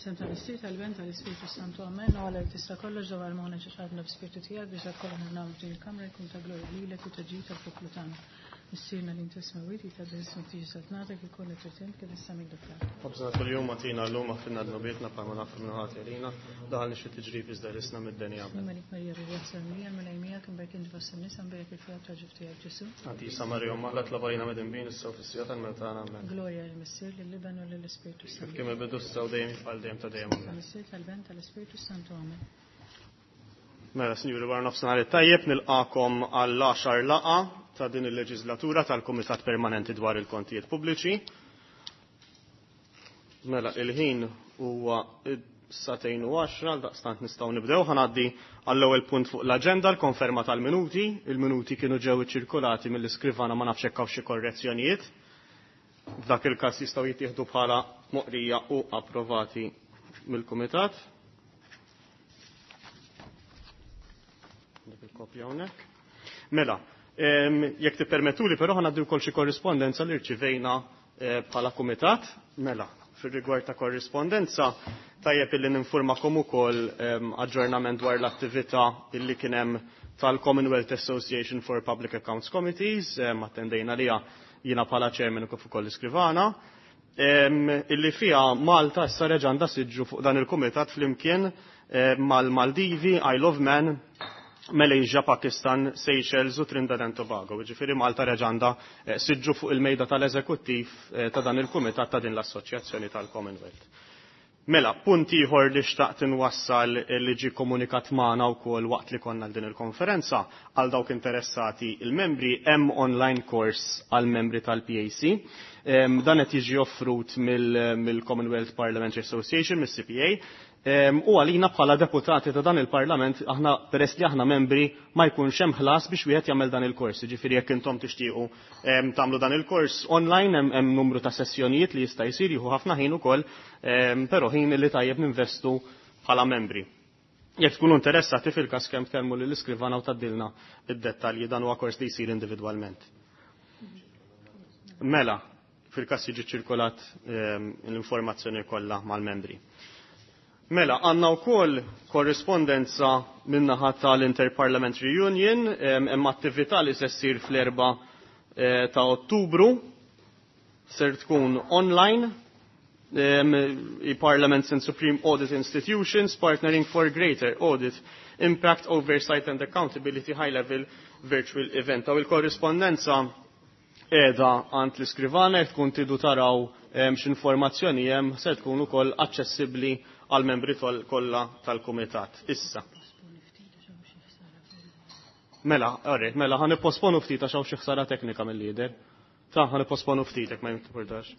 F'isem tal-Missier, tal-Iben, tal-Ispirtu Santu, Amen. U Alla li tista' kollox dawwar moħħna xi ħadna b'spirtu tiegħek biex dak kollu li nagħmlu f'din il-kamra jkun ta' glorja lilek u ta' ġid tal-poplu tagħna. Missierna li inti smewwiet jitqaddes ismek tiġi saltnatek ikun li trid int kif issa minn fl-art. Ħobżna kuljum agħtina llum aħfirna dnubietna bħalma naħfru minn ħati għalina, daħalni xi tiġrib iżda ħlisna mid-deni. Amen. Malik Marija Rivja Mija, Mulej miegħek imberk inti fost in-nisa mberek il-frott ta' ġuf tiegħek Ġesu. Qaddisa Marija Omm Alla tlob għalina midinbin issa u fis-siegħa tal-mewt tagħna. Amen. Glorja lill-Missier, lill-Iben u lill-Ispirtu Kif Santu. kien mill-bidu issa u dejjem għal dejjem ta' dejjem. Amen. Tal-Missier, tal-Ben, tal-Ispirtu Santu. Amen. Mela, sinjuri, wara nofsinhar it-tajjeb nilqakom għall-10 laqgħa ta' din il-leġislatura tal-Kumitat Permanenti dwar il-Kontijiet Pubbliċi. Mela, il-ħin huwa satejn u 10, daqstant nistgħu nibdew. Ħa ngħaddi għall-ewwel punt fuq l-aġenda, l-konferma tal-minuti. Il-minuti kienu ġew iċċirkulati mill-iskrivana, ma nafx hekk hawn xi korrezzjonijiet. F'dak il-każ jistgħu jittieħdu bħala moqrija u approvati mill-Kumitat. Dik il-kopja hawnhekk. Mela, jekk tippermettuli però ħa ngħaddi wkoll xi korrispondenza li rċivejna bħala kumitat. Mela, fir-rigward ta' korrispondenza, tajjeb illi ninformakom ukoll aġġornament dwar l-attività illi kien hemm tal-Commonwealth Association for Public Accounts Committees, attendejna liha jiena bħala chairman u kif ukoll l-iskrivana, illi fiha Malta issa reġa' għandha siġġu fuq dan il-kumitat flimkien mal-Maldivi, Isle of Man, Malaysia, Pakistan, Seychelles u Trinidad and Tobago. Ġifieri Malta reġa' għandha siġġu fuq il-mejda tal-eżekuttiv ta' dan il-kumitat ta' din l-assoċjazzjoni tal-Commonwealth. Mela, punt ieħor li xtaqt inwassal li ġie komunikat magħna wkoll waqt li konna din il-konferenza għal dawk interessati il-membri hemm online course għal membri tal-PAC. Dan qed jiġi offrut mill-Commonwealth Parliamentary Association, mill-CPA, u għalina bħala deputati ta' dan il-Parlament, aħna peress li aħna membri ma jkunx hemm ħlas biex wieħed jagħmel dan il-kors. Ġifieri jekk intom tixtiequ tagħmlu dan il-kors online hemm numru ta' sessjonijiet li jista' jsir jieħu ħafna ħin ukoll, però ħin li tajjeb ninvestu bħala membri. Jekk tkunu interessati fil-każ kemm tkellmu lill-iskrivana u tgħaddilna id-dettalji, dan huwa kors li jsir individwalment. Mela, fil-każ jiġi ċirkolat l-informazzjoni kollha mal-membri. Mela, għandna wkoll korrispondenza min-naħa tal-Interparliamentary Union, hemm attività li se ssir fl-4 ta' Ottubru, ser tkun online, i-Parliaments and Supreme Audit Institutions Partnering for Greater Audit Impact, Oversight and Accountability High Level Virtual Event. Aw il-korrispondenza qiegħda għand l-iskrivana, jekk tkun tridu taraw x'informazzjoni hemm, se tkun ukoll aċċessibbli għal membri kollha tal-kumitat. Issa. Mela, alright, mela ħa nipposponu ftit għax hawn xi ħsara teknika mill-lider. Ta' ħa nipposponu ftit jekk ma jimportax.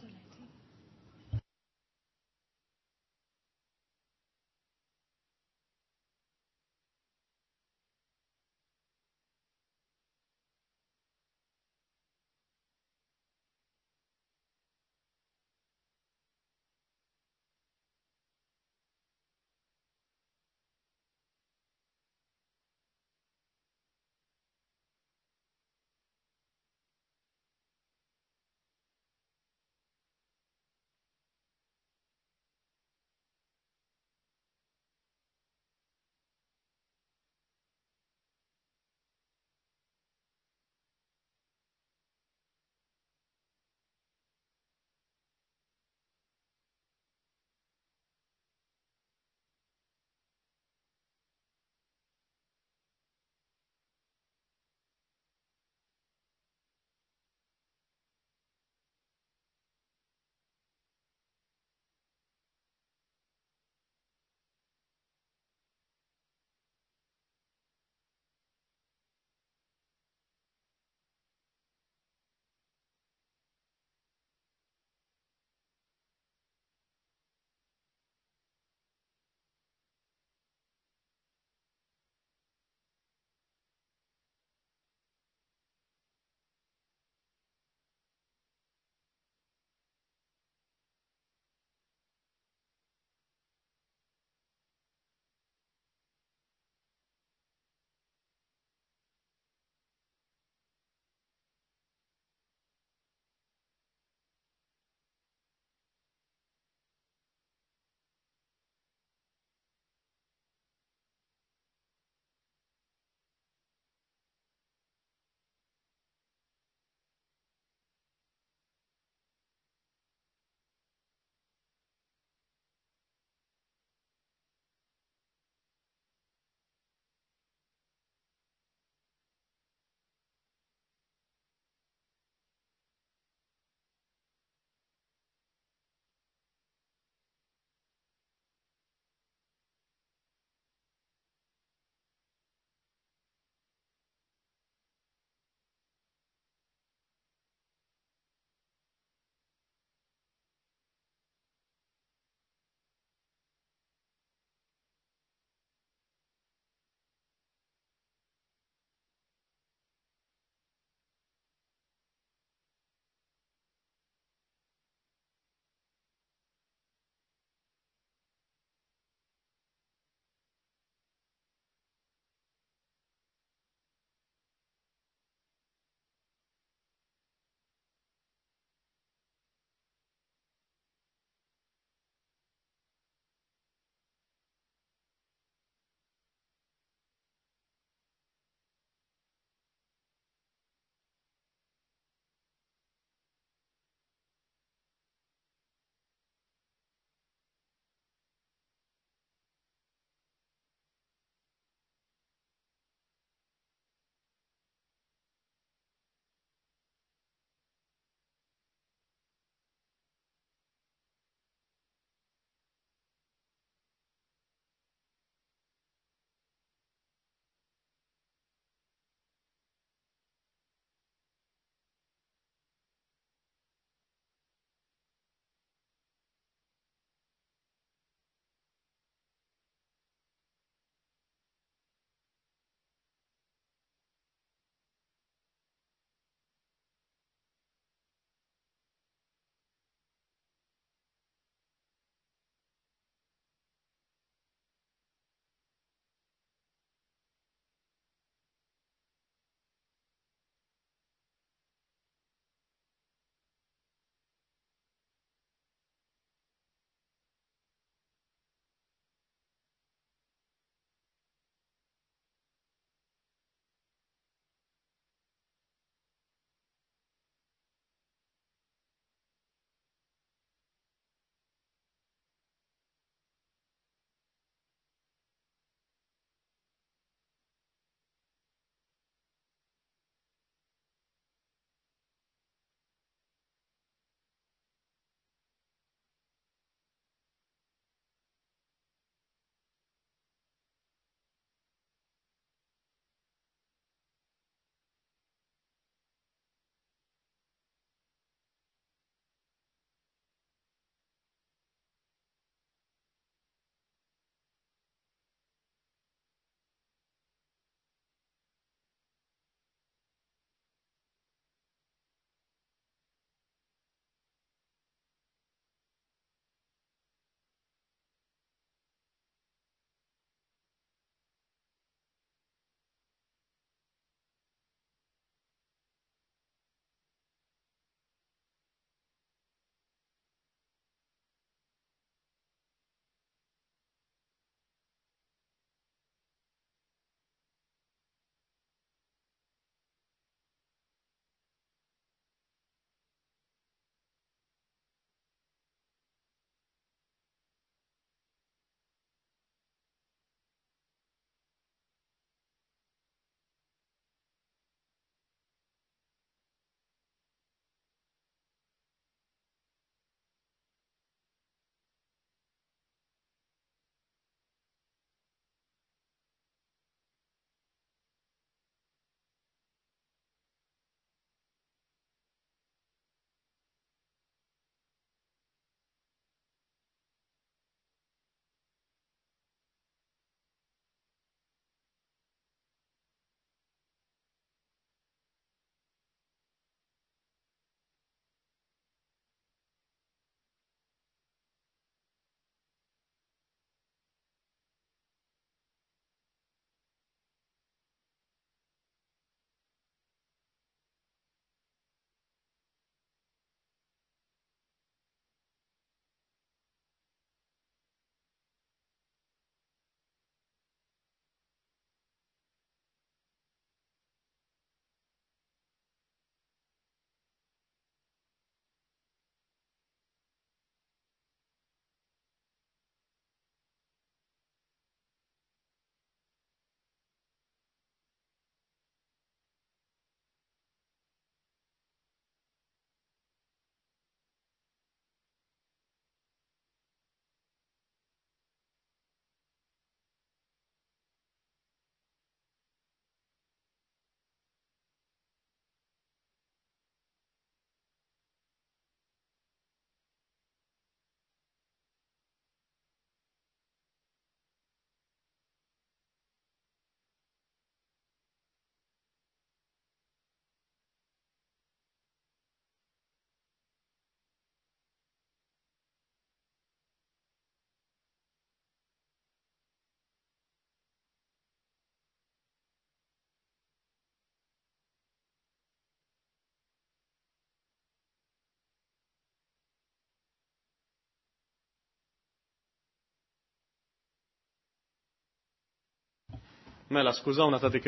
Mela, skużawna ta' dik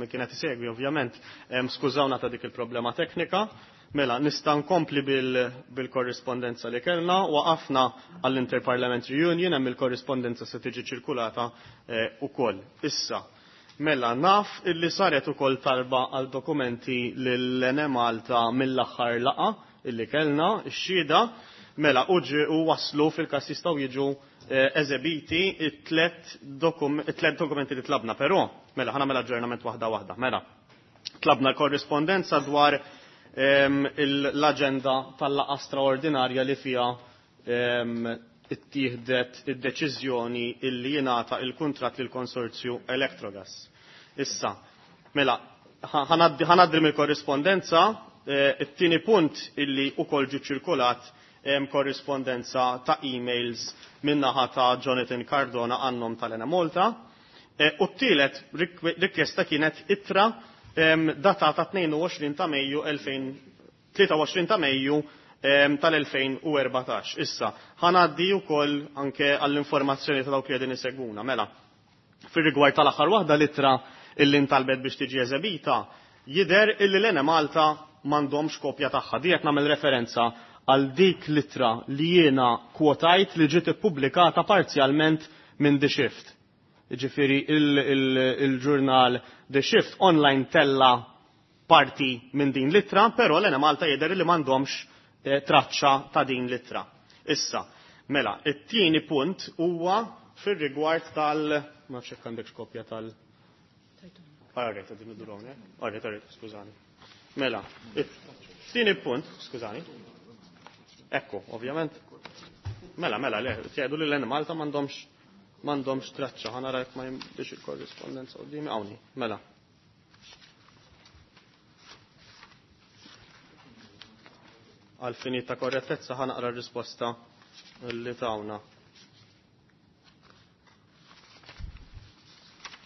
kienet isegwi ovvjament, skużawna ta' dik il-problema teknika. Mela, nista' nkompli bil-korrispondenza li kellna, waqafna għall-Interparliamentary Union, hemm il-korrispondenza se tiġi ċirkulata ukoll. Issa, mela, naf illi saret ukoll talba għal dokumenti lill-Enemalta mill-aħħar laqgħa illi kellna, ix-xhieda, mela, u waslu fil-każ jistgħu jiġu eżebiti it-tlet dokumenti li tlabna, però, mela, ħa nagħmel aġġornament waħda waħda, mela, tlabna l-korrispondenza dwar l-aġenda tal-laqgħa straordinarja li fiha ittieħdet id-deċiżjoni illi jingħata il-kuntratt lill-konsorzju Electrogas. Issa, mela, ħanaddi mill-korrispondenza, it-tieni punt illi ukoll ġie ċirkulat korrispondenza ta' emails min-naħa ta' Jonathan Cardona għannom tal-Enemalta. U t-tielet rikjesta kienet ittra datata 22 ta' Mejju 23 ta' Mejju tal-2014. Issa, ħanaddi wkoll anke għall-informazzjoni ta' dawk li qegħdin isegwuna. Mela, fir-rigward tal-aħħar waħda l-ittra illi ntalbet biex tiġi eżebita, jidher illi l-Enemalta m'għandhomx kopja tagħha. Di qed nagħmel referenza għal dik l-ittra li jiena kwotajt li ġiet ippubblikata parzjalment minn The Shift. Ġifieri il-ġurnal The Shift online tella parti minn din l-ittra, però l-Enemalta jidher li m'għandhomx traċċa ta' din l-ittra. Issa, mela, it-tieni punt huwa fir-rigward tal... Ma nafx jekk għandek kopja tal... Alright, għadin id hawnhekk. Alright, alright, skużani. Mela, it-tieni punt, skużani. Ekku, ovvjament. Mela, mela, le, tgħidu li l-Enemalta m'għandhomx traċċa, ħa nara jekk ma biex il-korrispondenza qudiemi hawnhi. Mela. Għal fini ta' korrettezza ħa naqra r-risposta li tawna.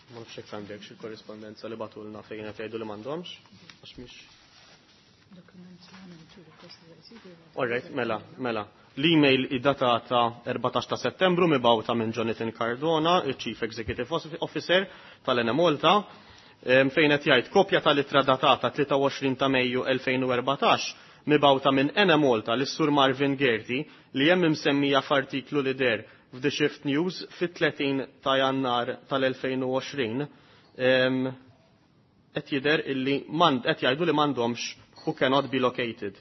Ma nafx hekk għandek xi korrispondenza li bagħtulna fejn qed jgħidu li m'għandhomx, għax mhix. All right, mela, mela. L-email id-datata 14 ta' settembru mibgħuta minn Jonathan Cardona, il-Chief Executive Officer tal-Enemalta, fejn qed jgħid kopja tal-ittra datata 23 ta' Mejju 2014 mibgħuta minn Enemalta lis-Sur Marvin Gerti li hemm imsemmija f'artiklu li der f'The Shift News fit-30 ta' Jannar tal-2020, qed jidher illi qed jgħidu li m'għandhomx who cannot be located.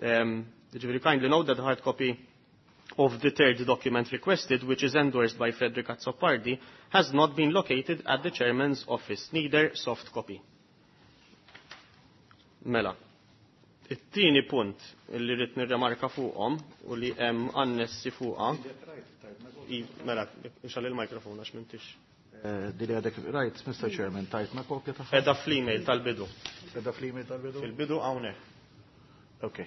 Ġifieri kindly note that the hard copy of the third document requested, which is endorsed by Frederick Azzopardi, has not been located at the chairman's office, neither soft copy. Mela. It-tieni punt li rrid nirremarka fuqhom u li hemm annessi fuqha. Mela, ixgħal il-mikrofon għax m'intix. Dili għadek rajt, Mr. Chairman, tajtna kopja tagħha? Edha fl-email tal-bidu. Edha fl-email tal-bidu? Fil-bidu hawnhekk. Ok.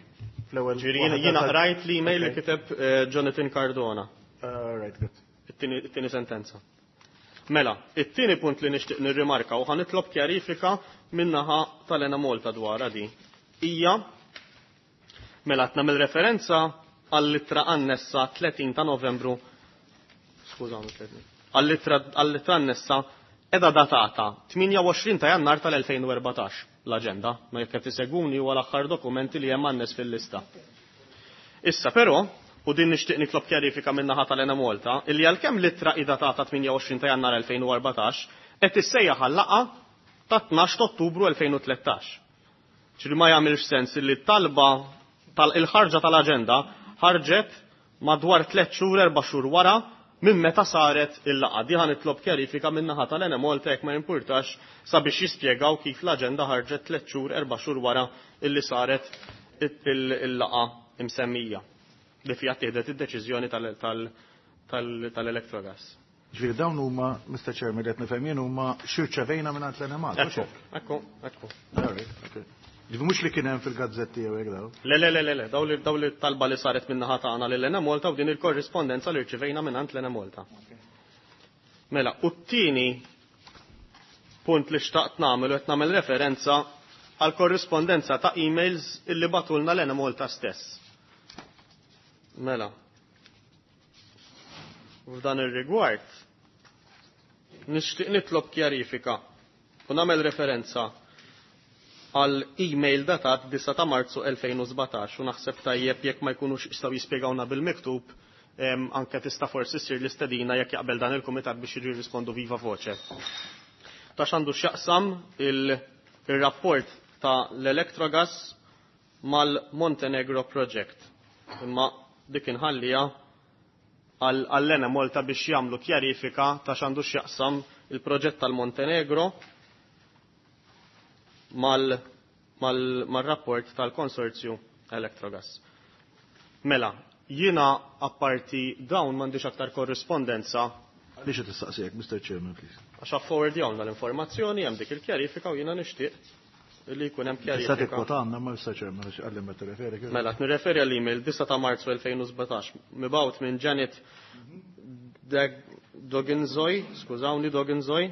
Fl-ewwel Ġifieri jiena qrajt l-email li kiteb Jonathan Cardona. Right, good. It-tieni sentenza. Mela, it-tieni punt li nixtieq nirrimarka u ħanitlob kjarifika min-naħa tal-Enemalta dwar di. Hija mela qed nagħmel referenza għall-ittra annessa 30 ta' Novembru. Skużawni, 30. Għall-ittra annessa edha datata 28 ta' Jannar tal-2014 l-aġenda, ma jekk qed isegwuni huwa l-aħħar dokumenti li hemm annes fil-lista. Issa però, u din nixtieq nitlob kjarifika min-naħa tal-Enemalta, illi għalkemm l-ittra hi datata 28 ta' Jannar 2014 qed issejjaħ għal-laqgħa ta' 12 ta' Ottubru 2013. Ġifieri ma jagħmilx sens illi t-talba tal-ħarġa tal-aġenda ħarġet madwar 3 xhur, 4 xhur wara minn meta saret il-laqgħa. Di ħa nitlob kjarifika min-naħa tal-Enemalta jekk ma jimpurtax sabiex jispjegaw kif l-aġenda ħarġet 3 xhur, 4 xhur wara illi saret il-laqgħa imsemmija li fiha ttieħdet id-deċiżjoni tal-Electrogas. Ġifieri dawn huma, Mr. Chairman, qed nifhem jien huma xirċevejna minn għand l-Enemalta. Ekku, ekku, ekku. All right, okay. Ġifieri mhux li kien hemm fil-gazzetti jew hekk daw. Le, le, le, le, le, daw li talba li saret minn naħa tagħna lil Enemalta u din il-korrispondenza li rċivejna minn għand l-Enemalta. Mela, u t-tieni punt li xtaqt nagħmel u qed nagħmel referenza għal korrispondenza ta' emails illi bagħtulna l-Enemalta stess. Mela. F'dan ir-rigward Nixtieq nitlob kjarifika u nagħmel referenza għal email datat 9 ta' Marzu 2017 u naħseb tajjeb jekk ma jkunux jistgħu jispjegawna bil-miktub anke tista' forsi ssir l-istedina jekk jaqbel dan il-kumitat biex jiġu jirrispondu viva voce. Ta' x'għandu x'jaqsam il-rapport ta' l-Electrogas mal-Montenegro Project. Imma dik inħallija għall-Ena Malta biex jagħmlu kjarifika ta' x'għandu x'jaqsam il-proġett tal-Montenegro mal-rapport tal-konsorzju Electrogas. Mela, jiena apparti dawn m'għandix aktar korrispondenza. Għaliex qed tistaqsijek, Mr. Chairman, please? Għax affordjawna l-informazzjoni, hemm dik il-kjarifika u jiena nixtieq li jkun hemm Tista' kjarifika. tikkwotanna ma Mr. Chairman għax għalli ma tirreferi. Mela, qed nirreferi għall-email 9 ta' Marzu 2017 mibgħut minn Janet Doginzoy, skużawni Doginzoy,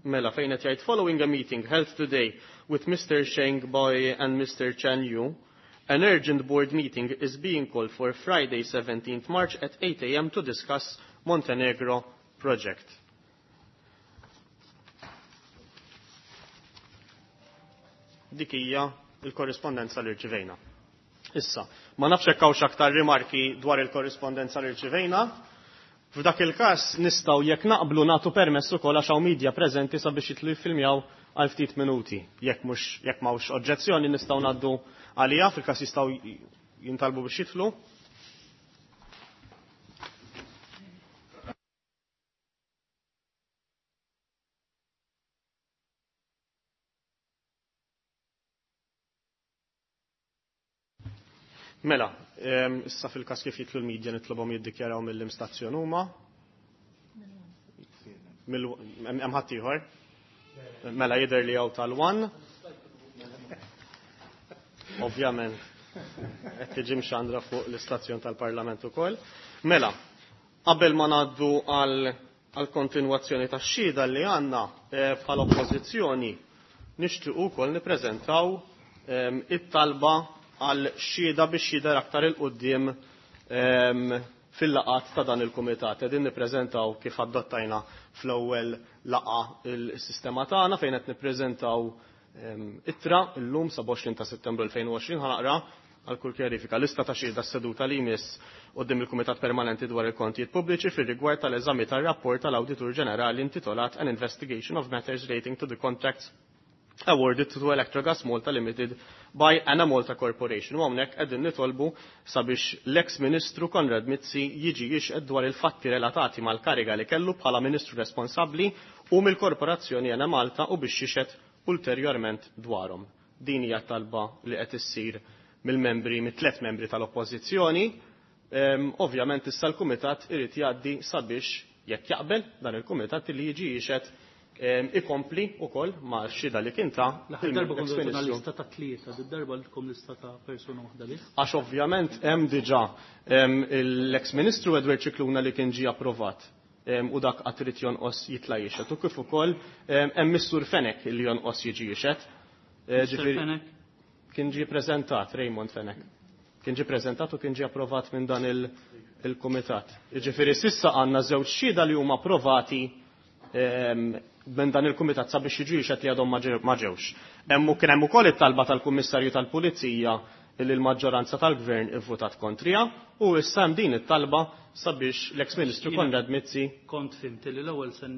mela fejn qed jgħid following a meeting held today with Mr. Sheng Boy and Mr. Chen Yu, an urgent board meeting is being called for Friday 17th March at 8 a.m. to discuss Montenegro project. Dik hija il-korrispondenza li rċivejna. Issa, ma nafx hekk hawnx aktar rimarki dwar il-korrispondenza li rċivejna. F'dak il-każ nistgħu jekk naqblu nagħtu permess ukoll għax hawn media preżenti sabiex jitlu jiffilmjaw għal ftit minuti. Jekk mhux jekk m'hawnx oġġezzjoni nistgħu ngħaddu għaliha fil-każ jistgħu jintalbu biex jitlu. Mela, issa fil-każ kif jitlu l-medja nitlobhom jiddikjaraw mill-imstazzjon huma. Hemm ħadd ieħor? Mela jidher li hawn tal-one. Ovvjament qed tiġi mxandra fuq l-istazzjon tal-Parlament ukoll. Mela, qabel ma ngħaddu għal kontinwazzjoni tax-xhieda li għandna bħala oppożizzjoni nixtiequ wkoll nippreżentaw it-talba għal xhieda biex jidher aktar il-quddiem fil-laqat ta' dan il-kumitat. Qegħdin nippreżentaw kif adottajna fl-ewwel laqa il-sistema tagħna fejn qed nippreżentaw ittra llum 27 ta' Settembru 2020 ħanaqra għal kull kjarifika. Lista ta' xhieda s-seduta li jmiss quddiem il-Kumitat Permanenti dwar il-Kontijiet Pubbliċi fir-rigward tal-eżami tar-rapport tal-Awditur Ġenerali intitolat An Investigation of Matters Relating to the Contracts Awarded to Electrogas Malta Limited by Enemalta Corporation. U hawnhekk qegħdin nitolbu sabiex l-ex Ministru Konrad Mizzi jiġi jixhed dwar il-fatti relatati mal-kariga li kellu bħala Ministru responsabbli u mill-Korporazzjoni Enemalta u biex jixhed ulterjorment dwarhom. Din hija talba li qed issir mill-membri, mit-tliet membri tal-Oppożizzjoni. Ovvjament issa l-Kumitat irid jgħaddi sabiex jekk jaqbel dan il-Kumitat li jiġi jixhed ikompli wkoll ma' xhieda li kien ta' L-aħħar darba kontu ex-ministru. lista ta' tlieta, did-darba lkom lista ta' persuna waħda biss. Għax ovvjament hemm diġà l-ex-ministru Edward Scicluna li kien ġie approvat u dak qatt irid jonqos jitla' jixhed u kif ukoll hemm Missur Fenech li jonqos jiġi jixhed. Mr. Ġifieri Fenech? Kien ġie preżentat Raymond Fenech. Kien ġie preżentat u kien ġie approvat minn dan il-kumitat. Ġifieri sissa għandna żewġ xhieda li huma approvati minn dan il-kumitat sabiex jiġu jixhed li għadhom ma ġewx. Hemm kien hemm ukoll it-talba tal-Kummissarju tal-Pulizija li l-maġġoranza tal-Gvern ivvutat kontrija u issa hemm din it-talba sabiex l-ex-Ministru Jiena Konrad Mizzi kont fimt li l-ewwel se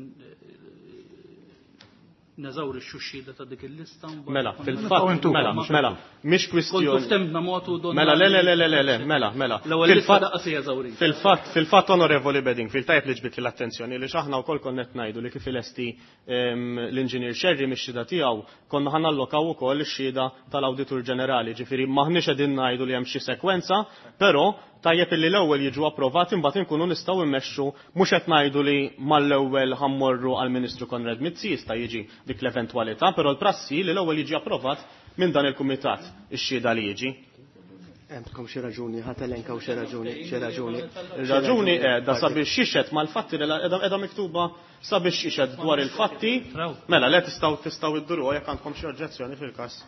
neżawri x-xhieda ta' dik il-lista mbagħad Mela, konna fil-fatt, nagħmlu. mela, mela, mhix kwistjoni. Kontu ftemna motu donna Mela, le, le, le, le, le, le, mela, mela. L-ewwel lista daqqa se jeżawri. Fil-fatt, Onorevoli Beding, fil-tajb li ġbit l-attenzjoni li xaħna wkoll konna qed ngħidu li kif ilesti l-Inġinier Scerri mix-xhieda tiegħu konna ħanallokaw ukoll ix-xhieda tal-Awditur Ġenerali, ġifieri maħniex qegħdin ngħidu li hemm xi sekwenza, però tajjeb illi l-ewwel jiġu approvati mbagħad inkunu nistgħu immexxu mhux qed ngħidu li mal-ewwel ħammorru għall-Ministru Konrad Mizzi jista' jiġi dik l-eventwalità, però l-prassi li l-ewwel jiġi approvat minn dan il-kumitat ix-xhieda li jiġi. Għandkom xi raġuni, ħadd elenkaw xi raġuni, xi raġuni. Ir-raġuni qiegħda sabiex jixhed mal-fatti li qiegħda miktuba sabiex jixhed dwar il-fatti. Mela, le tistgħu idduruha jekk għandkom xi oġġezzjoni fil-każ.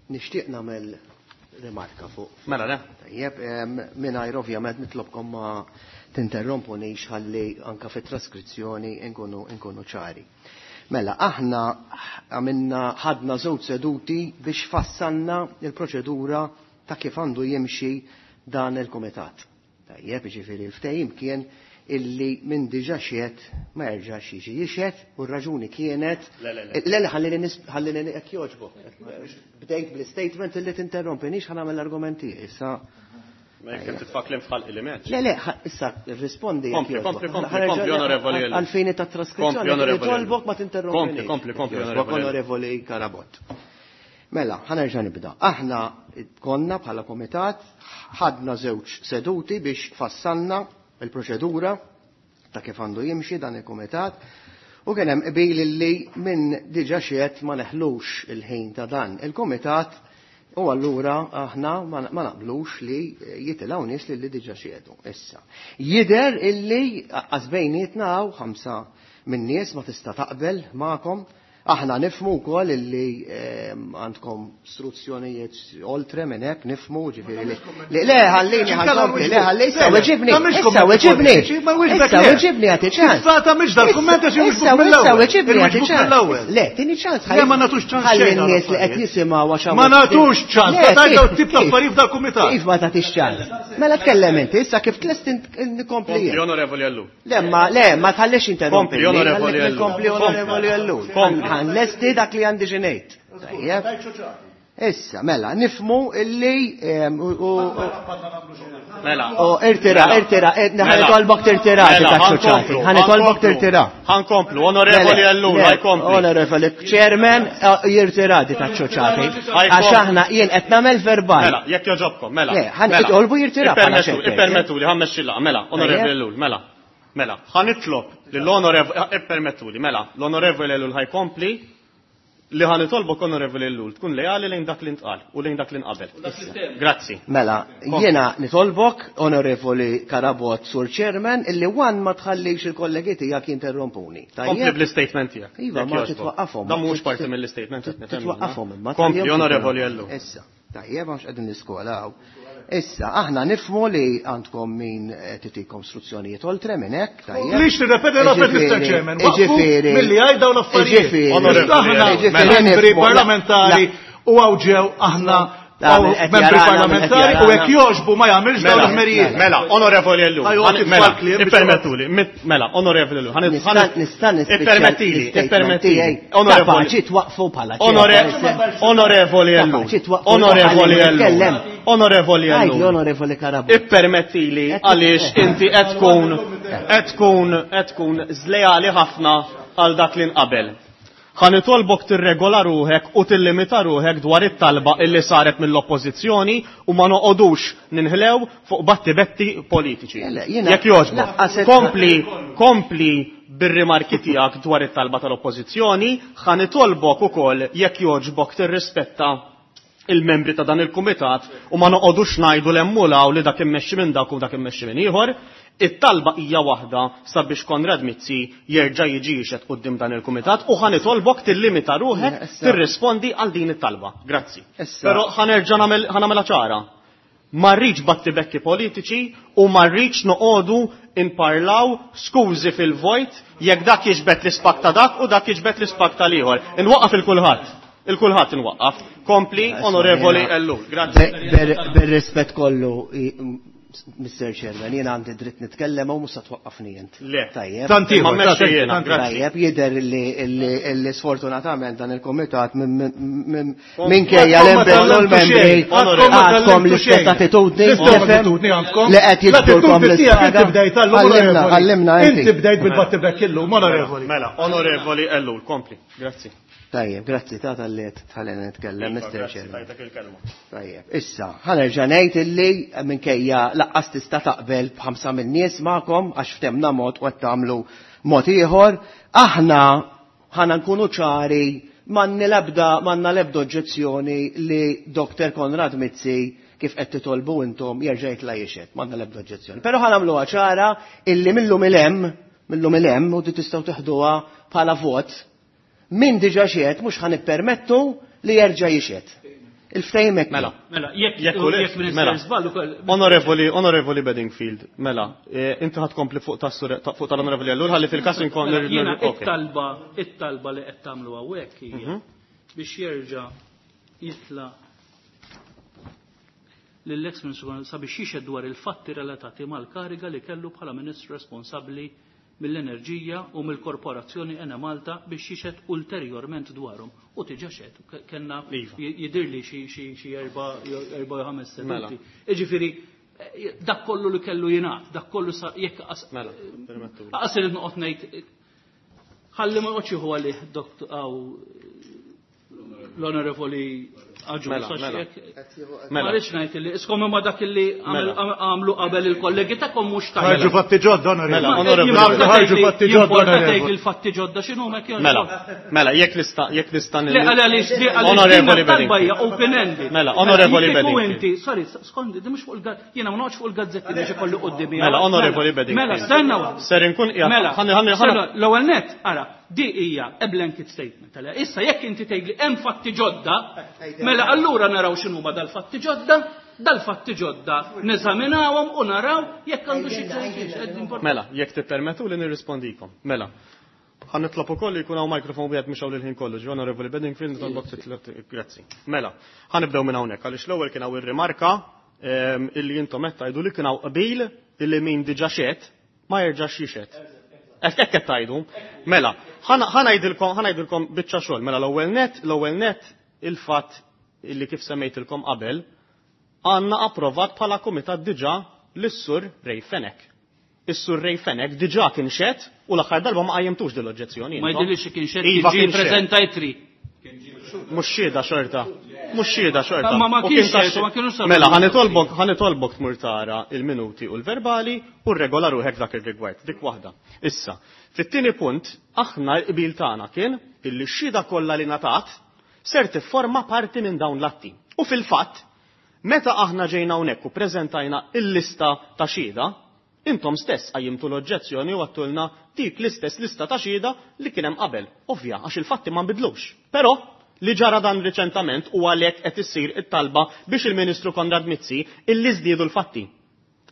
Nixtieq nagħmel rimarka fuq. Mela, le? Tajjeb, mingħajr ovvjament nitlobkom ma tinterrompunix ħalli anka fit-traskrizzjoni nkunu ċari. Mela, aħna għamilna ħadna żewġ seduti biex fassalna il-proċedura ta' kif għandu jimxi dan il-kumitat. Tajjeb, jiġifieri l-ftehim kien illi minn diġà xehed ma jerġax jiġi jixhed u r-raġuni kienet Le, le, le. Le, le, ħallini jekk jogħġbok. Bdejt bl-statement illi tinterrompinix ħa nagħmel l-argumenti issa. Ma jekk qed titfa' kliem f'ħalqi li m'hemmx. Le, le, issa rispondi jekk Kompli, jogħġbok. kompli, kompli, Ħanerġa' kompli, onorevoli Ellul. Għalfini ta' traskrizzjoni, Kompli, onorevoli Ellul. nitolbok ma tinterrompinix. Kompli, kompli, kompli, Jekk jogħġbok, onorevoli Ellul. onorevoli Carabott. Mela, ħanerġa' nibda. Aħna konna bħala komitat ħadna żewġ seduti biex fassalna il-proċedura ta' kif għandu jimxi dan il-komitat u kien hemm qbil li minn diġà xehed ma neħlux il-ħin ta' dan il-komitat u allura aħna ma naqblux li jitilgħu nies li diġà xehdu. Issa, jidher illi qas bejnietna hawn 5 minn nies ma tista' taqbel magħkom. Aħna nifmu wkoll illi għandkom struzzjonijiet oltre minn hekk, nifmu, ġifieri li li le, ħallini ħankompli, le, ħallini, issa weġibni, issa weġibni, issa weġibni għati ċans. Issa ta' mhix dal-kumment għax Issa, iwiġbuk mill-ewwel. issa weġibni għati Iwiġbuk ċans. mill-ewwel. Le, tini ċans, Le, ma nagħtux ċans ħalli xejn n-nies li qed għal-affarijiet. jisimgħu għax Ma hawn nagħtux ċans, Le, ma tgħid dawn kif- tip ta' kif- affarijiet f'dal-kumitat. Kif ma tagħtix ċans? Mela tkellem inti, issa kif tlest nkompli Kompli, jien. onorevoli Ellul. Le, ma, le, ma tħallix interrompi. Kompli, onorevoli Ellul. Kompli, onorevoli Ellul. Kompli. Ħanlesti dak li għandi ġinejt. Tajjeb. Issa, mela, nifmu illi, u Mela. U irtira, Mela. irtira, Mela. ħanitolbok tirtira, Mela, dik ħankomplu, ċoċati. Ħanitolbok ħankomplu. tirtira. Ħankomplu, onorevoli Le, Ellul, le, ħajkompli. Onorevoli Chairman, jirtira dik ċoċati. Ħajkompli. Għax aħna jien qed nagħmel verbal. Mela, jekk joġobkom, mela. Le, ħan Mela. itolbu jirtira bħala Ippermettu, xejn. ippermettu li ħammexxi l-laqgħa, mela, onorevoli Tajjeb. Ellul, mela. Mela, ħanitlob lill-onorevoli, ippermettu li, mela, l-onorevoli Ellul ħajkompli li ħanitolbok onorevoli Ellul tkun leali lejn dak li ntqal u lejn dak li nqabel. Grazzi. Mela, Kompli. jiena nitolbok, onorevoli Carabott, Sur Chairman, illi wan ma tħallix il-kollegi tiegħek jinterrompuni. Kompli Tajjeb? bl-istatement tiegħek. Iva, Jekk ma jogħġbok. titwaqqafhom. Dan mhux parti mill-istatement qed nifhem. Titwaqqafhom imma. Kompli, tħallihom onorevoli jinterrompu. Ellul. Issa, tajjeb, għax qegħdin l-iskola hawn. Issa, aħna nifmu li għandkom min titikom istruzzjonijiet oltre minn hekk, tajjeb. Lix nirrepeti l-affarijiet, Mr. Ġifieri, Chairman, waqfu ġifieri, milli għajd dawn l-affarijiet. ġifieri, Onorevoli, Aħna ġifieri membri nifmu, la- parlamentari la- u għaw ġew aħna La, għaw min qed membri jarana, min qed parlamentari u jarana. hekk jogħġbu ma jagħmilx dawn Mela, l-ħmerijiet. mela, onorevoli Ellul. Ħajju, għati Mela, tfal kliem biex ippermettuli, mela, onorevoli Ellul. Nista' nispiċċa Ippermettili, l-istatement ippermettili. tiegħi. Onorevoli. Kapaċi twaqfu bħala Onorevoli Ellul. Kapaċi twaqfu Onorevoli bħala Ellul. nitkellem. Onorevoli Għajdi, Ellul. onorevoli Carabott. Ippermettili għaliex inti qed tkun qed tkun qed tkun żlejali ħafna għal dak li nqabel. Ħa nitolbok tirregola ruħek u tillimita ruħek dwar it-talba illi saret mill-oppożizzjoni u ma noqogħdux ninħlew fuq battibetti politiċi. Le, le, jiena- Jekk jogħġbok, laqqas qed- kompli, kompli bir-rimarki tiegħek dwar it-talba tal-oppożizzjoni, ħa nitolbok ukoll jekk jogħġbok tirrispetta il-membri ta' dan il-kumitat u ma noqogħdux ngħidu l-emmulaw li dak immexxi minn dak u dak immexxi minn ieħor. It-talba hija waħda sabiex Konrad Mizzi jerġa' jiġi jixhed quddiem dan il-kumitat u ħa nitolbok tillimita ruħek Issa- tirrispondi għal din it-talba. Grazzi. Issa- Però ħa nerġa' nagħmel ħa nagħmilha ċara. Ma rridx battibekki politiċi u ma rridx noqogħdu inparlaw skużi fil-vojt jekk dak jiġbed l-ispak ta' dak u dak jiġbed l-ispak tal-ieħor. Inwaqqaf il-kulħadd. Il-kulħadd inwaqqaf. Kompli, Isma' onorevoli jiena- Ellul. Grazzi. Bir-rispett kollu, Mr. Chairman, jiena għandi dritt nitkellem u mhux se twaqqafni int. Le. Tajjeb. Tant ieħor, Ma mmexxi tant- jiena, tant- grazzi. Tajjeb, jidher li sfortunatament dan il-komitat minkejja Għadkom ma l-impenn u tgħallimtu l-membri xejn, għadkom ma għadkom tgħallimtu l-istess xejn. attitudni, L-istess tifhem? attitudni għandkom. Li qed jiġbdulkom L-attitudni tiegħek l-istraga. inti bdejt għallum, Għallimna, onorevoli. għallimna Inti inti. bdejt bil-battibek illum, onorevoli. Mela, onorevoli Ellul, kompli. Grazzi. Tajjeb, grazzi ta' tal-li tħallina nitkellem, Iva, Mr. grazzi, Chairman. tajtek il-kelma. Tajjeb, issa, ħanerġa' ngħid illi minkejja laqqas tista' taqbel b'ħamsa min-nies magħkom għax ftemna mod u qed tagħmlu mod ieħor, aħna ħana nkunu ċari m'għandna l-ebda oġġezzjoni li Dr. Konrad Mizzi kif qed titolbu intom jerġa' jitla' jixhed, m'għandna l-ebda oġġezzjoni. Però ħa nagħmluha ċara illi millum il-hemm, millum il-hemm u tistgħu teħduha bħala vot. Min diġà xehed mhux ħa nippermettu li jerġa' jixhed. Il-ftehim hekk. Mela. Mela, jekk Jekk u le, jekk mela. Minister żball ukoll. Onorevoli, Onorevoli Bedingfield, mela, inti ħad kompli fuq fuq tal-Onorevoli Ellul, ħalli fil-każ inkun Mela, jiena ok. it-talba li qed tagħmlu hawnhekk hija biex jerġa' jitla' lill-ex Ministru sabiex jixhed dwar il-fatti relatati mal-kariga li kellu bħala Ministru responsabbli mill-enerġija u mill-korporazzjoni Enemalta biex jixhed ulterjorment dwarhom. U diġà xehed, kellna Iva. jidirli xi erba' jew ħames seduti. Mela. Jiġifieri, dak kollu li kellu jingħad, dak kollu sa jekk Mela, permettu. Aqas irid noqgħod ngħid, ħalli ma noqgħodx jieħu għalih dott għaw l-Onorevoli Agius, Mela, għax mela. jekk Mela. Ma rridx ngħid li iskom imma dak li Mela. għamlu qabel il-kollegi tagħkom mhux tajjeb. Ħarġu fatti ġodda, onorevoli. Mela, Ma- onorevoli. jimporta Ħarġu tgħid li- fatti ġodda, jimporta tgħid onorevoli. li l-fatti ġodda x'inhu hekk jew Mela, x'inhu? mela, jekk nista', jekk nista' Le, għaliex di- għaliex Onorevoli din it-talba hija Bedingfield. open-ended. Mela, Onorevoli Jekk ikun Bedingfield. inti, sorry, skondi, di mhux fuq il-gazzetti, jiena ma noqgħodx fuq il-gazzetti biex ikolli qudiemi. Mela, Onorevoli Mela, Bedingfield. Mela, stenna waħda. Ser inkun qiegħed- Mela, ħalli- ħalli- ħalli- stenna, l-ewwel net, ara, di hija a blanket statement. Għalha, issa jekk inti tgħidli hemm fatti ġodda, mela allura naraw x'inhuma dal-fatti ġodda, dal-fatti ġodda neżaminawhom u naraw jekk għandu xi ġodda. Mela, jekk tippermettu li nirrispondikom. Mela, ħa nitlob ukoll li jkun hawn mikrofon wieħed mhux hawn il-ħin kollu, ġi Onorevoli Bedingfield, nitolbok titlob grazzi. Mela, ħa nibdew minn hawnhekk għaliex l-ewwel kien hawn ir-rimarka illi intom qed tgħidu li kien hawn qbil illi min diġà xehed ma jerġax jixhed. Hekk hekk qed tgħidu. Mela, ħa ngħidilkom, ħa ngħidilkom biċċa xogħol. Mela l-ewwel net il-fatt illi kif semmejtilkom qabel għandna approvat bħala kumitat diġà lis-Sur Ray Fenech. Is-Sur Ray Fenech diġà kien xehed u l-aħħar darba ma qajjimtux din l-oġġezzjoni. Ma intom. jidhirlix li kien xehed, Iva, kien ġie kien xehed. ppreżenta itri. Mhux xhieda xorta. Mhux xhieda xorta. Ma ma U kienx kien ta' xehed, u ma kienux saru Mela, minuti. ħa nitolbok tmur tara il-minuti u l-verbali u rregola ruħek dak ir-rigward. Dik waħda. Issa, fit-tieni punt, aħna l-qbil tagħna kien illi x-xhieda kollha li ngħatat ser tifforma parti minn dawn l-atti. U fil-fatt, meta aħna ġejna hawnhekk u preżentajna il-lista ta' xhieda, intom stess qajjimtu l-oġġezzjoni u għattulna dik l-istess lista ta' xhieda li kien hemm qabel. Ovvja, għax il-fatti ma nbidlux. Però li ġara dan riċentament u għalhekk qed issir it-talba biex il-Ministru Konrad Mizzi illi żdiedu l-fatti.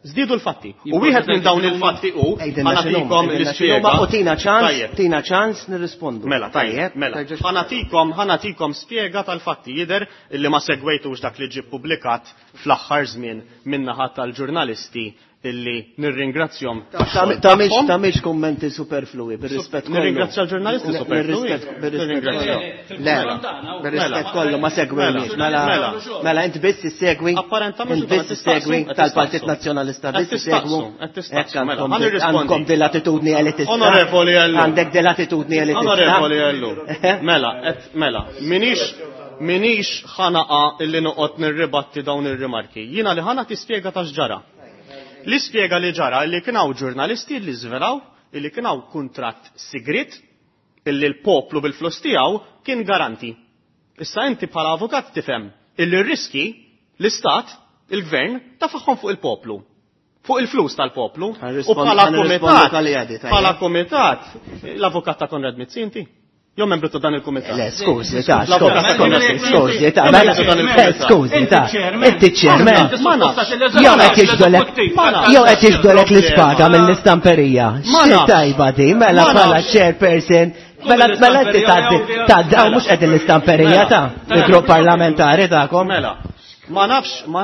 Żdiedu l-fatti. U wieħed minn dawn il-fatti hu Għidilna x'inhuma, ħa nagħtikom għidilna l-ispjega. x'inhuma u tina ċans, Tajjeb. tina ċans nirrispondu. Mela, tajjeb, mela. Terġax- Ħa nagħtikom spjega tal-fatti jidher illi ma segwejtux dak li ġie ppubblikat fl-aħħar żmien min-naħa tal-ġurnalisti illi nirringrazzjahom tax-xogħol tagħhom. Tagħmilx kummenti superflui, bir-rispett kollu. Nirringrazzja l-ġurnalisti superflui. Bir-rispett Nirringrazzja. kollu. Le, Mela. bir-rispett kollu ma segwejniex. Mela. Mela, mela int biss issegwi. Apparentament Int biss qed issegwi tistaqsu, qed tal-Partit tistaqsu. Nazzjonalista Qed biss issegwu. tistaqsu, qed tistaqsu, Hekk mela, għandkom ħa nirrispondi. għandkom din l-attitudni elitista. Onorevoli Ellul. Għandek din l-attitudni elitista. Onorevoli Ellul. Mela, et, mela, minix ħanaqa illi noqgħod nirribatti dawn ir-rimarki. Jiena li ħana tispjega ta' x'ġara. Li spjega li ġara illi kien hawn ġurnalisti li żvelaw illi kien hawn kuntratt sigrit illi l-poplu bil-flus tiegħu kien garanti. Issa inti bħala avukat tifhem illi r-riski l-istat, il-gvern, tafaħħom fuq il-poplu. Fuq il-flus tal-poplu. U bħala Ħa nirrispondu kumitat, kalli għadi, tajjeb. bħala kumitat, l-avukat ta' Konrad Mizzi inti? Jew membru ta' dan il-kumitat? Le, skużi, ta' L-avukat ta' Konrad skużi, Mizzi. skużi, ta' Jew mela, membru ta' dan il-kumitat? skużi, ta' inti chairman. Ma nafx. Jew qed jiġdolek, Ma nafx. jew qed jiġdolek l-ispaga mill-istamperija. Ma Xi nafx. tajba di, mela Ma bħala nafx. chairperson, mela mela inti tgħaddi tgħaddi hawn mhux qegħdin l-istamperija ta' il-grupp parlamentari tagħkom. Mela, ma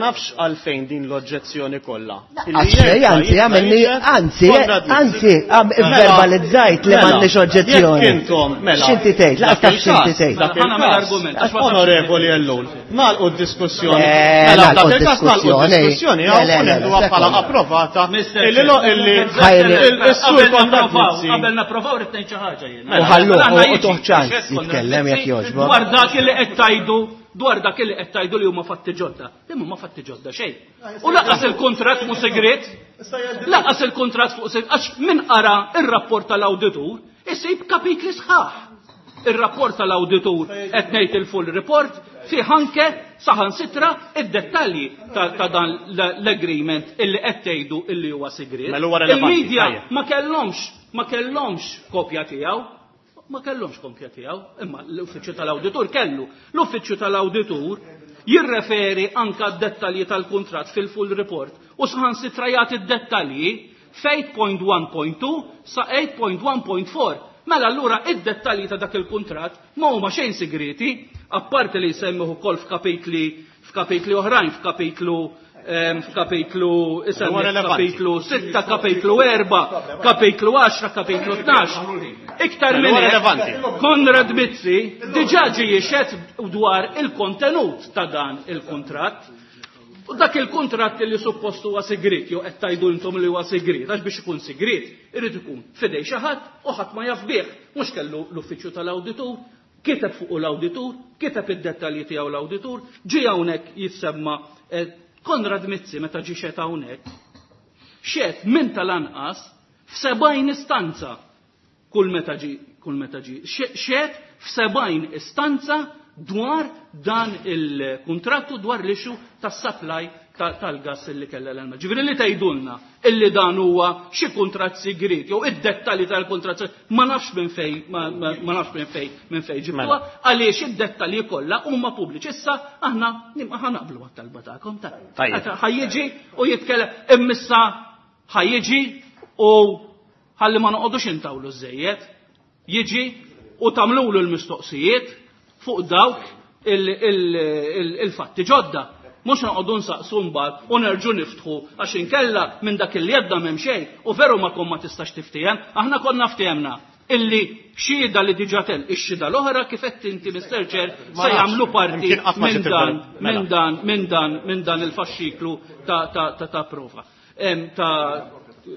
nafx għalfejn din l-oġġezzjoni kollha. Illi Għax xej, jerġa' anzi, jitla' għamilni, jixhed anzi, Konrad Mizzi. anzi, Mela, verbalizzajt li mela, m'għandniex oġġezzjoni. Jekk intom, mela. X'inti tgħid? dak Laqas taf x'inti il-każ, tgħid. dak Ħa nagħmel il-każ. argument, għax ma tafx Onorevoli Ellul, nagħlqu d-diskussjoni. Eh, Mela, nagħlqu dak il-każ nagħlqu d-diskussjoni. d-diskussjoni, Le, hawn le, le, neħduha le, bħala sekonda. approvata. Mr. Illi lo- illi Ħajri. il-sur Qabel Konrad napprovaw, Mizzi. qabel napprovaw rrid ngħid xi ħaġa jiena. U ħalluh, Mela, aħna u jiġi tuħ ċans xed Konrad jitkellem jekk Mizzi jogħġbok. Dwar dak li qed tgħidu, dwar dak li qed tgħidu li huma fatti ġodda. Imma ma fatti ġodda xejn. U lanqas il-kuntratt mhu segret. Lanqas il-kuntratt fuq segret għax min qara ir-rapport tal-awditur isib kapitli sħaħ. Ir-rapport tal-awditur qed ngħid il-full report fih anke saħansitra id-dettalji ta' dan l-agreement illi qed tgħidu illi huwa segret. Mela huwa relevanti, Il-media tajjeb. ma kellhomx kopja tiegħu. Ma kellhomx kopja tiegħu, imma l-uffiċċju tal-awditur kellu. L-uffiċċju tal-awditur jirreferi anka d-dettalji tal-kuntratt fil-full report u saħansitra jagħti d-dettalji f'8.1.2 sa 8.1.4. Mela allura id-dettalji ta' dak il-kuntratt ma huma xejn segreti, apparti li jsemmuh ukoll f'kapitli oħrajn, f'kapitlu f'kapitlu Huwa relevanti. kapitlu 6, kapitlu 4, kapitlu 10, kapitlu 12. Iktar Mela minn huwa hekk, relevanti. Konrad Mizzi diġà ġie jixhed dwar il-kontenut ta' dan il-kuntratt. U dak il-kuntratt li suppost huwa sigriet, jew qed tgħidu intom li huwa sigriet, għax biex ikun sigriet, irid ikun fidej xi ħadd u ħadd ma jaf bih. Mhux kellu l-uffiċċju tal-awditur, kiteb fuq l-awditur, kiteb id-dettalji tiegħu l-awditur, ġie hawnhekk jissemma Konrad Mizzi meta ġie xed hawnhekk, xed minn tal-anqas f'70 istanza kull meta ġi, kull meta ġi. Xed f'70 istanza dwar dan il-kontrattu dwar l-issue tas-supply tal-gas illi kellha l-Enemalta. Ġifieri li tgħidulna illi dan huwa xi kuntratt sigriet jew id-dettalji tal-kuntratt ma nafx minn fej, ma, ma, ma nafx minn fej, minn fej ġibtuha, Mela. għaliex id-dettalji kollha huma pubbliċi. Issa aħna nibqa' ħanaqblu għat-talba tagħkom ta' Tajjeb. Ħajjiġi u jitkellem immissa ħajjiġi u ħalli ma noqogħdux intawlu żejjed, jiġi u tagħmlulu l-mistoqsijiet fuq dawk il-fatti ġodda. Mhux noqogħdu nsaqsu mbagħad u nerġu niftħu għax inkella minn dak li jebda m'hemm xejn u veru ma kon ma tistax tiftiehem, aħna konna ftehemna illi xhieda li diġà tel ix-xhieda l-oħra kif qed inti Mr. Chair Ma se nafx. jagħmlu parti Imkien qatt ma minn ġiet dan, il-ver- mela. minn dan, minn dan, minn dan il-faxxiklu ta' prova. Ta'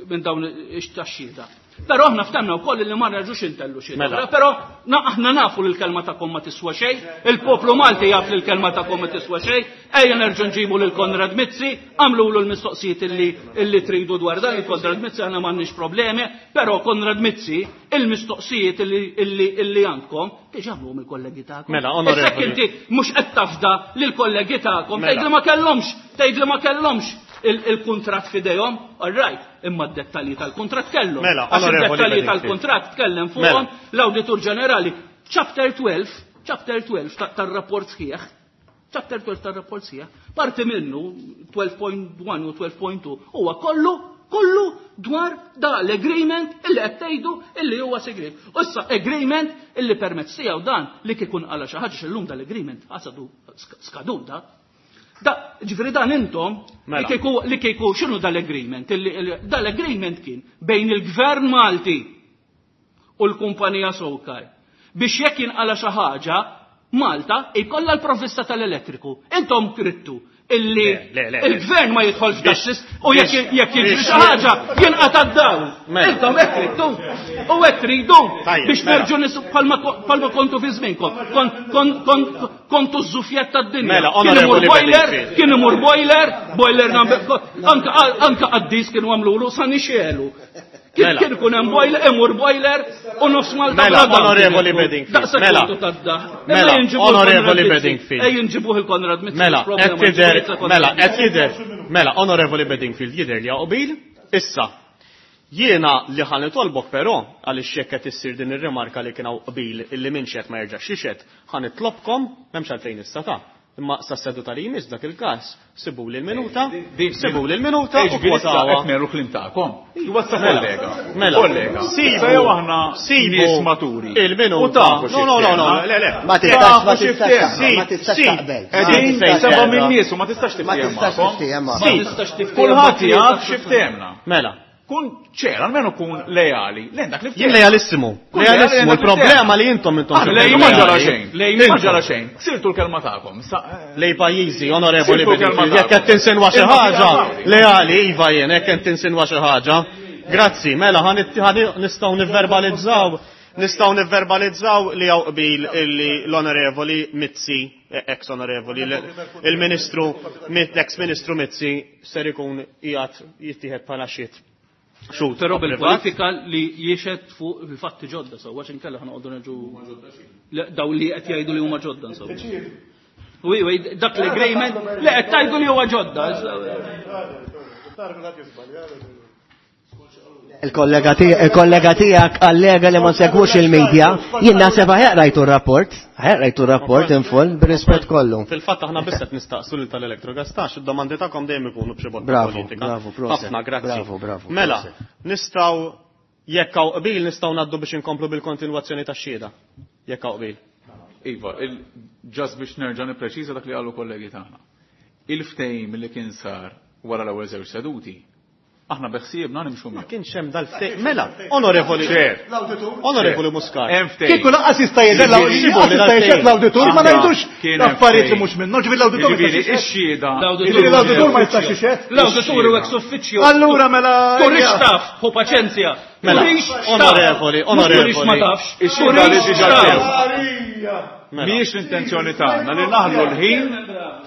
minn dawn ix-taxxida. Però aħna ftemna wkoll li ma nerġux intellu xi Mela. oħra, però aħna nafu li l-kelma tagħkom ma tiswa xejn, il-poplu Malti jaf li l-kelma tagħkom ma tiswa xejn, ejja nerġgħu nġibu lil Konrad Mizzi, għamlulu l-mistoqsijiet illi tridu dwar dan, il-Konrad Mizzi aħna m'għandniex problemi, però Konrad Mizzi il-mistoqsijiet illi għandkom diġà għamluhom il-kollegi tagħkom. Mela, Issa onorevoli. inti mhux qed tafda lill-kollegi tagħkom, Mela. tgħid li ma kellhomx, tgħid li ma kellhomx il-kuntratt fidejhom, all right, imma d-dettalji tal-kuntratt kellhom. Mela, Għax onorevoli id-dettalji Bedingfield. tal-kuntratt tkellem Mela. fuqhom l-Awditur Ġenerali. Chapter 12, chapter 12 tar-rapport sħiħ, chapter 12 tar-rapport sħiħ, parti minnu 12.1 u 12.2 huwa kollu dwar da l-agreement illi qed tgħidu illi huwa segret. U issa agreement illi permezz tiegħu dan li kikun qala xi ħaġa x'illum dal-agreement għasadu skadut da. Da, ġifieri dan intom, Mela. li kieku x'inhu dal-agreement? Dal-agreement kien bejn il-Gvern Malti u l-kumpanija SOCAR biex jekk jinqala xi ħaġa, Malta jkollha l-provvista tal-elettriku. Intom krittu illi Le, le, le, le. il-gvern ma jidħolx f'daxxis u jekk jiġri Biex xi ħaġa jinqata' d-dawl. Mela. Intom hekk tridtu u hekk tridu Tajjeb, biex mela. nerġgħu nisu bħalma kontu fi żmienkom. Kontu ż-żufjett tad-dinja. Mela, Kien imur onorevoli boiler, Bedingfield. kien imur boiler, boiler number, anka qaddis kienu għamlulu sa nixelu. Kien Mela. kien ikun hemm boiler, imur boiler u nofs Malta Mela, bla dawl onorevoli kien ikun. Bedingfield, Daqshekk mela. kontu tad-daħ. Mela, Ejja nġibuh onorevoli il-Konrad Mizzi. Bedingfield. Ejja nġibuh il-Konrad Mizzi, Mela, mhux problema, qed jidher, nġibuh il-Konrad mela, Mizzi. qed jidher, mela, onorevoli Bedingfield jidher li qbil, issa. Jiena li ħa nitolbok però, għaliex jekk qed issir din ir-rimarka li kien hawn qbil illi min xed ma jerġax jixhed, ħa nitlobkom, m'hemmx għalfejn issa ta' imma sa seduta li jmiss dak il-każ, sibu li l-minuta, sibu li l-minuta u kwotawa. Qed nerru klim tagħkom. Iwa sa Mela, kollega. mela. Kollega. Sibu, Issa jew aħna sibu nies maturi. il-minuta. U tafu No, no, no, no, xi le, le. Ma tistax, Tafu ma xi tistax, ftehim. ma tistax Si, taqbel. Ma Qegħdin tistax seba' taqbel. minn nies u ma tistax Ma tiftiehem tistax magħhom. tiftiehem Ma magħhom. tistax tiftiehem Kulħadd ma jaf tistax xi ftehemna. Mela. Kun ċer, almenu kun lejali. Lejn dak li Jien ftehemna. lejalissimu. Kun lejali Lejalissimu. lejn dak li Il-problema ftehemna. li intom intom Ah, xi lej ma ġara lejali. xejn. Lej ma ġara xejn. Sirtu l-kelma tagħkom. Lej pajjiżi, onorevoli Sirtu l-kelma Bedingfield, jekk qed tagħkom. tinsinwa xi Imma ħaġa, fija leali, iva jien, jekk qed tinsinwa xi ħaġa. Grazzi, mela nistgħu nivverbalizzaw, nistgħu nivverbalizzaw li hawn qbil illi l-onorevoli Mizzi, ex onorevoli, il-ministru, ex-ministru Mizzi ser ikun qiegħed jittieħed bħala xhied. Xhud Però privat. bil-politika li jiexed fuq il-fatti ġodda sewwa għax inkella ħanoqogħdu nerġu Le, daw li qed jgħidu li huma ġodda insomma. Wi, wi, dak l-agreement li qed tgħidu li huwa ġodda. Il-kollega tiegħek allega li ma nsegwux il-medja, jien naħseb aħjar rajtu r-rapport, aħjar rajtu r-rapport in full bir-rispett kollu. Fil-fatt aħna biss qed nistaqsu lil tal-Electrogas tax id-domandi tagħkom dejjem ikunu b'xi botta Bravo, politika. bravo, proset. Ħafna grazzi. Bravo, bravo, Mela, proset. nistgħu jekk hawn qbil nistgħu ngħaddu biex inkomplu bil-kontinwazzjoni tax-xhieda. Jekk hawn qbil. Iva, ġas biex nerġa' nippreċiża dak li qalu kollegi tagħna. Il-ftehim li kien sar wara l-ewwel żewġ seduti, aħna beħsiebna nimxu Ma miegħu. kienx hemm dal-ftehim. Mela, onorevoli. Chair. Onorevoli Muscat. Hemm ftehim. Kieku lanqas jista' jgħid Ġibu li jista' jgħid l-awditur ma Aħna ngħidux kien hemm affarijiet li ftehim. mhux minnhom, ġifieri l-awditur ma Jiġifieri jistax jixhed. ix-xhieda. Jiġifieri l-awditur ma jistax jixhed. L-awditur u ex uffiċċju. Allura mela Turix taf, hu paċenzja. Mela, Turix taf. onorevoli, Mhux Turix onorevoli. ma tafx. Ix-xhieda li Turix diġà taf. ġew. Mela. Mhijiex l-intenzjoni tagħna li naħlu l-ħin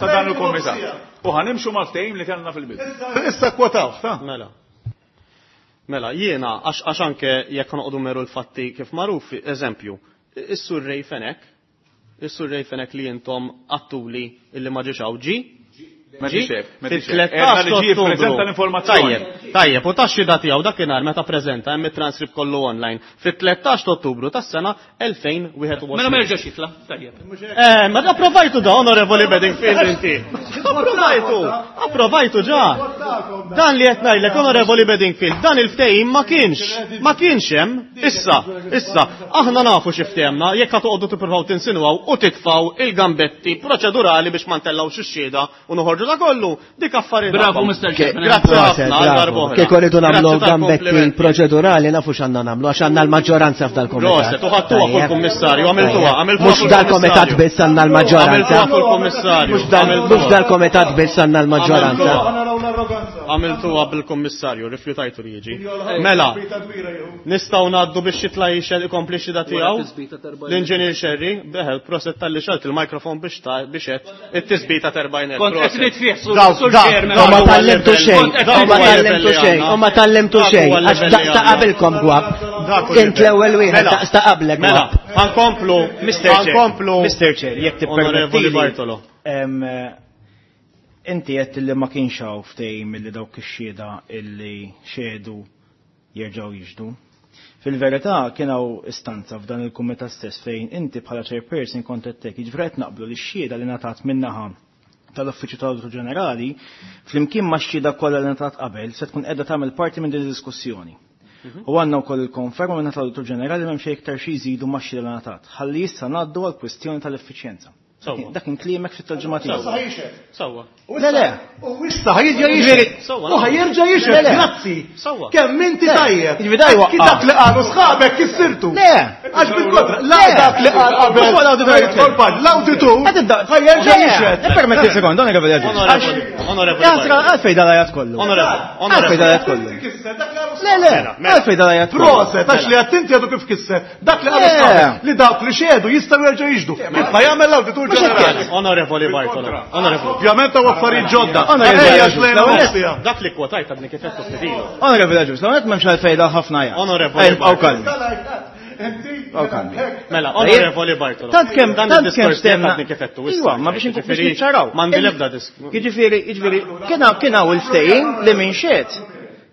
ta' dan il-kumitat. U ħanimxu mal-ftehim li kellna fil-bidu. Issa kwotaw, ta' Mela. Mela, jiena, għax anke jekk noqogħdu meru l-fatti kif magħruf, eżempju, is-sur Ray Fenech, is-sur Ray Fenech li intom għattuli illi ma ġiex hawn ġi, Ma ġi, ġiex hekk, ma ġiex hekk. fil-13 Edna li ġie Ottubru. jippreżenta l-informazzjoni. Tajjeb, tajjeb, u tax-xhieda tiegħu dakinhar meta preżenta hemm it-transcript kollu online fit-13 Ottubru tas-sena 2021. Mela ma jerġax jitla. Tajjeb. Ma approvajtu da, onorevoli Bedingfield inti. Approvajtu, approvajtu ġa. Dan li qed ngħidlek, onorevoli Bedingfield, dan il-ftehim ma kienx, ma kienx hemm. Issa, issa, aħna nafu xi ftehemna, jekk ħa toqgħodu tippruvaw tinsinwaw u titfaw il-gambetti proċedurali biex ma ntellgħux ix-xhieda u noħorġu da kollu, dik affarijiet. Bravo, tagħkom. Mr. Chairman. Grazzi Proset, ħafna għal bravo. darb'oħra. Kieku rridu nagħmlu Grazzi gambetti tal-komplimenti. proċedurali nafu x'għandna nagħmlu għax għandna l-maġġoranza f'dal-komitat. Proset, u ħadtuha fuq il-kummissarju, għamiltuha, għamiltuha Mhux fuq dal-komitat il-kummissarju. biss għandna l-maġġoranza. Għamiltuha fuq il-kummissarju. Mhux Għamiltuha. dal-komitat biss għandna l-maġġoranza. Għamiltuha bil-kummissarju, rifjutajtu li jiġi. Mela, nistgħu ngħaddu biex jitla' jixed ikompli xhieda tiegħu. L-inġinier Sherry, beħel, proset tal-li xalt il-mikrofon biex ta' biex qed it-tisbita t'erbgħin elf. Kont qed Proset. nitfih, sur Dawk- sur dak- Chairman. dak U ma huwa tallimtu l-level xejn, li għandna. u Dak ma huwa l-level tallimtu li xejn, għandna. u ma tallimtu Dak xejn, huwa għax l-level li daqs ta' għandna. qabilkom gwab. Dak hu Int l-level. l-ewwel wieħed Mela, daqs ta' qablek Mela, gwab. ħankomplu, Mr. Chair, ħankomplu. Mr. Chair, jekk Onorevoli tippermettili. Bartolo. Inti qed li ma kienx hawn ftehim illi dawk ix-xhieda illi xehdu jerġgħu jixhdu. Fil-verità kien hawn istanza f'dan il-kumitat stess fejn inti bħala chairperson kont qed tgħid, jiġifieri qed naqblu li x-xhieda li ngħatat min-naħa tal-Uffiċċju tal-Awditur Ġenerali flimkien ma' x-xhieda kollha li ngħatat qabel se tkun qiegħda tagħmel parti minn din id-diskussjoni. U għandna wkoll il-konferma minn tal-Awditur Ġenerali m'hemm xejn iktar xi jżidu ma' x-xhieda li ngħatat. Ħalli issa ngħaddu għall-kwistjoni tal-effiċjenza. Sewwa. Dak kien kliemek fit-tarġima tiegħu. Sewwa. Le, le. U issa ħajġa jixhed. Sewwa. U ħajerġa' jixhed, Le, le. grazzi. Sewwa. Kemm inti Le. tajjeb. Jiġifieri da jwaqqa'. Kif dak li qalu sħabek kissirtu. Le. Għax bil-kontra, la Le. dak li qal qabel. Mhux fuq l-awditur Ħajjidħol paġ, L-awditur Qed ibda- ħajerġa' Le, jixhed. Ippermetti sekond, onorevoli Agius. Onorevoli, onorevoli. Jasra, għalfej dal-ajat kollu. Onorevoli, Għalfej onorevoli. dal-ajat kollu. Kisser, dak li qalu Le, le, Mela. għalfej dal-ajat kollu. Proset, għax li għattinti għadu kif kisser. Dak li qalu Le. sħabek, li dawk li xedu jistgħu jerġgħu jixhdu. Kif ħajamel l-awditur Mhux hekk ġenerali. Onorevoli Bartolo. Onorevoli. Ovvjament hawn affarijiet ġodda. Onorevoli Ejja Agius, xlejna l-ewwel nofsija. Dak li kwotajt għadni kif qed ftit ilu. Onorevoli Agius, l-għonet memx għalfej dal ħafna ajat. Onorevoli Ej, Għaw kalmi. Għaw kalmi. Mela, onorevoli Bartolo. Tant kemm dan tant kemm id-diskors tiegħek stemna. għadni kif qed issa. Iwa, ma biex nkun biex niċċaraw. M'għandi l-ebda disk. Jiġifieri, jiġifieri, kien hawn il-ftehim li minn xed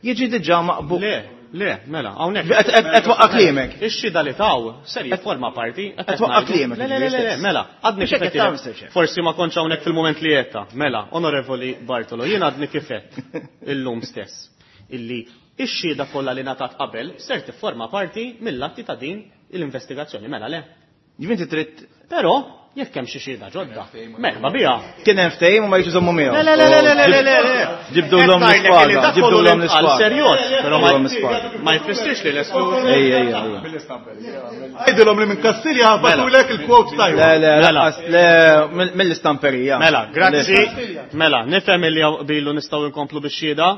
jiġi diġà maqbul. Le, le, mela, hawnhekk. Qed twaqqa' kliemek. Ix-xhieda li taw ser jifforma parti. Qed twaqqa' kliemek, Le, le, le, le, stess. mela, għadni Mhux kif hekk qed qed tagħmel, Mr. Chair. Forsi ma kontx hawnhekk fil-mument li qedta. Mela, onorevoli Bartolo, jien għadni kif qed illum stess illi ix-xhieda kollha li ngħatat qabel ser tifforma parti mill-atti ta' din l-investigazzjoni. Mela le. Ġifieri trid Però jekk hemm xi xhieda ġodda, merħba biha. kien hemm ftehim u ma jiġu żommu miegħu. Le, le, le, le, le, le, le, le. Ġibdu l-om Qed ngħidlek l-ispada, li dak ġibdu kollu l-om li ntqal l-ispada. Serjos, però Ġibdu l-om l-ispada. ma jfissirx li l-eskludi. Ej, ej, ej. Għidilhom li minn Kastilja ħabatulek il-quote Le, tajba. le, Mela. lanqas, le, mill-istamperija. Mela, grazzi. Mela, nifhem li bilu nistgħu nkomplu bix-xhieda.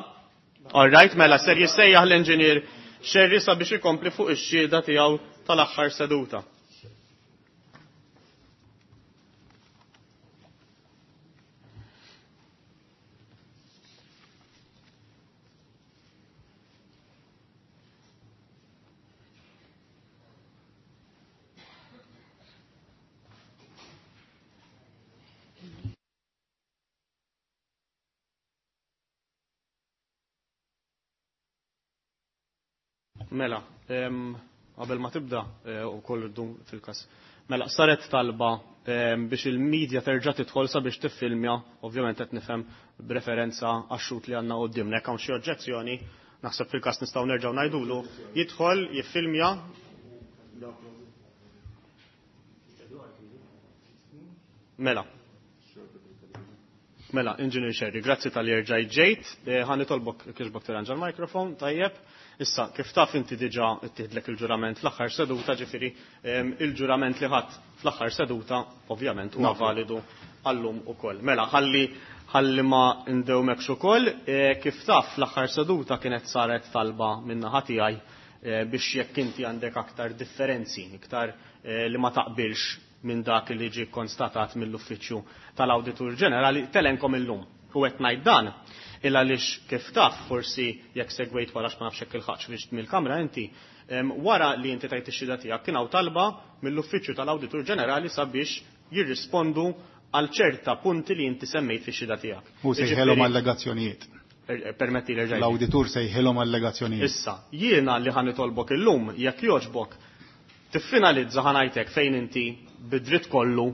All right, mela ser jissejjaħ l-inġinier Xerri sabiex ikompli fuq ix-xhieda tiegħu tal-aħħar seduta. Mela, qabel ma tibda u koll dum fil-kas. Mela, saret talba biex il-medja terġa' tidħol sabiex tiffilmja, ovvjament qed nifhem b'referenza għax-xut li għandna qudiemna. Jekk hawn xi oġġezzjoni, naħseb fil-każ nistgħu nerġgħu ngħidulu jidħol, jiffilmja. Mela. Mela, Engineer Sherry, grazzi tal erġajt ġejt. Ħa nitolbok kieġbok tirranġa l-mikrofon, tajjeb. Issa, kif taf inti diġa ittieħdlek il-ġurament fl-aħħar seduta, ġifieri il-ġurament li ħadd fl-aħħar seduta, ovvjament, huwa validu għallum ukoll. Mela, ħalli ħalli ma ndewmekx ukoll, kif taf fl-aħħar seduta kienet saret talba min-naħa tiegħi biex jekk inti għandek aktar differenzi, iktar li ma taqbilx minn dak li ġie konstatat mill-Uffiċċju tal-Awditur Ġenerali, telenkom illum. U qed ngħid dan il għaliex kif taf forsi jekk segwejt wara ma nafx hekk il-ħaġ biex mill-kamra inti, wara li inti tajt ix-xhieda tiegħek kien hawn talba mill-Uffiċċju tal-Awditur Ġenerali sabiex jirrispondu għal ċerta punti li inti semmejt fix-xhieda tiegħek. U sejħelhom allegazzjonijiet. Permetti li rġajt. L-awditur sejħilhom allegazzjonijiet. Issa, jiena li ħa nitolbok illum jekk jogħġbok tiffinalizza ħa ngħidlek fejn inti bid-dritt kollu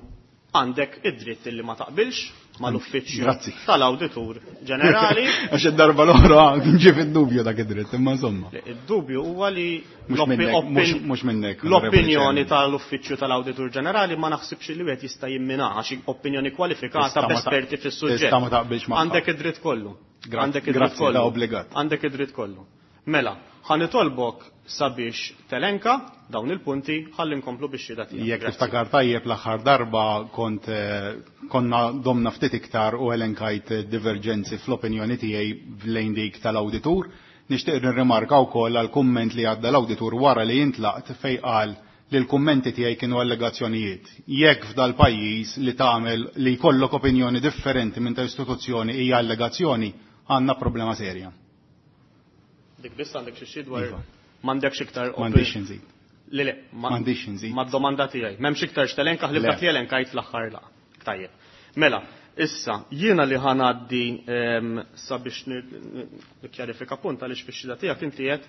għandek id-dritt illi ma taqbilx mal-uffiċċju tal-Awditur Ġenerali. Għax id-darba l-oħra kien ġie fid-dubju dak id-dritt, imma insomma. Id-dubju huwa li mhux minnek. L-opinjoni tal-uffiċċju tal-Awditur Ġenerali ma naħsibx li wieħed jista' jimmina għax opinjoni kwalifikata b'esperti fis-suġġett. Tista' ma taqbilx magħha. Għandek id-dritt kollu. Għandek id-dritt kollu. Obbligat. Għandek id-dritt kollu. Mela, ħa nitolbok sabiex telenka dawn il-punti ħalli nkomplu biex xhieda tiegħek. Jekk tiftakar tajjeb l-aħħar darba kont konna domna ftit iktar u elenkajt diverġenzi fl-opinjoni tiegħi lejn dik tal-awditur. Nixtieq nirrimarka wkoll għal kumment li għadda l-awditur wara li jintlaqt fejn qal li l-kummenti tiegħi kienu allegazzjonijiet. Jekk f'dal pajjiż li tagħmel li jkollok opinjoni differenti minn ta' istituzzjoni hija allegazzjoni, għandna problema serja. Dik biss għandek xi xi dwar m'għandekx iktar M'għandix inżid. Le le, m'għandix inżid. Mad-domanda tiegħi. M'hemmx iktar x'telenka ħlib dak li elenkajt fl-aħħar laqgħa. Tajjeb. Mela, issa jiena li ħanaddi sabiex nikkjarifika punt għaliex fix-xhieda tiegħek inti qed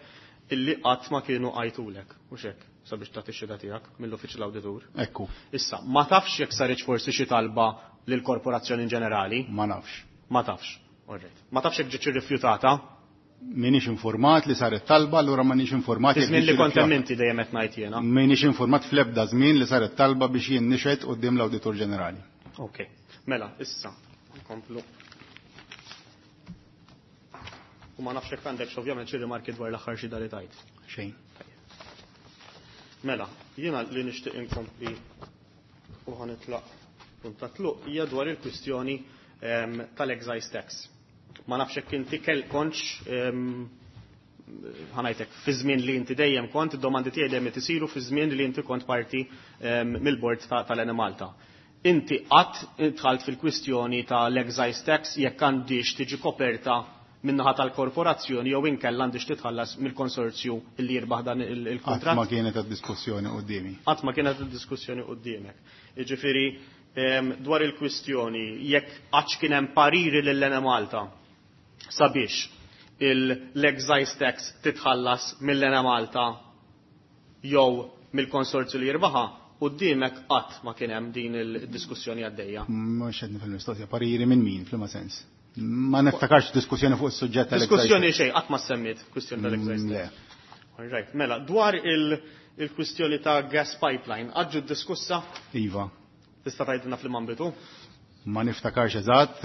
illi qatt ma kienu għajtulek, mhux hekk, sabiex tagħti x-xhieda tiegħek mill-uffiċċju l-awditur. Ekku. Issa, ma tafx jekk saritx forsi xi talba lill-korporazzjoni in ġenerali? Ma nafx. Ma tafx. All right. Ma tafx jekk ġietx irrifjutata? Minix informat li saret talba, allura ma nix informat. Iż-żmien li kont hemm inti dejjem qed ngħid jiena. Minix informat fl-ebda żmien li saret talba biex jien nixhed quddiem l-Awditur Ġenerali. Ok. Mela, issa nkomplu. U ma nafx jekk għandek ovvjament xi rimarki dwar l-aħħar xhieda li tajt. Xejn. Mela, jiena li nixtieq inkompli u ħanitlaq punt ta' tluq hija dwar il-kwistjoni tal-excise tax. Ma nafx jekk inti kell kontx ħanajtek fi żmien li inti dejjem kont, id-domandi tiegħi dejjem qed isiru fi żmien li inti kont parti mill-bord tal-Enemalta. Inti qatt dħalt fil-kwistjoni tal-excise tax jekk għandix tiġi koperta min-naħa tal-korporazzjoni jew inkella għandix titħallas mill-konsorzju li jirbaħ dan il-kuntratt? Qatt ma kienet diskussjoni quddiemi. Qatt ma kienet diskussjoni quddiemek. Jiġifieri dwar il-kwistjoni jekk qatt kien hemm pariri lil Enemalta sabiex l-excise tax titħallas mill-Enemalta jew mill-konsorzju li jirbaħa, quddiemek qatt ma kien hemm din il-diskussjoni għaddejja. Mhux qed nifhem mistoqsija, pariri minn min f'liema sens? Ma niftakarx diskussjoni fuq is-suġġett tal-excise. Diskussjoni xejn, qatt ma semmiet kwistjoni tal-excise tax. All right, mela, dwar il-kwistjoni ta' gas pipeline, għadġu diskussa? Iva. Tista' tgħidilna fl ambitu? Ma niftakarx eżatt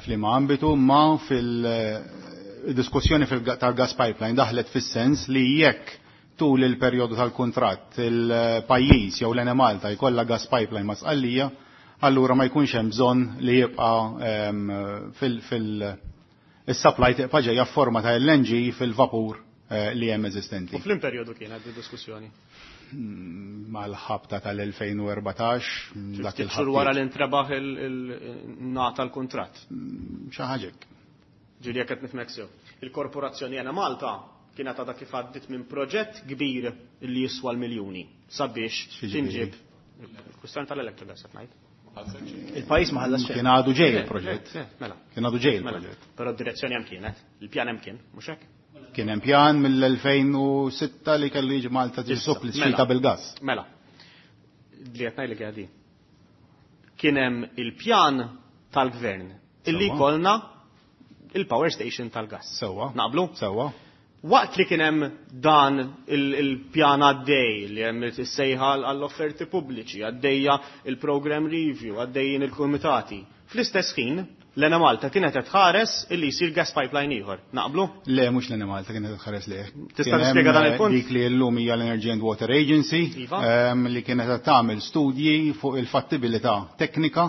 f'liema ambitu, ma fil-diskussjoni tal-gas pipeline daħlet fis-sens li jekk tul il-perjodu tal-kuntratt il-pajjiż jew l-Enemalta jkollha gas pipeline ma' Sqallija, allura ma jkunx hemm bżonn li jibqa' fil-supply tibqa' ġejja f'forma ta' LNG fil-vapur li hemm eżistenti. U fl perjodu kienet di-diskussjoni? Mal-ħabta tal-2014. Dak il-xhur wara li intrebaħ il-nata l-kuntratt. Xi ħaġa hekk. Ġieli jekk qed nifhmek sew. Il-korporazzjoni Enemalta kienet għadha kif għaddit minn proġett kbir li jiswa l-miljuni sabiex tinġib il-kwistjoni tal-Electrogas qed ngħid. Il-pajjiż ma ħallas xejn. Kien għadu ġej il-proġett. Mela. Kien għadu ġej il-proġett. Però d-direzzjoni hemm kienet, il-pjan hemm kien, mhux hekk? Kien hemm pjan mill-2006 li kellu jiġi Malta tiġi suppli xita bil-gas. Mela. Li qed ngħidlek hija din. Kien hemm il-pjan tal-gvern illi jkollna il-power station tal-gas. Sewwa. Naqblu? Sewwa. Waqt li kien hemm dan il-pjan għaddej li hemm is-sejħa għall-offerti pubbliċi, għaddejja il-program review, għaddejjin il-kumitati. Fl-istess ħin, l-Enemalta kienet qed tħares illi jsir gas pipeline ieħor. Naqblu? Le, mhux l-Enemalta kienet qed tħares lejh. Tista' tispjega dan il-punt? Dik li llum hija l-Energy and Water Agency li kienet qed tagħmel studji fuq il-fattibilità teknika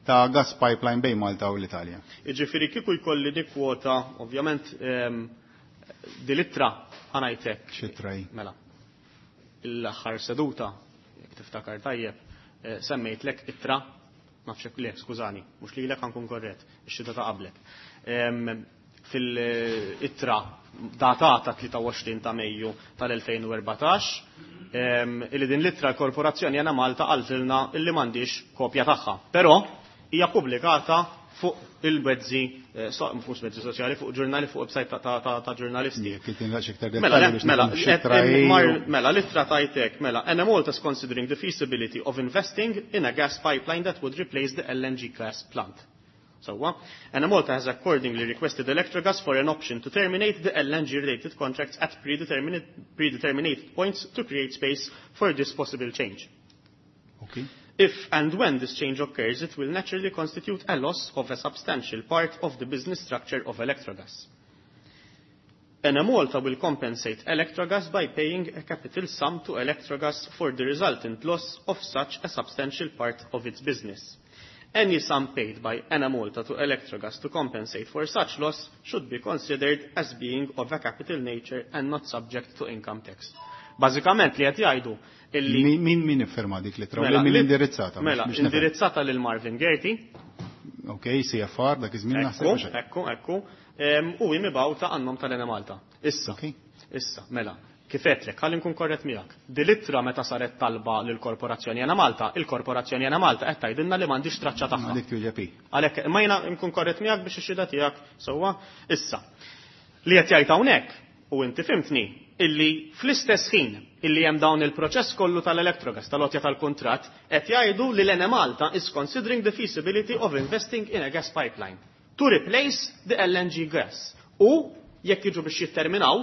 ta' gas pipeline bejn Malta u l-Italja. Jiġifieri kieku jkolli nikkwota, ovvjament, dil-ittra ħa ngħidlek. X'ittra hi? Mela. L-aħħar seduta, jekk tiftakar tajjeb, semmejtlek ittra, nafx hekk le, skużani, mhux lilek ħa nkun korrett, ix-xhieda ta' qablek. Fil-ittra datata 23 ta' Mejju tal-2014, illi din l-ittra l-Korporazzjoni Enemalta qaltilna illi m'għandix kopja tagħha. Però hija pubblikata fuq il-mezzi, mhux mezzi soċjali, fuq ġurnali, fuq website ta' ġurnalisti. Jekk inti naqx iktar Mela, dettalji biex mela, nifhem x'ittra hi. mela, l-ittra tajtek, mela, Enemalta is considering the feasibility of investing in a gas pipeline that would replace the LNG gas plant. So, Enemalta has accordingly requested Electrogas for an option to terminate the LNG-related contracts at predetermined points to create space for this possible change. Okay. If and when this change occurs, it will naturally constitute a loss of a substantial part of the business structure of Electrogas. Enemalta will compensate Electrogas by paying a capital sum to Electrogas for the resultant loss of such a substantial part of its business. Any sum paid by Enemalta to Electrogas to compensate for such loss should be considered as being of a capital nature and not subject to income tax. Bażikament li qed jgħidu illi Min iffirma dik l-ittra? Mela, Min indirizzata? Biex nifhem. indirizzata lil Marvin Gaerty. Ok, CFR, dak iż-żmien naħseb Ekku, biex hekk. ekku, ekku. U hi mibgħuta għan-nom tal-Enemalta. Issa, issa, mela, kif għedtlek, ħalli nkun korrett miegħek. Din l-ittra meta saret talba lill-Korporazzjoni Enemalta, il-Korporazzjoni Enemalta qed tgħidilna li m'għandix traċċa tagħha. Dik twieġeb hi. Għalhekk, imma jiena nkun korrett miegħek biex ix-xhieda tiegħek sewwa. Issa, li qed jgħid hawnhekk, u inti fimtni, illi fl-istess ħin illi hemm dawn il-proċess kollu tal-Electrogas, tal-għotja tal-kuntratt, qed jgħidu li l-Enemalta is considering the feasibility of investing in a gas pipeline to replace the LNG gas. U jekk jiġu biex jitterminaw,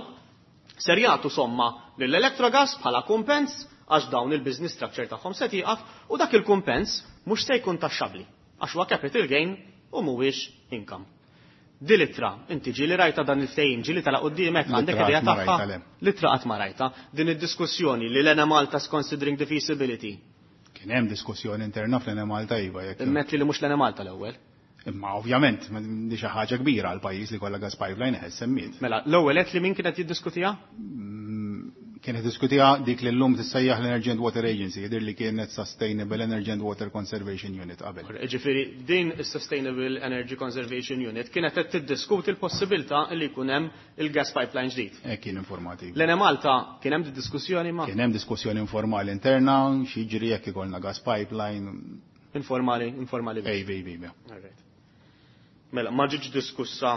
ser jagħtu somma lill-Electrogas bħala kumpens għax dawn il-business structure tagħhom se tieqaf u dak il-kumpens mhux se jkun taxxabbli għax huwa capital gain u mhuwiex income. Di l-ittra, inti ġieli rajta dan il-ftehim, ġieli tala quddiemek, għandek L-ittra idea qatt ma tagħha? rajta, le. L-ittra qatt ma rajta. Din id-diskussjoni li l-Enemalta is considering the feasibility. Kien hemm diskussjoni interna fl-Enemalta iva jekk. Immet li mhux l-Enemalta l-ewwel. Imma ovvjament, di xi ħaġa kbira għal pajjiż li kollha gas pipeline eħe semmiet. Mela, l-ewwel qed li min kienet jiddiskutiha? Kienet diskutiha dik li llum tissejjaħ l-Energy and Water Agency, jidher li kienet Sustainable Energy and Water Conservation Unit qabel. Ġifieri din is-Sustainable Energy Conservation Unit kienet qed tiddiskuti l-possibilità li jkun hemm il-gas pipeline ġdid. Hekk kien informati. L-Enemalta kien hemm diskussjoni ma? Kien hemm diskussjoni informali interna, x'jiġri jekk ikollna gas pipeline. Informali, informali biss. Ej, ej, ej, ej. All right. Mela, ma ġietx diskussa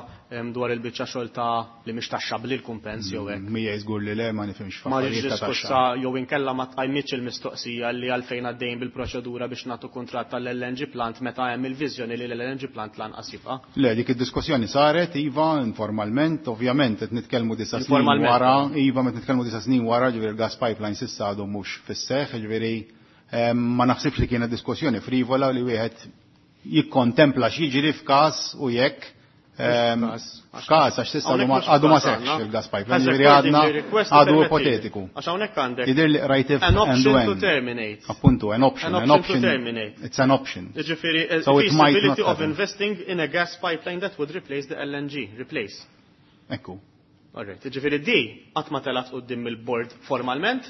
dwar il-biċċa xogħol ta' li mhix taxxabbli l-kumpens jew hekk. Mija żgur li le ma nifhimx Ma ġietx f'affarijiet ta' taxxa. diskussa jew inkella ma tqajmitx il-mistoqsija li għalfejn għaddejjin bil-proċedura biex nagħtu kuntratt tal-LNG plant meta hemm il-viżjoni li l-LNG plant lanqas jibqa'. Le, dik id-diskussjoni saret, iva, informalment, ovvjament, qed nitkellmu disa' snin Informalment. wara, iva, qed nitkellmu disa' snin wara, ġifieri il-gas pipeline s'issa għadu mhux fis-seħħ, ġifieri ma naħsibx li kienet diskussjoni frivola li wieħed jikkontempla x'jiġri f'każ u jekk, f'każ, għax s'issa għadu ma seħħx il-gas pipeline, ġifieri għadu ipotetiku. Għax hawnhekk għandek Jidher li rajt if an and option to when. terminate. Appuntu, an option, An an option to option. terminate. It's an option. Ġifieri, So it might not feasibility of happen. investing in a gas pipeline that would replace the LNG. Replace. Ekku. All right. Ġifieri di qatt ma telat quddiem il-board formalment.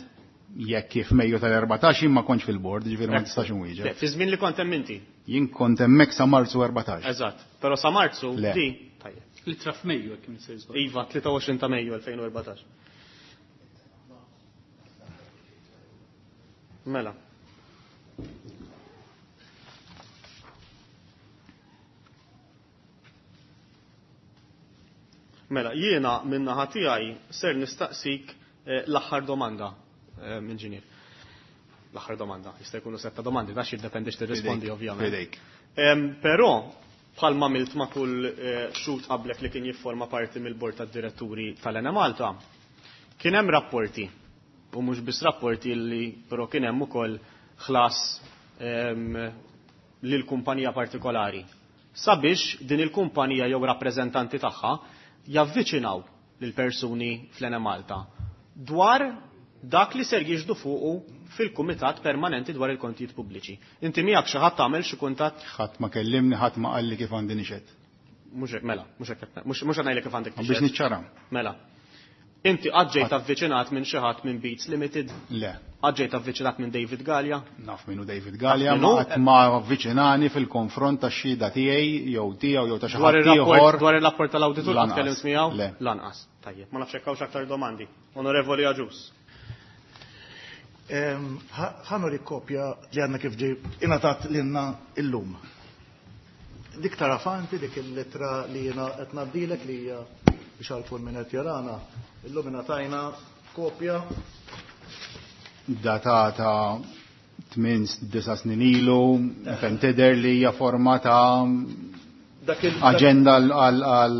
Jekk kif Mejju tal-14 jien ma kontx fil-board, ġifieri ma tistax inwieġeb. Le, fi żmien li kont hemm inti. Jien kont hemmhekk sa Marzu 14. Eżatt. Però sa Marzu Le. di tajjeb. Li traf Mejju jekk kien sejr żball. Iva, 23 ta' Mejju 2014. Mela. Mela, jiena min-naħa tiegħi ser nistaqsik l-aħħar domanda, inġinier. L-aħħar domanda, jista' jkunu setta domandi, dax jiddependi x'tirrispondi ovvjament. Fidejk. Però, bħalma għamilt ma' kull xhud qablek li kien jifforma parti mill-bord tad-diretturi tal-Enemalta, kien hemm rapporti, u mhux biss rapporti li però kien hemm ukoll ħlas lil kumpanija partikolari sabiex din il-kumpanija jew rappreżentanti tagħha javviċinaw lil persuni fl-Enemalta dwar dak li ser jiġdu fuqu fil-Kumitat Permanenti dwar il-Kontijiet Pubbliċi. Inti miegħek xi ħadd tagħmel xi kuntatt? Ħadd ma kellimni, ħadd ma qalli kif għandi nixhed. Mhux hekk, mela, mhux hekk, mhux qed ngħidlek kif għandek Biex tixhed. niċċara. Mela. Inti qatt ġejt avviċinat minn xi ħadd minn Beats Limited? Le. Qatt ġejt avviċinat minn David Galea? Naf minnu David Galea, Naf ma minnu? qatt ma avviċinani fil-konfront tax-xhieda tiegħi jew tiegħu jew ta' xi Dwar ħadd ir-rapport, ieħor. dwar ir-rapport tal-awditur qatt Lanqas. tkellimt miegħu? Le. Lanqas. Tajjeb, ma nafx hekk hawnx aktar domandi. Onorevoli Agius. Ħa nuri kopja li għandna kif ġej ingħatat lilna illum. Dik tara fanti, dik il-lettra li jiena qed ngħaddilek li hija biex għal kull min qed jarana. Illum ingħatajna kopja Datata 8-9 snin ilu, fem tidher li hija forma ta' Dak il- aġenda għal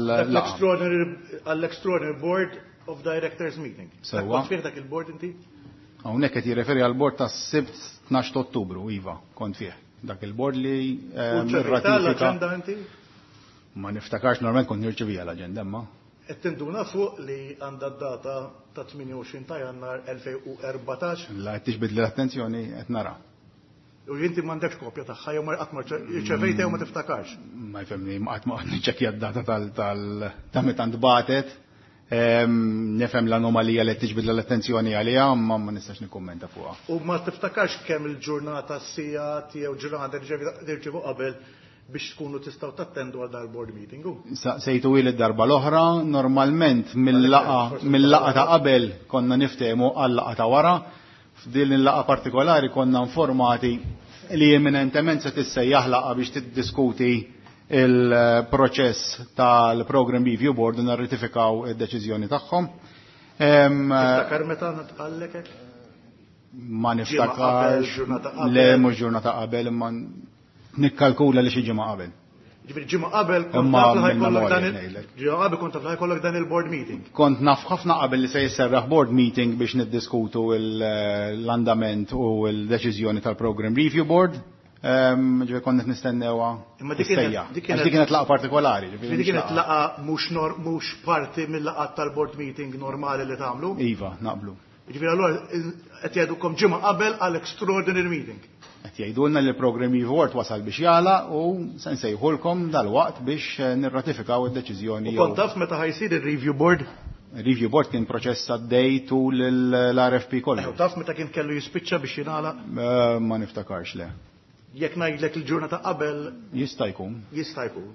dak laqgħa. l-extraordinary board of directors meeting. Dak Sewwa. kont fih dak il-board inti? Hawnhekk qed jirreferi għal bord tas-Sibt 12 ta' Ottubru, iva, kont fih. Dak il-bord li U ċervita irratifika. l-aġenda inti? Ma niftakarx normalment kont nirċevija l-aġenda, imma. Qed tinduna fuq li għandha d-data ta' 28 ta' Jannar 2014. La qed tiġbid l-attenzjoni qed nara. U inti m'għandekx kopja tagħha jew ma qatt ma rċevejta jew ma tiftakarx. Ma jfemni, ma qatt ma qed niċċekkja d-data ta' meta ntbatet. Nifhem l-anomalija li qed tiġbid l-attenzjoni għaliha, ma ma nistax nikkummenta fuqha. U ma tiftakarx kemm il-ġurnata sigħat jew ġurnata li rċevu qabel biex tkunu tistgħu tattendu għal dal-board meeting. U? Sejtu il darba l-oħra, normalment mill-laqa ta' qabel konna niftehmu għal-laqa ta' wara. F'din il-laqa partikolari konna informati li imminentement se tissejjaħ laqa biex tiddiskuti il-proċess tal-Program Review Board u narratifikaw id-deċiżjoni tagħhom. Tiftakar meta ntqallek hekk? Ma Ġimgħa qabel, niftakarx. ġurnata qabel. Le, mhux ġurnata qabel, imma nikkalkula li xi ġimgħa qabel. Ġifieri ġimgħa qabel kont Imma taf li minn ħajkollok memorja dan il- ngħidlek. ġimgħa qabel kont taf li ħajkollok dan il-board meeting. Kont naf ħafna qabel li se jisserraħ board meeting biex niddiskutu l-andament u l-deċiżjoni tal-Program Review Board. Ġifieri kont qed nistennewha Imma dik kienet- tissejjaħ. dik Għax kienet- dik kienet laqgħa partikolari, ġifieri Ġifieri mhux kienet laqgħa. laqgħa mhux parti mill-laqgħat tal-board meeting normali li tagħmlu. Iva, naqblu. Ġifieri allura qed jgħidukom ġimgħa qabel għal extraordinary meeting. Qed jgħidulna li l-Program Review Board wasal biex jagħlaq u se nsejħulkom dalwaqt biex nirratifikaw id-deċiżjoni U kont taf meta ħajsir ir-review board? Review board kien proċess għaddej tul l-RFP kollu. U taf meta kien kellu jispiċċa biex jingħalaq? Ma niftakarx le. Jekk ngħidlek il-ġurnata qabel Jista' jkun. Jista' jkun.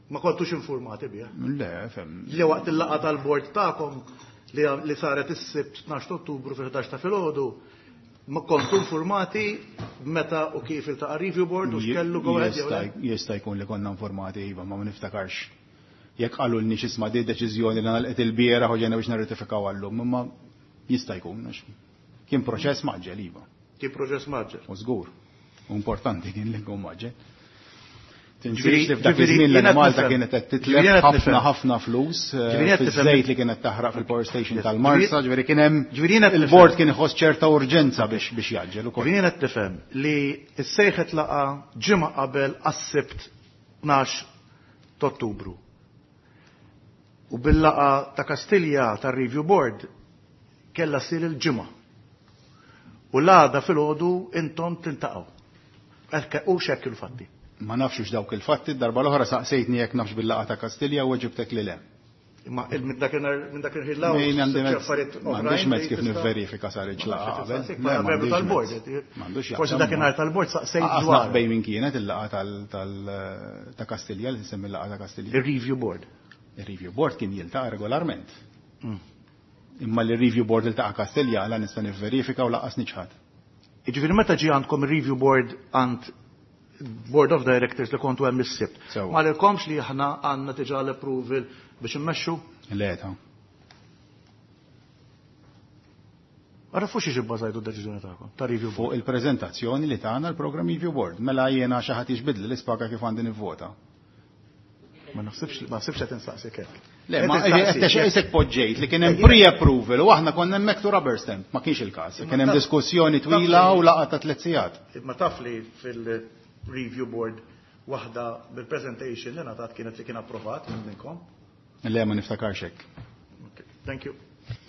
Ma kontux informati bih. Le, fem. Li waqt il-laqgħa tal-board tagħkom li saret is-Sibt 12 Ottubru fil-11 ta' filgħodu, ma kontu informati meta u kif iltaqa' review board u x'kellu go ahead jew le? Jista' jkun li konna informati, iva, ma niftakarx. Jekk qalu lni x'isma' di deċiżjoni li nagħlqet il-bieraħ u ġejna biex nirratifikaw għallum, imma jista' jkun, għax kien proċess maġġel, iva. Kien proċess maġġel. U żgur. U importanti kien li nkun maġġel. Tinsiex li f'dak Ġifieri iż-żmien l jiena Malta nifhem. kienet qed Ġifieri titlef jiena ħafna nifhem. ħafna flus, Ġifieri jiena nifhem. fiż-żejt li kienet taħraq fil-power station Yes. tal-Marsa, ġifieri kien hemm Ġifieri jiena nifhem. il-board kien iħoss ċerta urġenza biex jaġġel ukoll. Ġifieri jiena tifhem li s-sejħet laqa ġimgħa qabel għas-Sibt 12 ta' Ottubru. U bil-laqa ta' Kastilja tar-Review Board kellha ssir il-ġimgħa. U l-għada filgħodu intom tiltaqgħu. Hekk u x'hekk il-fatti. Ma nafx hux dawk il-fatti, darba l-oħra saqsejtni jekk nafx bil-laqa ta' Kastilja u ġibtek li le. Imma minn dakinhar minn dak il-ħin Min għandi sibt mezz- affarijiet m'għandix oħrajn mezz li kif tista' nivverifika sar il-ġlaqa Ma nafx qabel. tistaqsik, Le, bħala membru m'għandix tal-board, mezz. M'għandux Forsi jaqsam, dakinhar tal-board saqsejt Aqas dwar. naf bejn min kienet il-laqa ta' Kastilja, li semmi il-laqa ta' Kastilja. Il-review board. Il-review board kien jiltaqa' regolarment. Imma li review board iltaqa' Kastilja la nista' nivverifika u laqas niċħad. Jiġifieri meta ġie għandkom il-review board għand Board of Directors li kontu hemm is-Sibt. Ma lilkomx li aħna għandna diġà l-approval biex immexxu? Le ta. Ara fuq xiex ibbażajtu d-deċiżjoni tagħkom ta' review Fuq il-preżentazzjoni li tagħna l-Program Review Board. Mela jiena xi ħadd jiġbidli l-ispaga kif għandi nivvota. Ma naħsibx ma naħsibx qed insaqsik hekk. Le, ma qed poġġejt li kien hemm pre-approval u aħna konna hemmhekk to rubber stamp, ma kienx il-każ. Kien hemm diskussjoni twila u laqgħa ta' tliet sigħat. Ma taf li fil-review board waħda bil-presentation li ngħatat kienet li kien approvat minn minnkom. Le, ma niftakarx hekk. Thank you.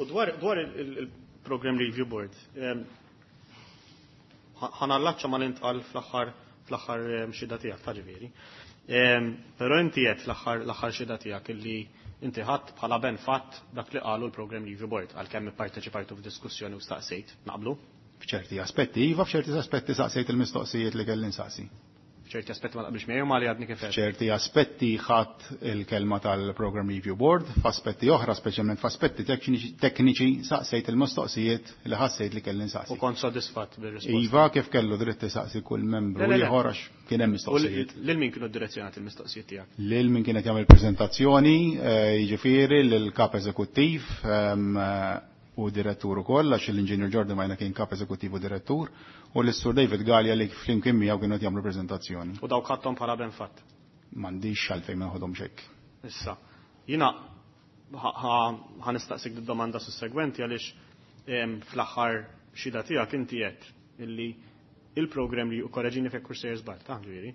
U dwar il-Program Review Board, ħanallaċċa ma l-intqal fl-aħħar fl-aħħar xhieda tiegħek ta' ġifieri. Però inti qed fl-aħħar xhieda tiegħek illi inti ħadd bħala ben fatt dak li qalu l-Program Review Board għalkemm ipparteċipajtu f'diskussjoni u staqsejt, naqblu? F'ċerti aspetti, iva, f'ċerti aspetti saqsejt il-mistoqsijiet li kelli nsaqsi. F'ċerti aspetti ma taqbilx miegħi ma li għadni kif. F'ċerti aspetti ħadd il-kelma tal-Program Review Board, f'aspetti oħra, speċjalment f'aspetti tekniċi, saqsejt il-mistoqsijiet li ħassejt li kelli nsaqsi. U kont sodisfatt bir-risposta. Iva, kif kellu dritt isaqsi kull membru ieħor għax kien hemm mistoqsijiet. Lil min kienu direzzjonati il-mistoqsijiet tiegħek? Lil min kienet jagħmel preżentazzjoni, jiġifieri lil kap eżekuttiv u direttur ukoll, għax l-Inġinier Jordan Majna kien kap eżekuttiv u direttur, u l-Sur David Galea li flimkien miegħu kienu qed jagħmlu preżentazzjoni. U dawk ħadthom bħala ben fatt? M'għandix għalfejn ma naħodhom hekk. Issa, jiena ħa nistaqsik d-domanda sussegwenti għaliex fl-aħħar xhieda tiegħek inti qed illi il-program li, u korreġini fekk sejjer żball, ta' ġifieri,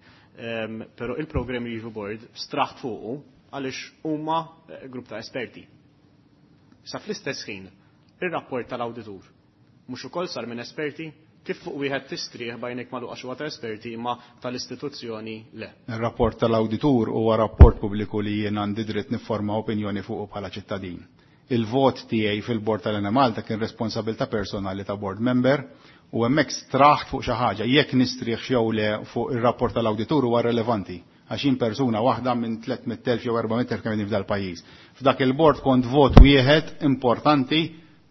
però il-Program Review Board straħt fuqu għaliex huma grupp ta' esperti. Sa fl-istess ħin, ir-rapport tal-awditur mhux ukoll sar minn esperti, kif fuq wieħed tistrieħ bajnek magħluq għax huwa ta' esperti imma tal-istituzzjoni le. Ir-rapport tal-awditur huwa rapport pubbliku li jien għandi dritt nifforma opinjoni fuqu bħala ċittadin. Il-vot tiegħi fil-bord tal-Enemalta kien responsabilità personali ta' board member u hemmhekk straħt fuq xi ħaġa. Jekk nistrieħ jew le fuq ir-rapport tal-awditur huwa relevanti għax jien persuna waħda minn 300,000 jew 400,000 kemm f'dal pajjiż. F'dak il-bord kont vot wieħed importanti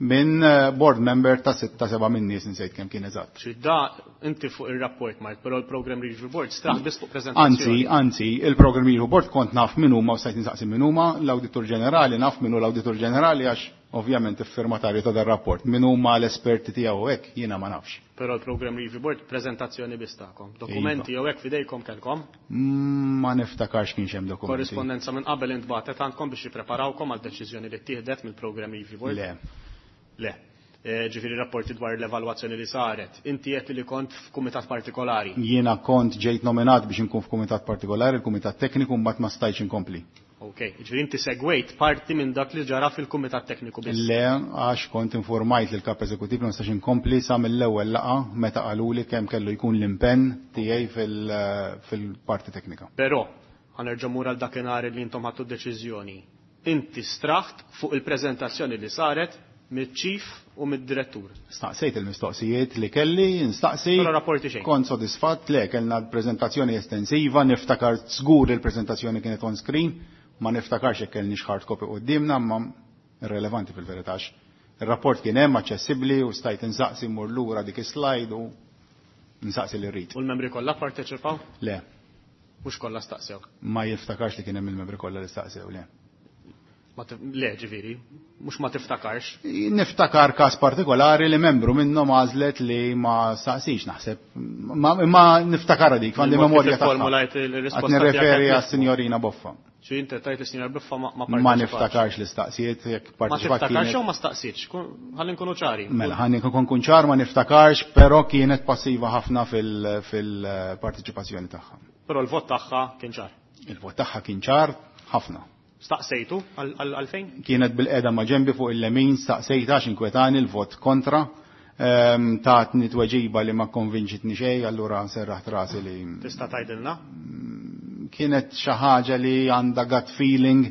minn board member ta' 6-7 minn nies insejt kemm kien eżatt. Xi da inti fuq ir-rapport Mart, però l-Program Review Board straħ biss fuq preżentazzjoni. Anzi, anzi, il-Program Review Board kont naf min huma u stajt insaqsi min huma, l-Awditur Ġenerali naf min hu l-Awditur Ġenerali għax ovvjament iffirmatarju ta' dar rapport. Min huma l-esperti tiegħu hekk jiena ma nafx. Però l-Program Review Board preżentazzjoni biss tagħkom. Dokumenti jew hekk f'idejkom kellkom? Ma niftakarx kienx hemm dokumenti. Korrispondenza minn qabel intbagħtet għandkom biex jippreparawkom għal deċiżjoni li ttieħdet mill-Program Review Board? Le. Le. Ġifieri rapporti dwar l-evalwazzjoni li saret. Inti qed li kont f'kumitat partikolari. Jiena kont ġejt nominat biex inkun f'kumitat partikolari, il-kumitat tekniku, mbagħad ma stajtx inkompli. Ok, ġifieri inti segwejt parti minn dak li ġara fil-kumitat tekniku biss. Le, għax kont informajt lil kap eżekutiv li ma nistax inkompli sa mill-ewwel laqgħa meta qaluli kemm kellu jkun l-impenn tiegħi fil-parti teknika. Però ħanerġa' mur għal dakinhar li intom ħadtu deċiżjoni. Inti straħt fuq il-preżentazzjoni li saret mill-ċif u mid-direttur. Staqsejt il-mistoqsijiet li kelli, nstaqsi. Però rapporti xejn. Kont sodisfatt, le, kellna prezentazzjoni estensiva, niftakar żgur il-prezentazzjoni kienet on screen, ma niftakarx jekk kellniex hard copy quddiemna, ma irrelevanti fil-verità. Il-rapport kien hemm aċċessibbli u stajt insaqsi mmur lura dik is-slide u nsaqsi li rrid. U l-membri kollha parteċipaw? Le. Mhux kollha staqsew. Ma jiftakarx li kien hemm il-membri kollha li staqsew, le. Le, ġifieri, mhux ma tiftakarx. Niftakar każ partikolari li membru minnhom għażlet li ma staqsix naħseb. Ma niftakar dik, għandi memorja tagħha. Formulajt il-risposta. Qed nirreferi għas-Sinjorina Boffa. Xi inti tajt is-Sinjora Boffa ma Ma parteċipax. niftakarx li staqsiet jekk Ma parteċipat tiftakarx kienet. jew ma staqsitx, ħalli nkunu ċari. Mela, ħalli nkun ċar ma niftakarx, però kienet passiva ħafna fil-partiċipazzjoni tagħha. Però l-vot tagħha kien ċar. Il-vot tagħha kien ċar ħafna. Staqsejtu għalfejn? Kienet bil-qeda ma' ġembi fuq il-lemin, staqsejta għax inkwetani l-vot kontra. Tatni tweġiba li ma konvinċitni xejn, allura serraħt rasi li Tista' tgħidilna? Kienet xi ħaġa li għandha gut feeling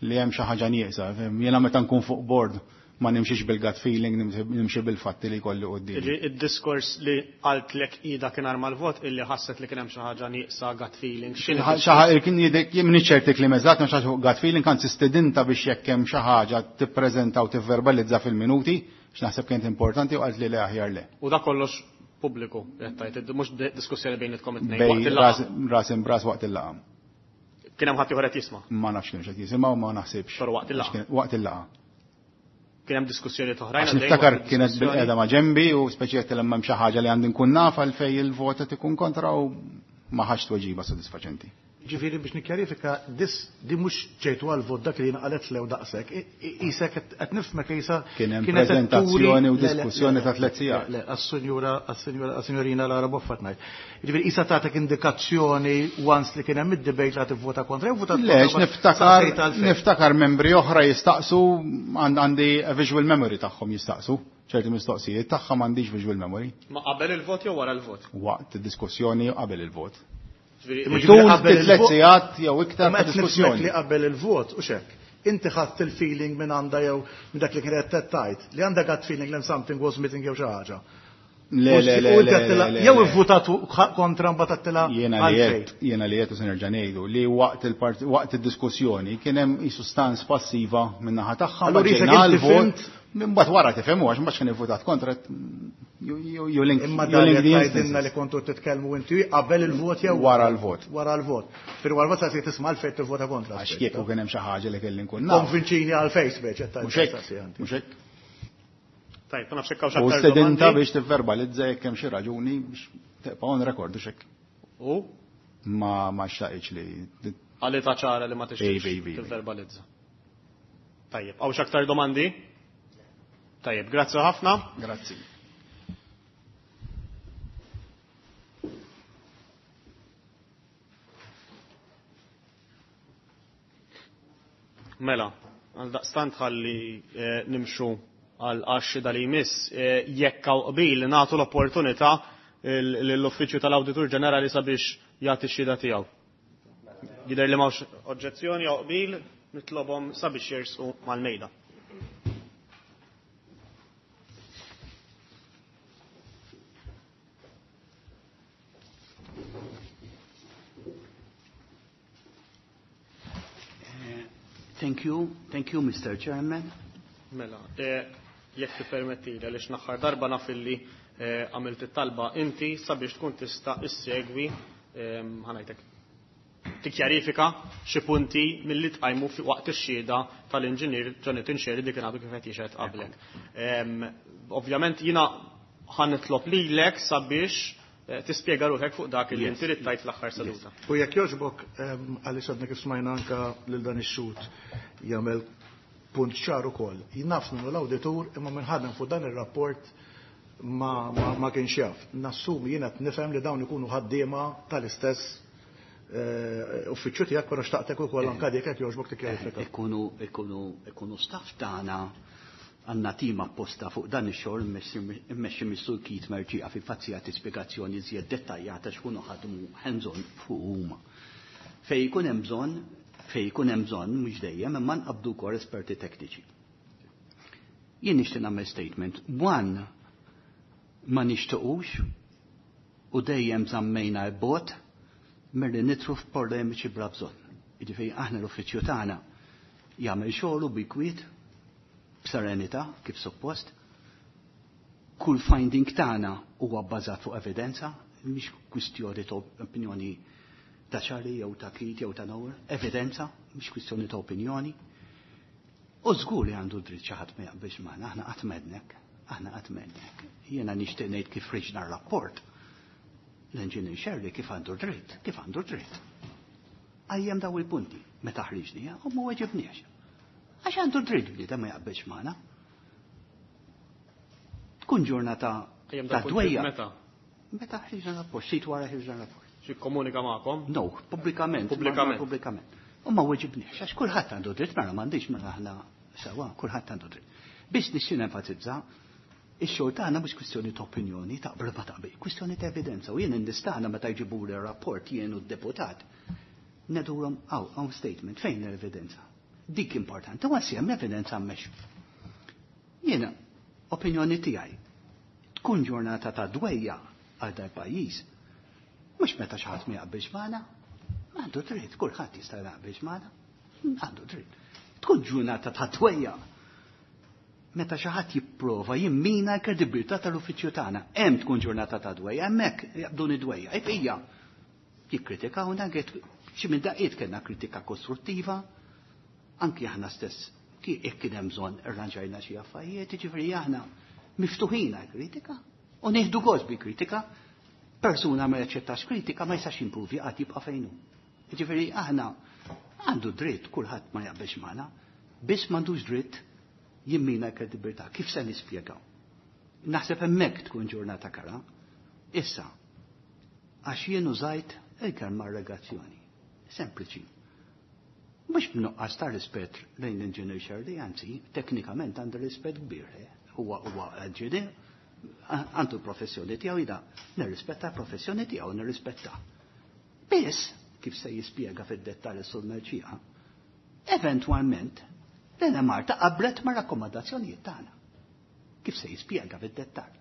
li hemm xi ħaġa nieqsa. Jiena meta nkun fuq board ma nimxiex bil-gut feeling, nimxi bil-fatti li jkolli quddiem. Ġi, id-diskors li qaltlek ida kien arma l-vot illi ħasset li kien hemm xi ħaġa nieqsa gut feeling. X'inhi Xi ħaġa, kien jidek, jien m'iniex ċerti li meżat, ma xi ħaġa fuq gut feeling, anzi stedinta biex jekk hemm xi ħaġa tippreżenta u tivverbalizza fil-minuti, x'naħseb kienet importanti u qalt li le aħjar le. U da kollox Pubbliku, qed tgħid, mhux diskussjoni bejnietkom it-tnejn waqt Bej il-laqgħa. ras imbras waqt il-laqgħa. Kien hemm ħadd ieħor qed jisma'. Ma nafx kienx qed jisimgħu ma naħsibx. Però waqt il-laqgħa. Waqt il-laqgħa. Kien hemm diskussjoni oħrajn. Għax niftakar kienet bil-qeda ma' ġembi u speċi li hemm xi ħaġa li għandi nkun naf għalfejn il-vot qed ikun kontra u ma ħax tweġiba sodisfaċenti. Ġifieri biex nikkjarifika, dis di mhux ġejtu għal vot dak li jiena qalet lew daqshekk. Isek qed nifhmek isa Kien hemm kienet qed turi- preżentazzjoni u Le, le, diskussjoni le, ta' tliet sigħat. Le, għas-sinjura għas-sinjura għas-sinjorina Lara Boffat ngħid. Ġifieri isa tagħtek indikazzjoni once li kien hemm id-debate li tivvota kontra jew votat Le, kontra, għax ma niftakar saqsejt għalfejn. niftakar membri oħra jistaqsu għandi a visual memory tagħhom jistaqsu ċerti mistoqsijiet tagħha m'għandix visual memory Ma qabel il-vot jew wara l-vot? waqt id-diskussjoni u qabel il-vot. Ġifieri, Imma Tul ġifieri qabel tliet il-vot- sigħat jew iktar Imma ta' qed nifhmek diskussjoni. li qabel il-vot u xek. Inti ħadd il-feeling minn għandha jew minn dak li kienet qed tgħid li għandha gut feeling li something was missing jew xi ħaġa. Le, le, le, U inti le, għedtilha- le, le, Jew le. ivvutat kontra mbagħad għedtilha Jiena li għalfejn. qed, jiena li qed u se nerġa' ngħidu li waqt il-part waqt id-diskussjoni kien hemm qisu stans passiva min-naħa tagħha Allura mbagħad isek ġejna inti għall-vot fimt- minn mbagħad wara tifhemu għax mbagħad kien ivvutat kontra you you link Imma you dan link qed the tgħidilna instances. li kontu titkellmu inti qabel il-vot jew Wara l-vot. Wara l-vot. Fir wara l-vot se tisma' għalfejn tivvota kontra. Għax kieku kien hemm xi ħaġa li kelli nkun naf. Konvinċini għalfejn speċi qed Mhux tgħid hekk, mhux hekk. Tajb, ma nafx hekk hawnx U aktar stedinta domandi. biex tivverbalizza jekk hemm xi raġuni biex tibqa' on record u xek. U Ma xtaqitx li għalita ċara li ma tixtieqx Iva, iva, iva. tivverbalizza. Tajjeb, hawnx aktar domandi? Tajjeb, grazzi ħafna. Grazzi. Mela, għal daqstant ħalli nimxu għal għaxxi dal jmiss, jekk hawn qbil nagħtu l-opportunità lill-Uffiċċju tal-Awditur Ġenerali sabiex jagħti x-xhieda tiegħu. Jidher li m'hawnx oġġezzjoni jew qbil, nitlobhom sabiex jersqu mal-mejda. Thank you, thank you, Mr. Chairman. Mela, jekk tippermettili għaliex naħħar darba naf illi għamilt it-talba inti sabiex tkun tista' issegwi ħanajtek tikkjarifika xi punti milli tqajmu fi waqt ix-xhieda tal-inġinier Jonathan Scerri dik kien għadu kif qed jixhed qablek. Ovvjament jiena ħanitlob lilek sabiex tispjega ruħek fuq dak li Yes. inti rid tgħid fl-aħħar seduta. U jekk jogħġbok, għaliex għadna kif smajna anka lil dan ix-xut jagħmel punt ċar ukoll. Jien naf minnu l-awditur imma minn ħadem fuq dan ir-rapport ma kienx jaf. Nassumi jiena qed nifhem li dawn ikunu ħaddiema tal-istess uffiċċju tiegħek, però xtaqtek ukoll anka dik jekk jogħġbok tikkjarifika. Ikunu staff tagħna għandna tim apposta fuq dan ix-xogħol immexxi mis-Sur Keith Mercieca fi fazzija tispjegazzjoni iżjed dettaljata x'kunu ħadmu hands-on fuq huma. Fej ikun hemm bżonn, fej ikun hemm bżonn mhux dejjem imma nqabdu wkoll esperti tekniċi. Jien nixtieq nagħmel statement. One, ma nixtiequx u dejjem żammejna l-bot milli nitru f'polemiċi bla bżonn. Jiġifieri aħna l-uffiċċju tagħna jagħmel xogħlu bi kwiet, b'serenità kif suppost. Kull finding tagħna huwa bbażat fuq evidenza, mhix kwistjoni ta' opinjoni ta' Charlie jew ta' Keith jew ta' Noel, evidenza, mhix kwistjoni ta' opinjoni. U żgur li għandu dritt xi ħadd ma jaqbilx magħna, aħna qatt m'għednek, aħna qatt m'għednek. Jiena nixtieq ngħid kif ħriġna r-rapport. L-Engineer Scerri kif għandu dritt, kif għandu dritt. Għajjem daw il-punti, meta ħriġni, u ma weġibniex. Għax għandu dritt bniedem ma jaqbilx magħna. Tkun ġurnata Għajjem ta' daw il-punti dwejja. Meta? Meta ħriġna rapport, xit wara ħriġna rapport. Xi komunika magħkom? No, pubblikament. Pubblikament. Pubblikament. U ma weġibniex, għax kulħadd għandu dritt, mela m'għandix mela aħna sewa, kulħadd għandu dritt. Biex nixtieq nenfasizza, ix-xogħol tagħna mhux kwistjoni ta' opinjoni, taqbel ma taqbel, kwistjoni ta' evidenza. U jien nistana meta jġibuli rapport jien u d-deputat, nedurhom hawn statement, fejn l-evidenza? Dik importanti, u għassi hemm evidenza hemmhekk. Jiena, opinjoni tiegħi, tkun ġurnata ta' dwejja għal dal-pajjiż, mhux meta xi ħadd ma jaqbilx magħna, għandu dritt, kulħadd jista' jaqbilx magħna, għandu dritt. Tkun ġurnata ta' dwejja. Meta xi ħadd jipprova jimmina l-kredibilità tal-uffiċċju tagħna. Hemm tkun ġurnata ta' dwejja, hemmhekk jaqbduni dwejja. Ejfija, jikkritikawna xi minn daqqiet kellna kritika kostruttiva, anki aħna stess jekk kien hemm bżonn irranġajna xi affarijiet, jiġifieri aħna miftuħin għall-kritika u nieħdu gost bi kritika. Persuna ma jaċċettax kritika ma jistax jimpruvi qatt jibqa' fejn hu. Jiġifieri aħna għandu dritt kulħadd ma jaqbilx magħna, biss m'għandux dritt jimmina l-kredibilità. Kif se nispjegaw? Naħseb hemmhekk tkun ġurnata kara. Issa, għax jien użajt il-kelma allegazzjoni. Sempliċi. Mhux b'nuqqas ta' rispett lejn l-inġinier Xerli, anzi, teknikament għandu rispett kbir. Huwa huwa inġinier, għandu professjoni tiegħu jida, nirrispetta l-professjoni tiegħu, nirrispetta. Biss, kif se jispjega fid-dettall is-Sur Mercieca, eventwalment l-Enemalta qablet ma' rakkomandazzjonijiet tagħna. Kif se jispjega fid-dettall.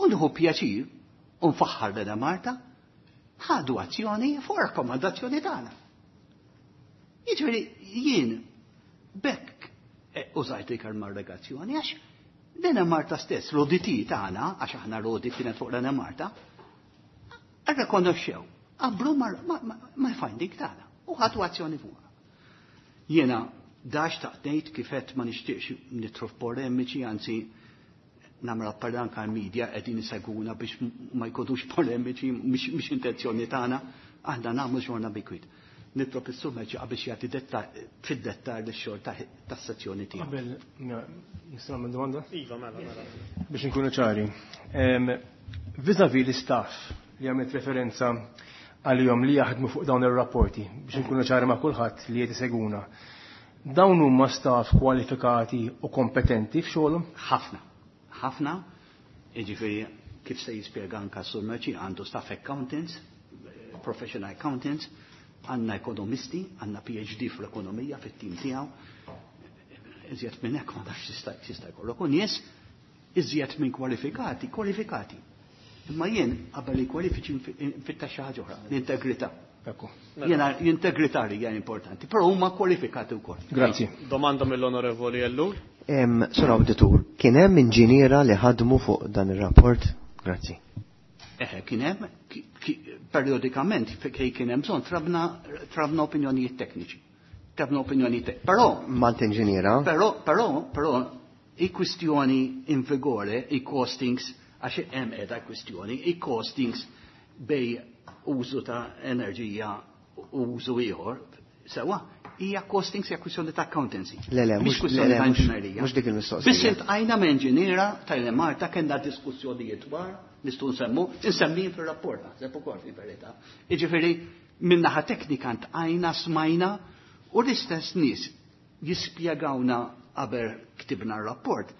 U nieħu pjaċir u nfaħħar l-Enemalta ħadu azzjoni fuq rakkomandazzjoni tagħna. Jiġifieri jien bekk użajt il-kelma allegazzjoni għax l-Enemalta stess, l-ODT tagħna, għax aħna l-audit kienet fuq l-Enemalta, rrekonoxxew, qablu mal-finding tagħna u ħadu azzjoni fuqha. Jiena dax taqtejt kifet ma nixtieqx nitru f'polemiċi, anzi nagħmel appell anke għall-media qegħdin isegwuna biex ma jkunux polemiċi, mhix intenzjoni tagħna, aħna nagħmlu xogħolna bi kwiet. Nitlob is-Sur Mercieca biex jagħti fid-dettal ix-xogħol tas-sezzjoni tiegħu. Qabel nista' nagħmel domanda? Iva, mela, mela. Biex inkunu ċari. Vis-à-vis l-istaff li għamilt referenza għalihom li jaħdmu fuq dawn ir-rapporti biex inkunu ċari ma' kulħadd li qed isegwuna. Dawn huma staff kwalifikati u kompetenti f'xogħolhom? Ħafna. Ħafna. Jiġifieri kif se jispjega anke s-Sur Mercieca għandu staff accountants, professional accountants, għandna ekonomisti, għandna PhD fl-ekonomija fit-tim tiegħu. Iżjed minn hekk ma nafx x'jista' jkollok. U nies iżjed minn kwalifikati, kwalifikati. Imma jien qabel li kwalifiċi nfittax xi ħaġa oħra, l-integrità. Ekku. Jiena l-integrità li hija importanti, però huma kwalifikati wkoll. Grazzi. Domanda mill-Onorevoli Ellul. Sur Awditur, kien hemm inġiniera li ħadmu fuq dan ir-rapport? Grazzi. Eħe, kien hemm, periodikament kej kien hemm bżonn trabna opinjonijiet tekniċi. Trabna opinjonijiet tekniċi. Però Malt inġiniera? Però, però, però, i kwistjoni in vigore, i costings, għax hemm qiegħda kwistjoni, i costings bej użu ta' enerġija u użu ieħor, sewa, hija costings hija kwistjoni ta' accountancy. Le, le, Mhix kwistjoni ta' inġinerija. mhux dik il-mistoqsija. Biss iltqajna ma' inġiniera tal-Enemalta kellna diskussjonijiet dwar, nistgħu nsemmu, insemmihom fir-rapport naħseb ukoll fil-verità. Jiġifieri min-naħa teknika ntqajna smajna u l-istess nies jispjegawna qabel ktibna r-rapport,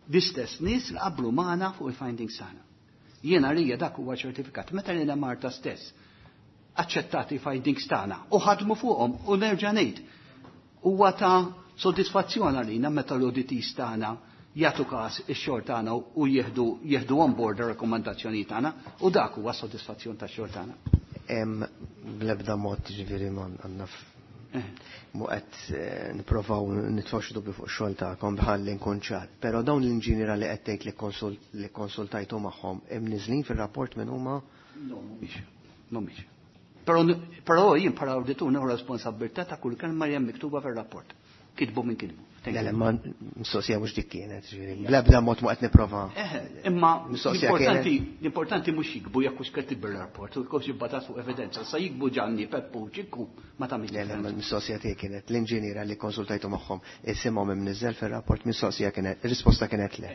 l-istess nies li qablu magħna fuq il-findings tagħna. Jiena rija dak huwa ċertifikat. Meta lilna Marta stess aċċettati findings tagħna u ħadmu fuqhom u nerġa' ngħid huwa ta' sodisfazzjon għalina meta l-auditees tagħna jagħtu każ ix-xogħol tagħna u jieħdu on board ir-rakkomandazzjoni tagħna u dak huwa sodisfazzjon tax-xogħol tagħna. Bl-ebda mod ġifieri ma għandna mu qed nipprovaw nitfgħu xi dubju fuq ix-xogħol tagħkom bħalli nkun ċar. Però dawn l-inġiniera li qed tgħid li konsultajtu magħhom imniżlin fir-rapport minn huma? No, mhumiex. Mhumiex. Però jien bħala awditur nieħu responsabbiltà ta' kull kelma li hemm miktuba fir-rapport. Kitbu minn kitbu. Thank Le, le, you. ma mistoqsija mhux dik kienet, ġifieri. Bl-ebda mod ma qed nipprova. Eħe, imma Mistoqsija kienet. l-importanti mhux jikbu jekk hux kitib ir-rapport, u jkunx jibbażat fuq evidenza. Sa jikbu Ġanni, Peppu, Ċikku, ma tagħmilx Le, le, ma differenza. l-mistoqsija tiegħi kienet l-inġiniera li konsultajtu magħhom isimhom imniżżel fir-rapport, mistoqsija kienet, ir-risposta kienet le.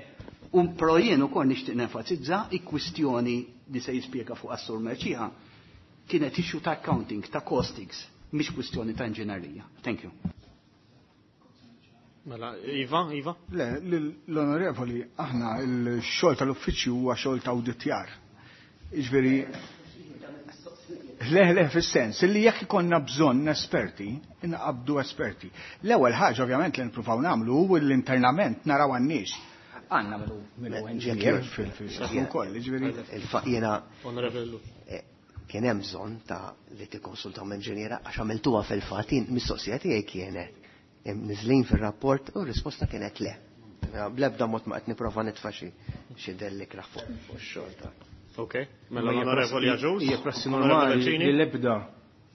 U però jien ukoll nixtieq nenfasizza i-kwistjoni li se jispjega fuq Assur Mercieca kienet issue ta' accounting, ta' costings, mhix kwistjoni ta' inġinerija. Thank you. Mela, Iva, Iva? Le, l-onorevoli, aħna l-xogħol tal-uffiċċju huwa xogħol ta' awditjar. Jiġifieri, le, le, fis-sens, li jekk ikollna bżonn esperti, inqabdu esperti. L-ewwel ħaġa ovvjament li nippruvaw nagħmlu hu l-internament naraw għan-nies. Għandna minnu engineer fil-fil ukoll, jiġifieri. Jiena Onorevoli. Kien hemm bżonn ta' li tikkonsultaw ma' inġiniera għax għamiltuha fil-fatt, jien mistoqsija tiegħi kienet niżlin fir-rapport u r-risposta kienet le. Bl-ebda mod ma qed nipprova nitfa' xi xi delli kraħ fuq ix-xogħol ta' Ok, mela l-Onorevoli Agius. Hija prassi normali li l-ebda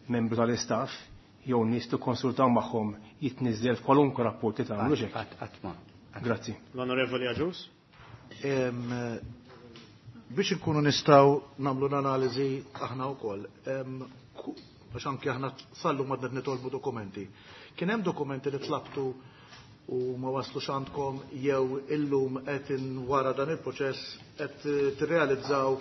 membru tal-istaff jew nies tikkonsultaw magħhom jitniżżel f'kwalunkwe rapport li tagħmlu xejn. Qatt ma. Grazzi. L-Onorevoli Agius. Biex inkunu nistgħu nagħmlu l-analiżi aħna wkoll, għax anke aħna sallu madna nitolbu dokumenti. Kien hemm dokumenti li tlabtu u ma waslux għandkom jew illum qed wara dan il-proċess qed tirrealizzaw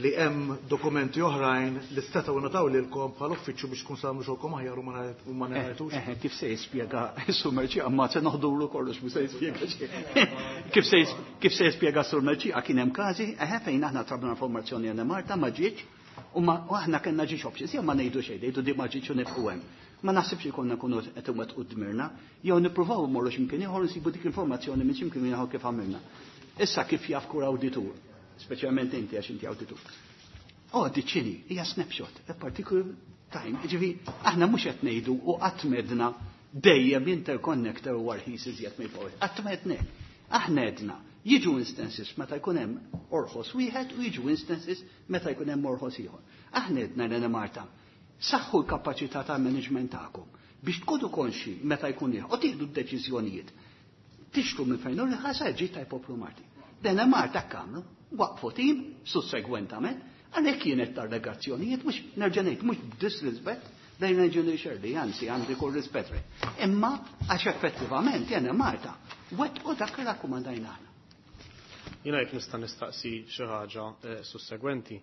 li hemm dokumenti oħrajn li setgħu ngħataw lilkom bħal uffiċċju biex tkun samu xogħolkom aħjar u ma ngħidux. Kif se jispjega Sur Mercieca ma se noħdulu kollox mhux se jispjega xejn. Kif se kif se jispjega Sur Mercieca kien hemm każi fejn aħna tlabna informazzjoni għal Malta ma ġietx u aħna kellna ġiex options, jew ma ngħidu xejn, ngħidu di ma ġietx u nibqgħu hemm. Ma naħsibx li konna nkunu qed inwettqu dmirna, jew nippruvaw immorru x'imkien ieħor nsibu dik l-informazzjoni minn x'imkien ieħor kif għamilna. Issa kif jaf kur awditur, speċjalment inti għax inti awditur. Oh, diċini, hija snapshot, a particular time. Ġifi, aħna mhux qed ngħidu u qatt medna dejjem interconnector u arħis iżjed mill-forward. Qatt medna. Aħna edna jiġu instances meta jkun hemm orħos wieħed u jiġu instances meta jkun hemm orħos ieħor. Aħna edna l Marta, saħħu l-kapaċità ta' management tagħkom biex tkunu konxi meta jkun ieħor u tieħdu d-deċiżjonijiet. Tixtru minn fejn u l-ħasa ġi ta' poplu Marti. Dena Marta kamlu, waqfu tim sussegwentament, għalhekk kienet tar-regazzjonijiet mhux nerġa' ngħid mhux b'disrispett lejn Engineer Shirley, anzi għandi kull rispett. Imma għax effettivament jena Marta wettqu dak li rakkomandajna aħna. Jiena jekk nista' nistaqsi xi ħaġa sussegwenti.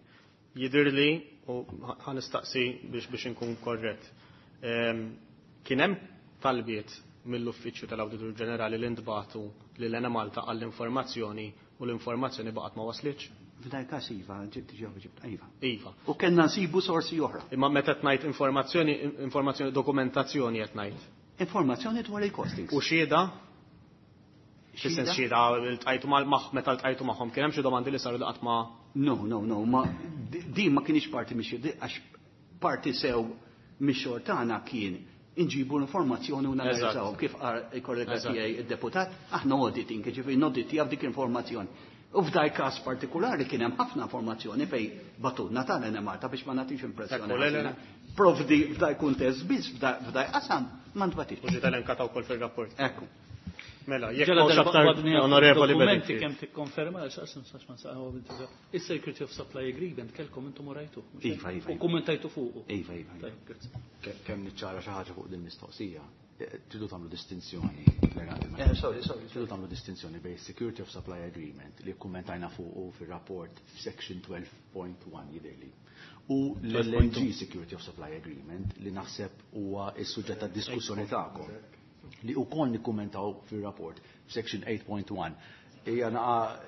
Jidhirli u ħa nistaqsi biex inkun korrett. Kien hemm talbiet mill-Uffiċċju tal-Awditur Ġenerali li ntbagħtu lil Enemalta għall-informazzjoni u l-informazzjoni baqgħet ma waslitx? F'dan il-każ iva, ġibt ġew ġibt iva. Iva. U kellna nsibu sorsi oħra. Imma meta qed ngħid informazzjoni, informazzjoni dokumentazzjoni qed ngħid. Informazzjoni dwar il-costings. U xhieda? Fis-sens xhieda ltqajtu mal meta ltqajtu magħhom kien hemm xi domandi li saru li qatt ma No, no, no, ma din ma kienx parti mix għax parti sew mix-xogħol tagħna kien inġibu l-informazzjoni u nanalizzaw kif qal il-kollega tiegħi id-deputat, aħna auditing, ġifieri noditjaw dik l-informazzjoni. U f'daj każ partikolari kien hemm ħafna informazzjoni fej batutna tal-Enemalta biex ma nagħtix impressjoni. Provdi f'daj kuntest biss f'daj qasam ma ntbatix. U ġiet elenkata wkoll fir-rapport. Ekku. Mela, jekk hawn aktar onorevoli dokumenti kemm tikkonferma għax ma saqgħu Is-Security of Supply Agreement kelkom intom urajtu. Iva, iva. U kummentajtu fuqu. Iva, iva. Kemm niċċara xi ħaġa fuq din mistoqsija. Tridu tagħmlu distinzjoni. Sorry, sorry. Tridu tagħmlu distinzjoni bejn Security of Supply Agreement li kkummentajna fuqu fir-rapport f'Section 12.1 jidhirli. U l-LNG Security of Supply Agreement li naħseb huwa s-suġġett tad-diskussjoni tagħkom li wkoll nikkummentaw fir-rapport f'Section 8.1. Hija naqa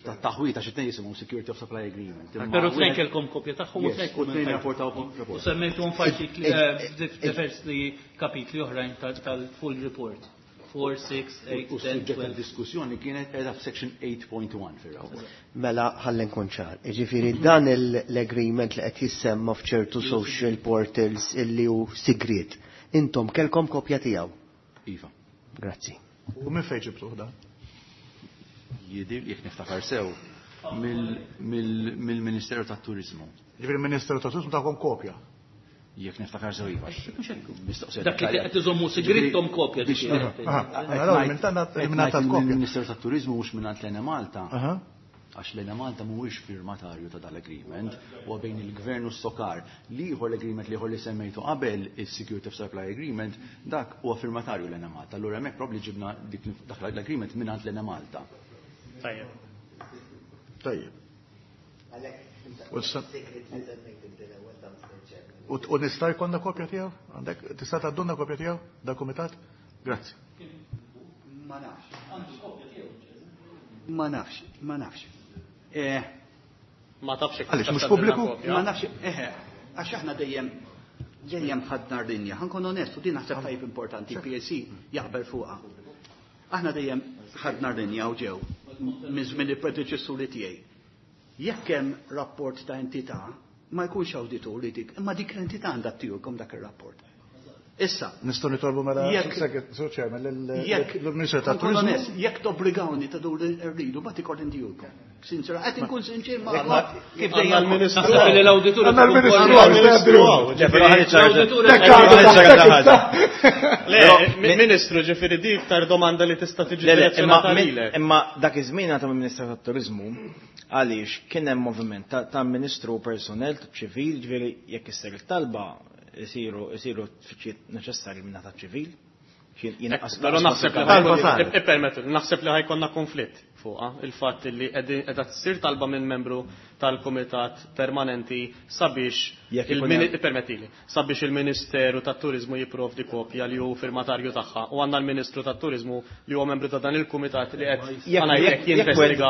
ta' taħwita xi tnejn jisimhom Security of Supply Agreement. Però tnejn kellkom kopja tagħhom u tnejn U tnejn rapportaw rapport. U semmejtuhom f'artikli diversi kapitli oħrajn tal-full report. 4, 6, 8, U 10, s-suġġett 12. tad-diskussjoni kienet qiegħda f'Section 8.1 fir-rapport. Mela ħalli nkun ċar. Jiġifieri dan l-agreement li qed jissemma f'ċertu social portals illi hu sigriet. Intom kellkom kopja tiegħu. Iva. Grazzi. U minn fejn ġibtuh dan? Jidir, jekk niftakar sew, mill-Ministeru tat-Turizmu. Ġifieri il-Ministeru tat-Turizmu tagħkom kopja. Jekk niftakar sew iva. Mistoqsija Dak li qed iżommu sigrittom kopja dik. Il-Ministeru tat-Turizmu mhux mingħand l-Enemalta. Għax l-Enemalta mhuwiex firmatarju ta' dal-agreement, huwa bejn il-Gvern u s-Sokar. L-ieħor l-agreement li ieħor li semmejtu qabel, is-Security of Supply Agreement, dak huwa firmatarju l-Enemalta. Allura hemmhekk probabbli ġibna dak l-agreement mingħand l-Enemalta. Tajjeb. Tajjeb. U nista' jkollna kopja tiegħu? Għandek tista' tgħaddulna kopja tiegħu dal kumitat? Grazzi. Ma nafx. Ma nafx, ma nafx. Ma tafx jekk Għaliex mhux tista' pubbliku? tgħaddulna kopja? Ma nafx, għax aħna dejjem ħadna r-linja. Ħa nkun onest, u din naħseb tajjeb importanti, PSC jaqbel fuqha. Aħna dejjem ħadna r-linja u ġew minn żmien il-predeċessuri tiegħi. Jekk hemm rapport ta' entità, ma jkunx awditur li dik, imma dik l-entità għandha ttijukom dak ir-rapport. Issa. Nistgħu nitolbu mela Sur Chairman lill-Ministru tat-Turiżmu. Jekk tobbligawni ta' dur rridu, ma ikolli ndijulkom. Sinċera, qed inkun sinċir ma' kif dejjem l-Ministru. Naħseb li l-awditur. L-Ministru. Le, Ministru, ġifieri di iktar domanda li tista' tiġi direzzjonata lilek. Imma dak iż-żmien għata mill-Ministru tat-Turiżmu għaliex kien hemm moviment ta' Ministru personnel ċivil, ġifieri jekk issir it-talba isiru isiru tfittxijiet neċessarji minn ta' ċivil. Però naħseb li ippermettu, naħseb li ħajkonna konflitt fuqha il-fatt li qiegħda tsir talba minn membru tal-Kumitat Permanenti sabiex ippermettili, sabiex il-Ministeru tat-Turiżmu jipprovdi kopja li hu firmatarju tagħha u għandna l-Ministru tat-Turiżmu li huwa membru ta' dan il-kumitat li qed ngħidlek jinvestiga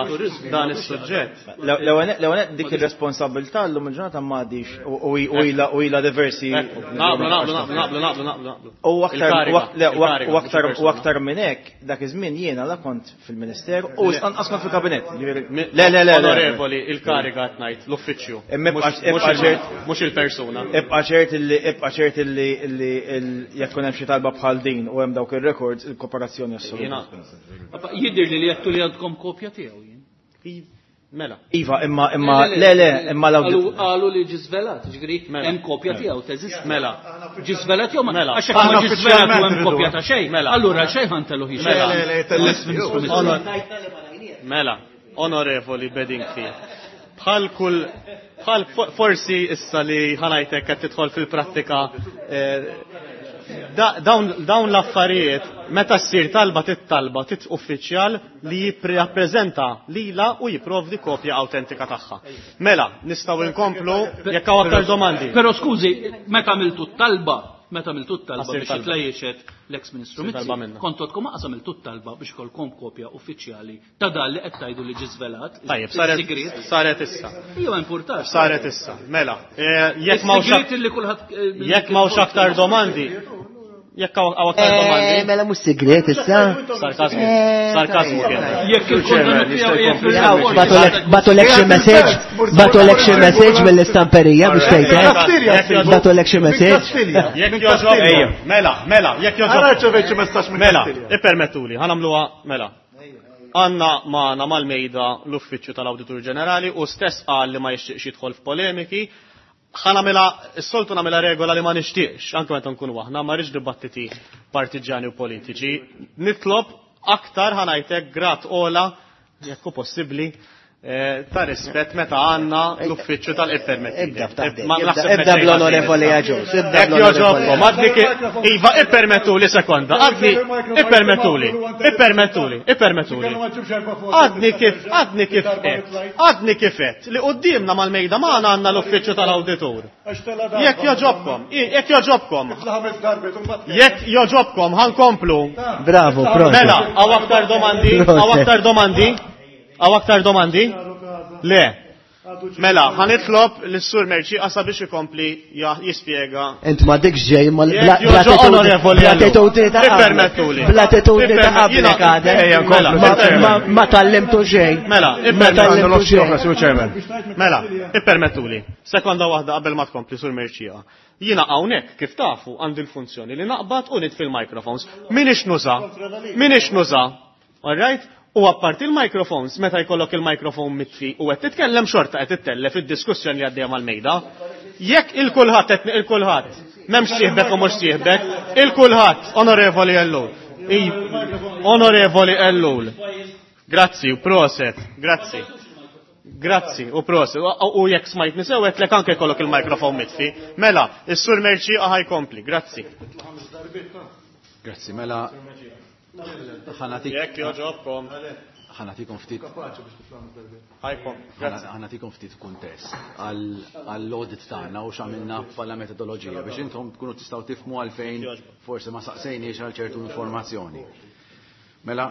dan is-suġġett. L-ewwel dik ir-responsabilità llum il-ġurnata m'għadix u ilha diversi. Naqblu, naqblu, naqblu, naqblu, naqblu. U aktar u aktar minn hekk dak iż-żmien jiena la kont fil-Ministeru u anqas kont fil-kabinett. Le, le, le. Onorevoli, il-kariga qed ngħid, l-uffiċċju. Mhux il-persuna. Ibqa' ċert illi ibqa' ċert illi jekk tkun hemm xi talba bħal din u hemm dawk ir-records il-kooperazzjoni assoluta. Jidher li li għedtu li għandkom kopja tiegħu jien. Mela. Iva, imma imma le le imma l Qalu li ġi żvelat, ġifieri hemm kopja tiegħu teżisti. Mela. Ġi żvelat jew ma mela. Għax hekk ma ġi żvelat u hemm kopja ta' xejn. Mela. Allura xejn ħantellu hi xejn. Mela, onorevoli Bedingfield. Bħal kull bħal forsi issa li ħanajtek qed tidħol fil-prattika eh, dawn l-affarijiet meta ssir talba tittalba tit uffiċjal li jirrappreżenta lilha u jipprovdi kopja awtentika tagħha. Mela, nistgħu nkomplu jekk hawn aktar domandi. Però skużi, meta għamiltu t-talba, meta għamiltu t-talba biex tlejxet l-eks Ministru Mizzi, kontu għadkom aqas għamiltu t-talba biex ikollkom kopja uffiċjali ta' dan li qed tgħidu li ġie żvelat. Tajjeb, saret saret issa. Ija ma importax. Saret issa. Mela, eh, jekk m'hawnx eh, jekk m'hawnx aktar domandi, Jekk hawn aktar eh, domandi. Mela mhux sigriet issa. Sarkasmu. Sarkasmu kien. Jekk il-kontenut Batulek xi message, batulek xi message mill-istamperija biex tgħid. Batulek xi message. Jekk jogħġob. Mela, mela, jekk jogħġob. Ara ċevejt xi messaġġ minn Mela, ippermettuli, ħa nagħmluha mela. Għandna magħna mal-mejda l-Uffiċċju tal-Awditur Ġenerali u stess qal li ma jixtieqx jidħol f'polemiki. Ħa nagħmilha, is-soltu nagħmilha regola li ma nixtieqx, anke meta nkunu aħna, ma rridx dibattiti partiġġjani u politiċi. Nitlob aktar ħa ngħidlek grad ogħla, jekk hu possibbli, eh, ta' rispett meta għandna l-uffiċċju tal-ippermetti. Ibda ibda bl-onorevoli Aġus, ibda bl-onorevoli. Għadni Iva, ippermettuli sekonda, għadni, ippermettuli, ippermettuli, ippermettuli. Għadni kif, għadni kif qed, għadni kif qed li quddiemna mal-mejda magħna għandna l-uffiċċju tal-awditur. Jekk jogħġobkom, jekk jogħġobkom. Jekk jogħġobkom, ħankomplu. Bravo, proset. Mela, hawn aktar domandi, hawn aktar domandi, hawn aktar domandi? Le. Mela, ħa nitlob lis-Sur Mercieca sabiex ikompli jispjega. Int ma dikx ġej ma bl-attitudni ta' Ippermettuli. Bl-attitudni ta' qablek għadek. Mela, ma tallimtu xejn. Mela, Ma tallimtu xejn. Mela, ippermettuli. Sekonda waħda qabel ma tkompli Sur Mercieca. Jiena hawnhekk kif tafu għandi l-funzjoni li naqbad u nitfi l-microphones. Minix nuża. Minix nuża. All right? U apparti l-microphones, meta jkollok il-microphone mitfi u qed titkellem xorta qed ittellef id-diskussjoni li għaddejja mal-mejda. Jekk il-kulħadd qed il-kulħadd, m'hemmx sieħbek u mhux sieħbek, il-kulħadd, Onorevoli Ellul. Onorevoli Ellul. Grazzi u proset, grazzi. Grazzi u proset. U jekk smajtni sew għedtlek anke jkollok il-microphone mitfi. Mela, is-Sur Mercieqa ħa jkompli. Grazzi. Grazzi, mela Jekk joġobkom. Ħanatikom ftit. Ħanatikom ftit kuntest għall-audit tagħna u x'għamilna bħala metodoloġija biex intom tkunu tistgħu tifhmu għalfejn forsi ma saqsejniex għal ċertu informazzjoni. Mela,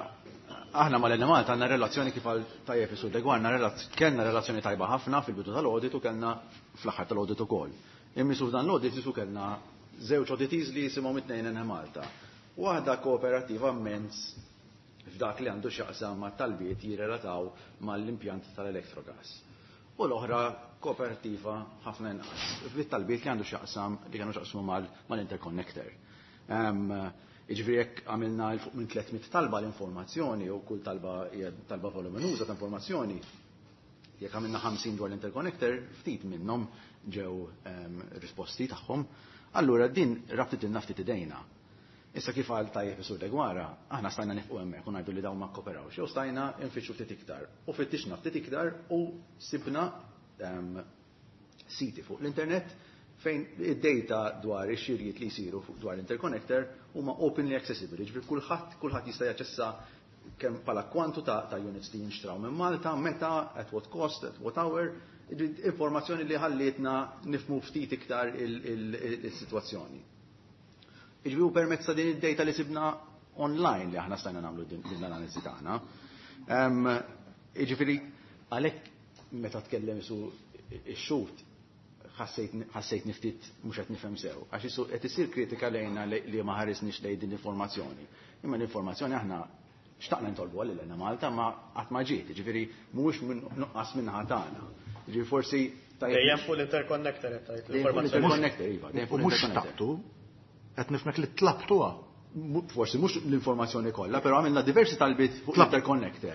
aħna mal-Enemalta għandna relazzjoni kif għal tajjeb is-Sur Degwarna kellna relazzjoni tajba ħafna fil-bidu tal-audit u kellna fl-aħħar tal-audit ukoll. Imma f'dan l-audit isu kellna żewġ auditees li jisimhom it-tnejn Enemalta. Waħda kooperattiva mmens f'dak li għandu x'jaqsam ma' talbiet jirrelataw mal-impjant tal-Electrogas. U l-oħra kooperattiva ħafna inqas fit-talbiet li għandu x'jaqsam li kienu x'jaqsmu mal-interconnector. Jiġifieri jekk għamilna 'l fuq minn 300 talba l-informazzjoni u kull talba hija talba voluminuża ta' informazzjoni, jekk għamilna 50 dwar l-interconnector, ftit minnhom ġew risposti tagħhom. Allura din rabtitilna ftit idejna. Issa kif qal tajjeb is-Sur Deguara, aħna stajna nifqu hemmhekk u ngħidu li dawn ma kkoperawx, jew stajna nfittxu ftit iktar. U fittixna ftit iktar u sibna siti fuq l-internet fejn id-data dwar ix-xirjiet li jsiru dwar l-interconnector huma openly accessible, jiġifieri kulħadd kulħadd jista' jaċċessa kemm bħala kwantu ta', ta units li jinxtraw minn Malta, meta, at what cost, at what hour, informazzjoni li ħallietna nifmu ftit iktar il-sitwazzjoni. Jiġifieri permezz ta' din id-data li sibna online li aħna stajna nagħmlu din l-analiżi tagħna. Jiġifieri għalhekk meta tkellem su ix-xhud ħassejt niftit mhux qed nifhem sew, għax isu qed isir kritika lejna li ma ħarisniex lejn din l-informazzjoni. Imma l-informazzjoni aħna xtaqna ntolbu għal lil Malta ma qatt ma ġiet, jiġifieri mhuwiex minn nuqqas minnaħa tagħna. Jiġifieri forsi Dejjem fuq l-interconnector qed tgħid l-informazzjoni. Interconnector, iva, dejjem fuq Mhux xtaqtu, qed nifhmek li tlabtuha. Forsi mhux l-informazzjoni kollha, però għamilna diversi talbiet fuq l-interconnector.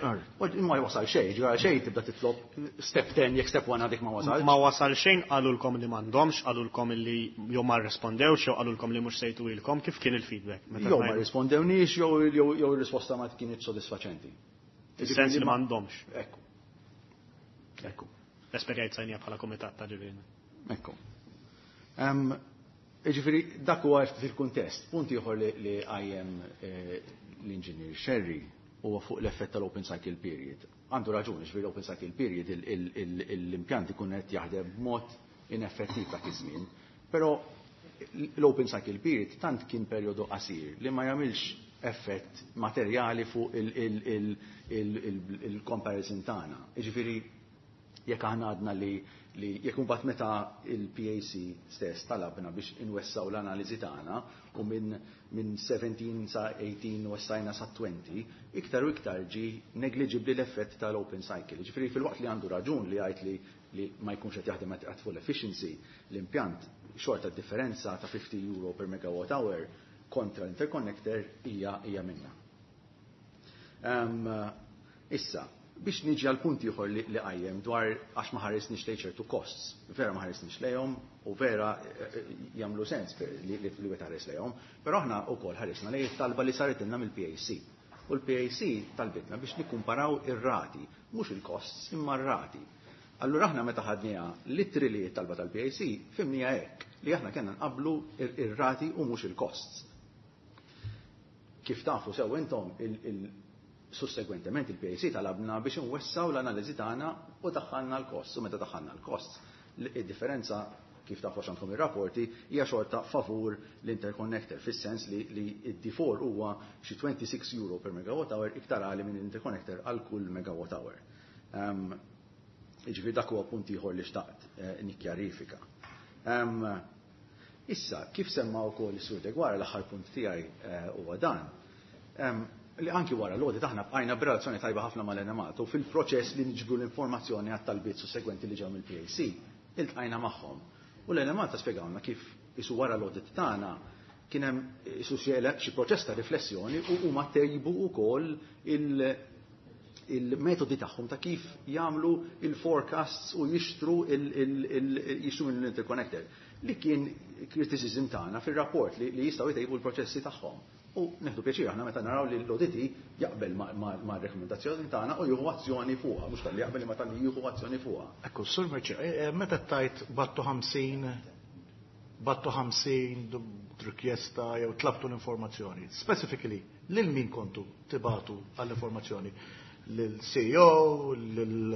Ma wasal xejn, ġara xejn tibda titlob step 10 jekk step 1 għadek ma wasal. Ma wasal xejn qalulkom li m'għandhomx, qalulkom li jew ma rrispondewx, jew qalulkom li mhux sejtu ilkom, kif kien il-feedback? Jew ma rrispondewniex jew ir-risposta ma kienet sodisfaċenti. Fis-sens li m'għandhomx. Ekku. Ekku. Esperjenzajnija bħala kumitat ta' ġifieri. Ekku. Jiġifieri dak huwa ftit il-kuntest. Punt ieħor li qajjem l-Inġinier Scerri huwa fuq l-effett tal-open cycle period. Għandu raġun, jiġifieri l-open cycle period l-impjant ikun qed jaħdem b'mod ineffettiv dak iż-żmien. Però l-open cycle period tant kien perjodu qasir li ma jagħmilx effett materjali fuq il-comparison tagħna. Jiġifieri jekk aħna għadna li jekk imbagħad meta il-PAC stess talabna biex inwessaw l-analiżi tagħna u minn 17 sa 18 wessajna sa 20, iktar u iktar ġi negliġibbli l-effett tal-open cycle. Jiġifieri fil-waqt li għandu raġun li jgħid li ma jkunx qed jaħdem at full efficiency, l-impjant xorta differenza ta' 50 euro per megawatt hour kontra l-interconnector hija minna. Issa, biex niġi għal punt ieħor li qajjem dwar għax ma ħaresniex lejn ċertu costs, vera ma ħaresniex lejhom u vera jagħmlu sens li wieħed ħares lejhom, però aħna wkoll ħaresna lejn it-talba li saritilna mill-PAC. U l-PAC talbitna biex nikkumparaw ir-rati, mhux il-costs imma r-rati. Allura aħna meta ħadniha literally t-talba tal-PAC fimniha hekk li aħna kellna nqablu ir-rati u mhux il-costs. Kif tafu sew intom sussegwentement il-PAC talabna biex nwessaw l-analiżi tagħna u daħħalna l-costs. U meta daħħalna l-costs, id-differenza kif tafu għandkom ir-rapporti hija xorta favur l-interconnector, fis-sens li id-D4 huwa xi 26 euro per megawatt hour iktar għali minn l-interconnector għal kull megawatt hour. Jiġifieri dak huwa punt ieħor li xtaqt nikkjarifika. Issa, kif semma wkoll is-Sur Deguara l-aħħar punt tiegħi huwa dan, li anki wara l-audit aħna bqajna b'relazzjoni tajba ħafna mal-Enemalta u fil-proċess li niġbru l-informazzjoni għat-talbiet sussegwenti li ġew mill-PAC, iltqajna magħhom. U l-Enemalta spjegawna kif isu wara l-audit tagħna kien hemm isu xi proċess ta' riflessjoni u huma tejbu wkoll il-metodi tagħhom ta' kif jagħmlu il-forecasts u jixtru jixtru mill-interconnector. Li kien criticism tagħna fir-rapport li jistgħu jtejbu l-proċessi tagħhom. U neħdu pjaċir aħna meta naraw li l-auditi jaqbel ma' rekomendazzjoni tagħna u jieħu azzjoni fuqha, mhux talli jaqbel imma talli jieħu azzjoni fuqha. Ekku, Sur Merċi, meta tajt battu 50, battu 50 rikjesta jew tlabtu l-informazzjoni, specifically lil min kontu tibatu għall-informazzjoni? Lil CEO, lil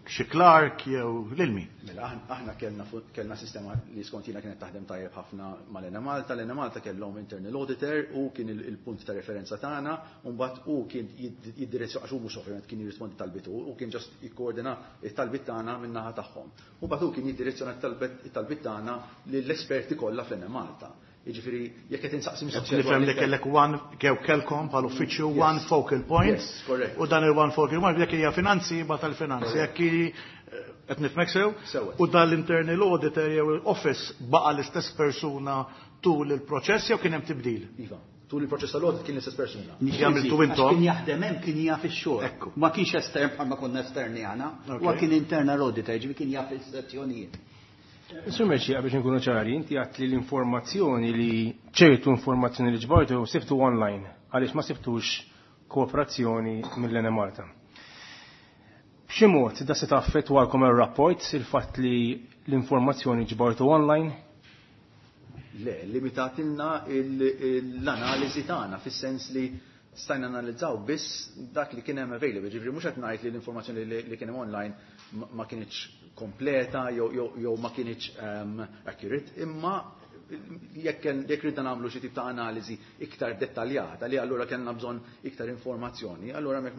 xi clerk jew lil min? Mela aħna kellna sistema li skontina kienet taħdem tajjeb ħafna mal-Enemalta. L-Enemalta kellhom internal auditor u kien il-punt ta' referenza tagħna, u mbagħad hu kien jiddirezzjona għax hu mhux ovvjament kien jirrispondi talbitu, u kien ġast jikkoordina t-talbit tagħna min-naħa tagħhom. U mbagħad hu kien jiddirezzjona t-talbit tagħna lill-esperti kollha fl-Enemalta. Jiġifieri jekk qed insaqsi mistoqsija Nifhem li kellek one, jew kellkom bħal uffiċċju one focal point. Yes, correct. U dan il-one focal point jekk hija finanzi ma tal-finanzi, jekk hi qed nifhmek sew? Sew. U dan l-internal auditor jew office baqa' l-istess persuna tul il-proċess jew kien hemm tibdil? Iva, tul il-proċess tal-audit kien l-istess persuna. Għamiltu intom? Kien jaħdem hemm kien jaf ix-xogħol. Ma kienx estern bħalma konna esterni aħna, huwa kien internal auditor, ġifieri kien jaf is-sezzjonijiet. Sur Merċija, biex nkunu ċari, inti għat li l-informazzjoni li ċertu informazzjoni li ġbartu sibtu online, għaliex ma sibtux kooperazzjoni mill-Enemalta. B'xi mod da se taffettwalkom ir-rapport il-fatt li l-informazzjoni ġbartu online? Le, limitatilna l-analiżi tagħna fis-sens li stajna analizzaw biss dak li kien hemm available. Ġifieri mhux qed ngħid li l-informazzjoni li kien hemm online ma kinitx kompleta jew ma kinitx accurate, imma jekk ridna nagħmlu xi tip ta' analiżi iktar dettaljata li allura kellna bżonn iktar informazzjoni, allura hemmhekk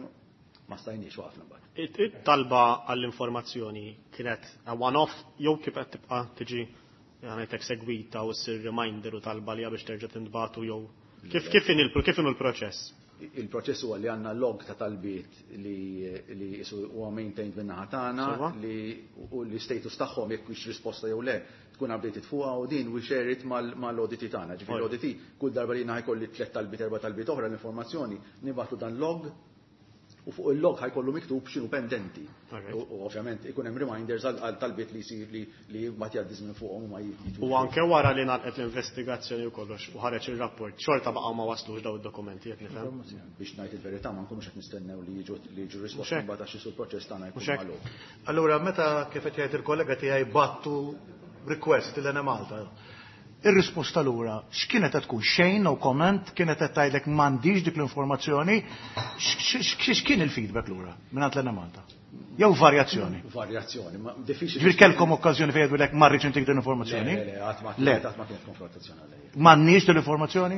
ma stajniex waqfna mbagħad. It-talba għall-informazzjoni kienet one-off jew kif qed tibqa' tiġi ngħidlek segwita u ssir reminder u talba li biex terġa' tintbagħtu jew kif kif kif inhu l-proċess? Il-proċess huwa li għandna log ta' talbiet li isu huwa maintained min-naħa tagħna li u li status tagħhom jekk hux risposta jew le tkun updated fuqha u din we share it mal-audit tagħna. Ġifieri l-audit kull darba li ħajkolli tliet talbiet erba' talbiet oħra l-informazzjoni nibgħatu dan log u fuq il-log ħajkollu miktub x'inhu pendenti. U ovvjament ikun hemm reminders għal talbiet li jsir li mbagħad jgħaddi żmien fuqhom u ma jitwux. U anke wara li ngħalqet l-investigazzjoni u kollox u ħareġ ir-rapport, xorta baqgħu ma waslux daw id-dokumenti qed nifhem. Biex ngħid il-verità ma nkunux qed nistennew li jiġu li jiġu risposti mbagħad għax isu l-proċess tagħna jkun magħluq. Allura meta kif qed jgħid il-kollega tiegħi battu request lil Malta. Ir-risposta lura, x'kienet qed tkun xejn no comment, kienet qed tgħidlek m'għandix dik l-informazzjoni, x'kien il-feedback lura mingħand l Malta? Jew varjazzjoni? Varjazzjoni, ma diffiċli. Ġifieri kellkom okkażjoni fejn jgħidulek ma rridx intik din l-informazzjoni? Le, qatt ma qatt ma kienet konfrontazzjoni għalija. M'għandniex din l-informazzjoni?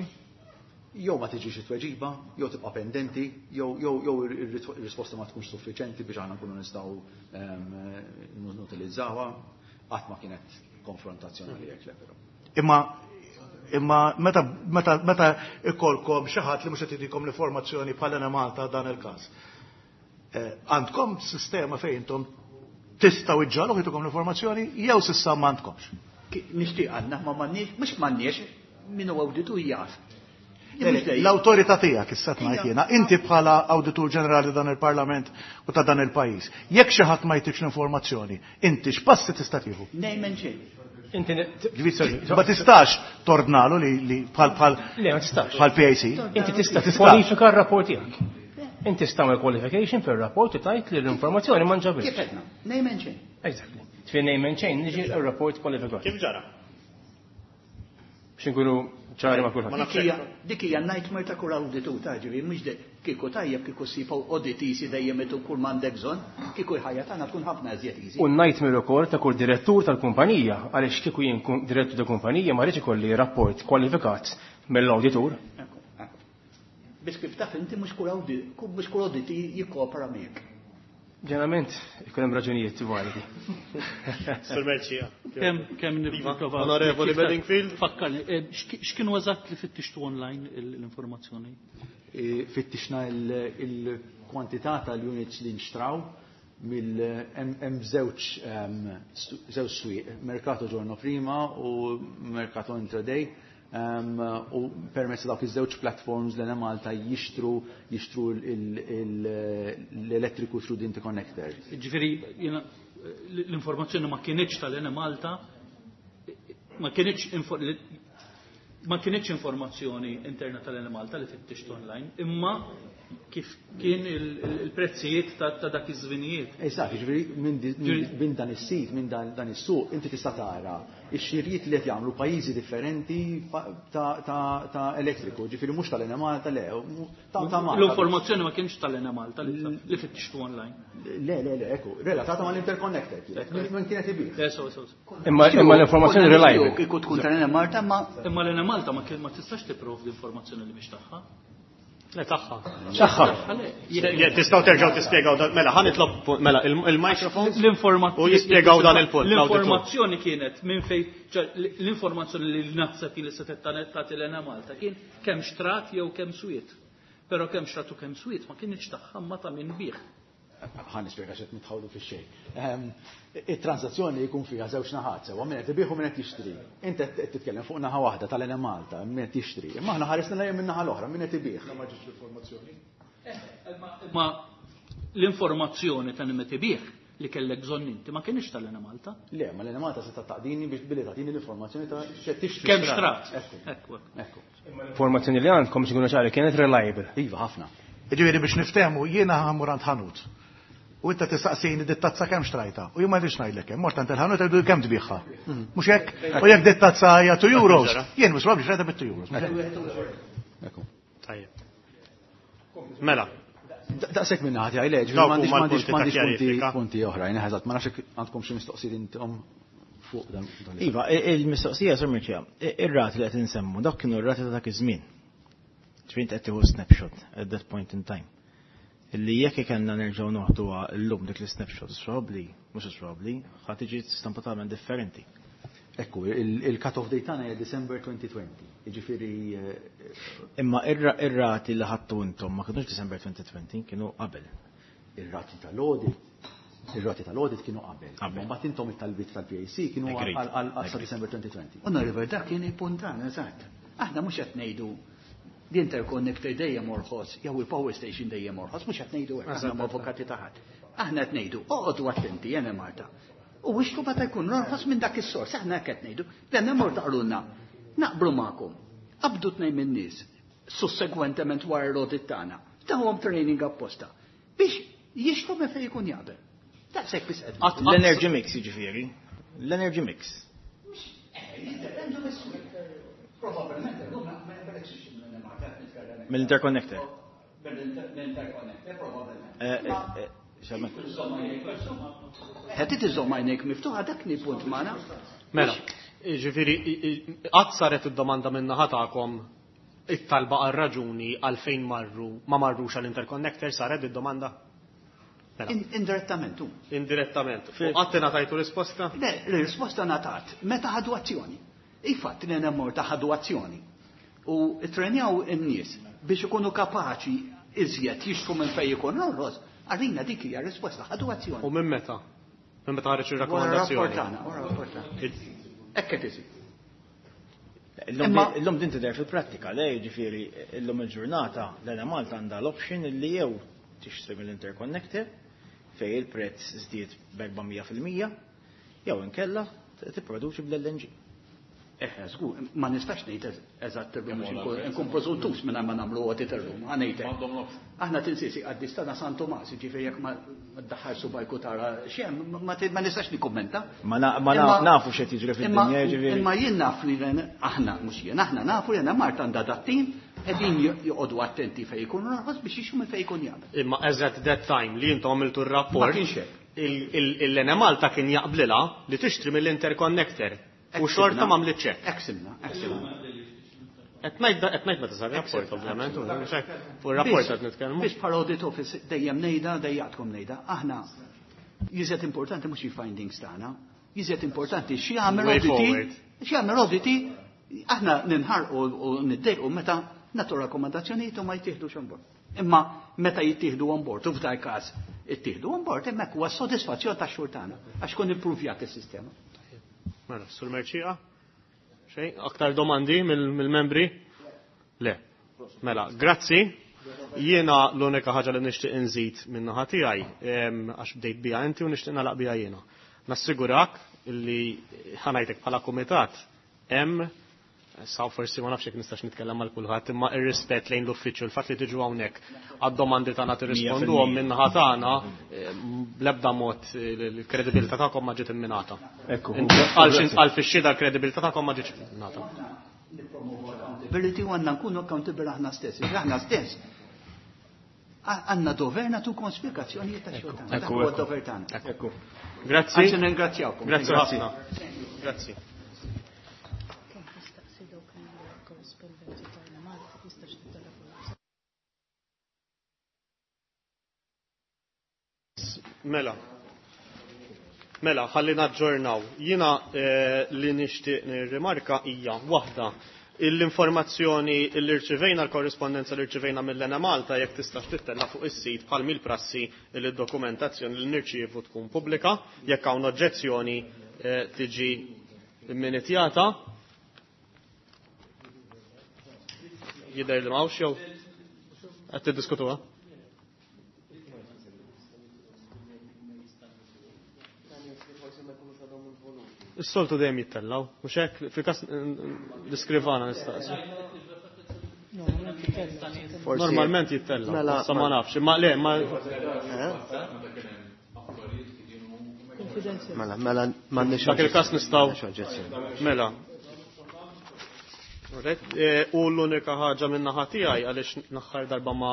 Jew ma tiġix it-tweġiba, jew tibqa' pendenti, jew ir-risposta ma tkunx suffiċenti biex aħna nkunu nistgħu nutilizzawha, qatt ma kienet konfrontazzjoni għalija le però. Imma imma meta meta meta ikolkom xi ħadd li mhux qed jtikom l-informazzjoni bħal Malta dan il-każ. Għandkom sistema fejn intom tistgħu iġġalu jtukom l-informazzjoni jew s'issa m'għandkomx. Nixtieq għandna ma m'għandniex, mhux m'għandniex, min huwa awditur jaf. L-awtorità tiegħek issa ngħid jiena, inti bħala awditur ġenerali dan il-Parlament u ta' dan il-pajjiż. Jekk xi ħadd ma jtikx l-informazzjoni, inti x'passi tista' tieħu? Name and shame. Inti ma tistax tordnalu li bħal bħal Le, ma tistax. bħal PAC. Inti tista' tikkwalifika r-rapport tiegħek. Inti tista' tagħmel qualification fir-rapport u tgħid li l-informazzjoni ma nġabitx. Kif għedna? Name and shame. Exactly. Tfin name and shame niġi r-rapport kwalifikat. Kif ġara? Biex inkunu ċari ma' kulħadd. Dik hija nightmare ta' kull awditur ta' ġifieri mhux kieku tajjeb kieku ssib audit easy dejjem itu kull m'għandek bżonn, kieku l-ħajja tagħna tkun ħafna iżjed easy. U nightmare ukoll ta' kull direttur tal-kumpanija għaliex kieku jien direttur ta' kumpanija ma rridx ikolli rapport kwalifikat mill-awditur. Biss kif taf inti mhux kull audit jikkopera miegħek. Ġeneralment ikun hemm raġunijiet validi. Sur Merċija. Kemm nipprova. Onorevoli Bedingfield. Fakkarni, x'kienu eżatt li fittixtu online l-informazzjoni? Fittixna il-kwantità tal-units li nxtraw mill hemm żewġ swieq, Mercato Giorno Prima u Mercato Intraday. U permezz dawk iż-żewġ platforms l Malta jixtru l-elettriku through the interconnector. Ġifieri l-informazzjoni ma kinitx tal-Enemalta, ma kinitx informazzjoni interna tal-Enemalta li fittixtu online, imma kif kien il-prezzijiet ta' dak iż-żminijiet. Eżatt, ġifieri minn dan is-sit, minn dan is-suq, inti tista' tara ix-xirjiet li qed jagħmlu pajjiżi differenti ta' elettriku, ġifieri mhux tal-Enemalta le, ta' Malta. L-informazzjoni ma kienx tal-Enemalta li fittixtu online. Le, le, le, ekku, relatata mal-interconnector, minn kienet ibih. Le, so, so. Imma l-informazzjoni reliable. Kieku tkun tal-Enemalta ma. Imma l-Enemalta ma tistax tipprovdi informazzjoni li mhix tagħha. Le, tagħha. Tagħha. Tistgħu terġgħu tispjegaw dan, mela ħa nitlob mela il-microphone L-informazzjoni u jispjegaw dan il-punt. L-informazzjoni kienet minn fejn, l-informazzjoni li naħseb li se tagħti l-Enemalta kien kemm xtrat jew kemm swiet. Però kemm xtrat u kemm swiet ma kienx tagħha ma ta' min bih. Ħa nispjega x'qed nitħawlu fix-xejn. It-transazzjoni jkun fiha żewġ naħat sewwa min qed ibigħ u min qed jixtri. Inti qed titkellem fuq naħa waħda tal-Enemalta, min qed jixtri. Imma aħna ħaresna lejn min naħa l-oħra, min qed ibigħ. Ma ġietx l-informazzjoni. Ma l-informazzjoni ta' min qed ibigħ li kellek bżonn inti ma kienx tal-Enemalta. Le, ma l-Enemalta se taqdini biex billi tagħtini l-informazzjoni ta' x'qed tixtri. Kemm xtrat. Ekku. Ekku. L-informazzjoni li għandkom biex ikunu ċari kienet reliable. Iva, ħafna. Jiġifieri biex niftehmu jiena ħa mmur għand ħanut. U inta tistaqsini dit tazza kemm xtrajta. U jien ma rridx ngħidlek kemm. Mort għand il-ħanut jgħidu kemm tbigħha. Mhux hekk? U jekk dit tazza hija 2 euros, jien mhux probabbli xtrajta bit 2 euros. Tajjeb. Mela. Daqshekk minn naħa tiegħi le, ġifieri Dawk m'għandix huma m'għandix l-punti ta' m'għandix punti kjarifika. punti oħrajn, eżatt, ma nafx jekk għandkom xi mistoqsijiet intom fuq dan. dan Iva, il-mistoqsija Sur Mirċija, ir-rati li qed insemmu, dawk kienu r-rati ta' dak iż-żmien. Ġifieri inti qed tieħu snapshot at that point in time. Illi jekk ikellna nerġgħu noħduha llum dik l-snapshot, probabbli, mhux probabbli, ħa tiġi stampa totalment differenti. Ekku, il-cut-off date tagħna hija December 2020. Jiġifieri Imma ir-rati li ħadtu intom ma kinux December 2020, kienu qabel. Ir-rati tal-audit, ir-rati tal-audit kienu qabel. Qabel. Mbagħad intom it-talbiet tal-PAC kienu Agreed. għal sa Agreed. December 2020. Onorevole, dak kien il-punt tagħna, eżatt. Aħna mhux qed ngħidu l-interconnector dejjem orħos, jew il-power station dejjem orħos, mhux qed ngħidu hekk, aħna avukati ta' ħadd. Aħna qed ngħidu, oqgħodu attenti, Enemalta. U ixtru meta jkun orħos minn dak is-sors, aħna hekk qed ngħidu. L-Enemalta qalulna, naqblu magħkom. Qabdu tnejn min-nies, sussegwentement wara l-audit tagħna, tawhom training apposta biex jixtru minn fejn ikun jaqbel. Daqshekk biss qed ngħidu. L-energy mix jiġifieri. L-energy mix. Jiddependu mis-swieq. Probabbilment illum ma jaqbelekx ixtri minn Enemalta qed nitkellem. Mill-interconnector. Mill-interconnector probabbilment. Xamma. Qed iżomm għajnejk miftuħa dak ni punt magħna. Mela, ġifieri, qatt saret id-domanda minn naħa tagħkom it-talba għal raġuni għalfejn marru ma marrux għall interconnector saret id-domanda? Mela. Indirettament. hu. Indirettament. U qatt ingħatajtu risposta? Le, l-risposta ngħatat meta ħadu azzjoni. Ifatt li Enemalta ħadu azzjoni. U trenjaw in-nies biex ikunu kapaċi iżjed jixtru minn fejn ikun orħos, għalina dik hija risposta, ħadu azzjoni. U minn meta? Minn meta ħareġ Wara ir-rakkomandazzjoni? rapport tagħna, wara rapport tagħna. Hekk qed isir. Illum din tidher fil-prattika, le jiġifieri illum il-ġurnata l-Enemalta għandha l-option illi jew tixtri mill-interconnector fej il-prezz żdied b'400% jew inkella tipproduċi bl-LNG. Eħe, żgur, ma nistax ngħid eżatt illum biex nkun preżuntus minn ma nagħmlu audit illum, ħa ngħidlek. Aħna tinsisi qaddis tagħna San Tomas, jiġifieri jekk ma ddaħħal subajku tara x'hemm, ma nistax nikkummenta. Ma nafu x'qed jiġri fid-dinja, jiġifieri. Imma jien naf li aħna mhux jien, aħna nafu li Enemalta għandha dat-tim qegħdin joqogħdu attenti fejn ikunu orħos biex jixtru minn fejn ikun jaqbel. Imma as at that time li intom għamiltu r-rapport. Ma kienx hekk. Il-Enemalta kien jaqblilha li tixtri mill-interconnector. U xorta ma għamlitx hekk. Hekk simna, hekk simna. Qed ngħid meta sar rapport, ovvjament, mhux hekk. Fuq ir-rapport qed nitkellmu. Biex bħala audit office dejjem ngħidha, dejjaqtkom ngħidha, aħna jiżed importanti mhux il-findings tagħna, jiżed importanti x'jagħmel Way auditi, forward. x'jagħmel auditi, aħna ninħarqu u niddejqu meta nagħtu rakkomandazzjonijiet u ma jittieħdux on board. Imma meta jittieħdu on board, u f'dal każ ittieħdu on board, hemmhekk huwa s-sodisfazzjon tax-xogħol tagħna għax kun impruvjat is-sistema. Mela, Sur Mercieca? Xejn, aktar domandi mill-membri? Le. Mela, grazzi. Jiena l-unika ħaġa li nixtieq inżid min-naħa tiegħi, għax bdejt biha inti u nixtieq nagħlaq biha jiena. Nassigurak illi ħa ngħidlek bħala kumitat hemm sa forsi ma nafx jekk nistax nitkellem mal kulħadd, imma ir-rispett lejn l-uffiċċju, il-fatt li tiġu hawnhekk għad-domandi tagħna tirrisponduhom min-naħa tagħna, bl-ebda mod il-kredibilità tagħkom ma ġiet imminata. Ekku. Għal fix-xhieda l-kredibilità tagħkom ma ġietx imminata. Accountability u għandna nkunu accountable aħna stess. Aħna stess għandna dover nagħtukom spjegazzjonijiet ta' xogħol tagħna. Dak huwa d-dover tagħna. Ekku. Grazzi. Anzi ningrazzjawkom. Grazzi ħafna. Grazzi. Kemm tistaqsi dawk il-korrispondenti tagħna Malta tistax tittelefona. Mela. Mela, ħalli naġġornaw. Jiena li nixtieq nirrimarka hija waħda. L-informazzjoni li rċivejna, l-korrispondenza li rċivejna mill-Lena Malta, jekk tistax tittella fuq is-sit bħal mill-prassi li d-dokumentazzjoni li nirċievu tkun pubblika, jekk hawn oġġezzjoni tiġi minitjata. Jidher li m'hawnx jew qed tiddiskutuha? Is-soltu dejjem jittellaw, mhux hekk fil-każ l-iskrivana nistaqsi. Normalment jittellaw, Mela, issa ma nafx, imma le, ma Mela, mela, m'għandniex Dak il-każ nistgħu. oġġezzjoni. Mela. Alright, U l-unika ħaġa minn naħa tiegħi għaliex l-aħħar darba ma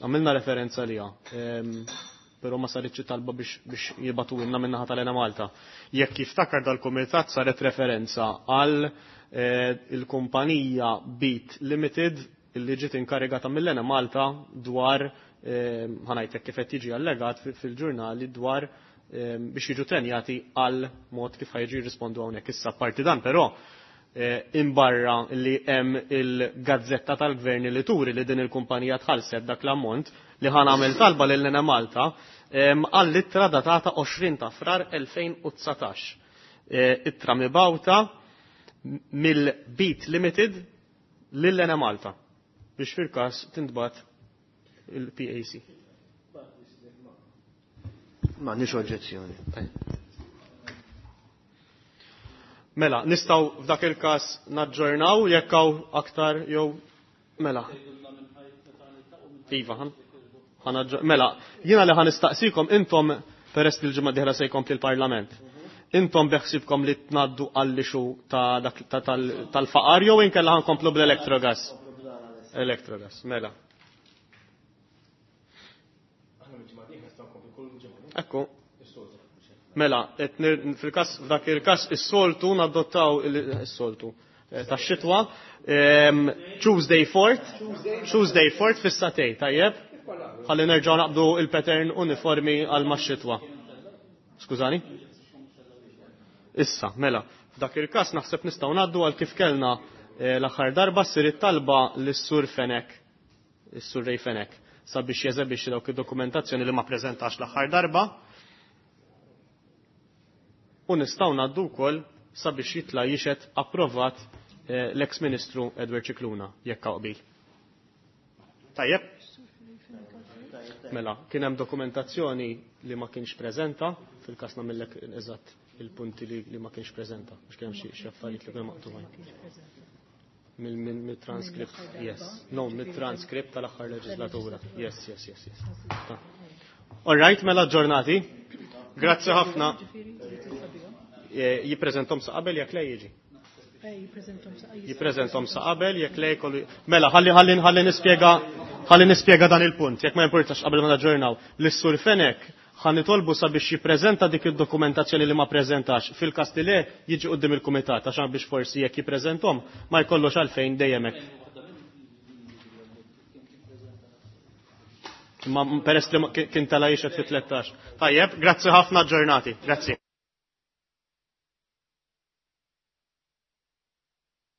għamilna referenza liha. Però ma saritx talba biex jibgħatulna minn naħa tal-Ena Malta. Jekk jiftakar dal-kumitat saret referenza għal il-kumpanija Beat Limited illi ġiet inkarigata mill-Ena Malta dwar ħanajtek kif qed jiġi allegat fil-ġurnali dwar biex jiġu trenjati għal mod kif ħajġu jirrispondu hawnhekk. Issa parti dan però imbarra li hemm il-gazzetta tal-gvern li turi li din il-kumpanija tħallset dak l-ammont li ħan għamel talba lil Lena Malta għall-ittra datata 20 ta' Frar 2019. Ittra mibawta mill-Beat Limited lil Lena Malta biex fil-każ tintbat il-PAC. M'għandniex oġġezzjoni. Mela, nistgħu f'dak il-każ naġġornaw jekk hawn aktar jew mela. Iva, mela, jiena li ħan nistaqsikom intom peress li l-ġimgħa dieħla se jkompli l-Parlament. Intom beħsibkom li tnaddu għall-ixu ta' dak tal-faqar jew inkella ħankomplu bl-electrogas? Electrogas, mela. Ekku. Mela, fil-każ, f'dak il-każ is-soltu nadottaw is-soltu tax-xitwa, Tuesday 4th, Tuesday 4th fis-satej, tajjeb? Ħalli nerġgħu naqbdu il-pattern uniformi għal max-xitwa. Skużani? Issa, mela, f'dak il-każ naħseb nistgħu ngħaddu għal kif kellna l-aħħar darba ssir it-talba lis-Sur Fenech, is-Sur Ray Fenech, sabiex jeżebixxi dawk id-dokumentazzjoni li ma preżentax l-aħħar darba. U nistgħu ngħaddu wkoll sabiex jitla' jixed approvat l-ex-Ministru Edward Scicluna, jekk hawn qbil. Tajjeb? Mela, kien hemm dokumentazzjoni li ma kienx preżenta, fil-każ nagħmellek eżatt il-punti li ma kienx preżenta, biex kien hemm xi affarijiet li kienu maqtugħin. Mill-transcript, yes. No, mill-transcript tal-aħħar leġislatura. Yes, yes, yes, yes. All right, mela ġurnati. Grazzi ħafna. Jippreżentom sa qabel jekk le jiġi. Jippreżentom sa qabel jekk le jkollu. Mela, ħalli nispjega dan il-punt, jekk ma importax qabel ma naġġornaw. Lis-Sur Fenech ħa nitolbu sabiex jippreżenta dik id-dokumentazzjoni li ma preżentax. Fil-każ li le jiġi quddiem il-kumitat għax biex forsi jekk jippreżentom ma jkollux għalfejn dejjem hekk. Ma peress li kien tala jixed fi 13. Tajjeb, grazzi ħafna ġurnati. Grazzi.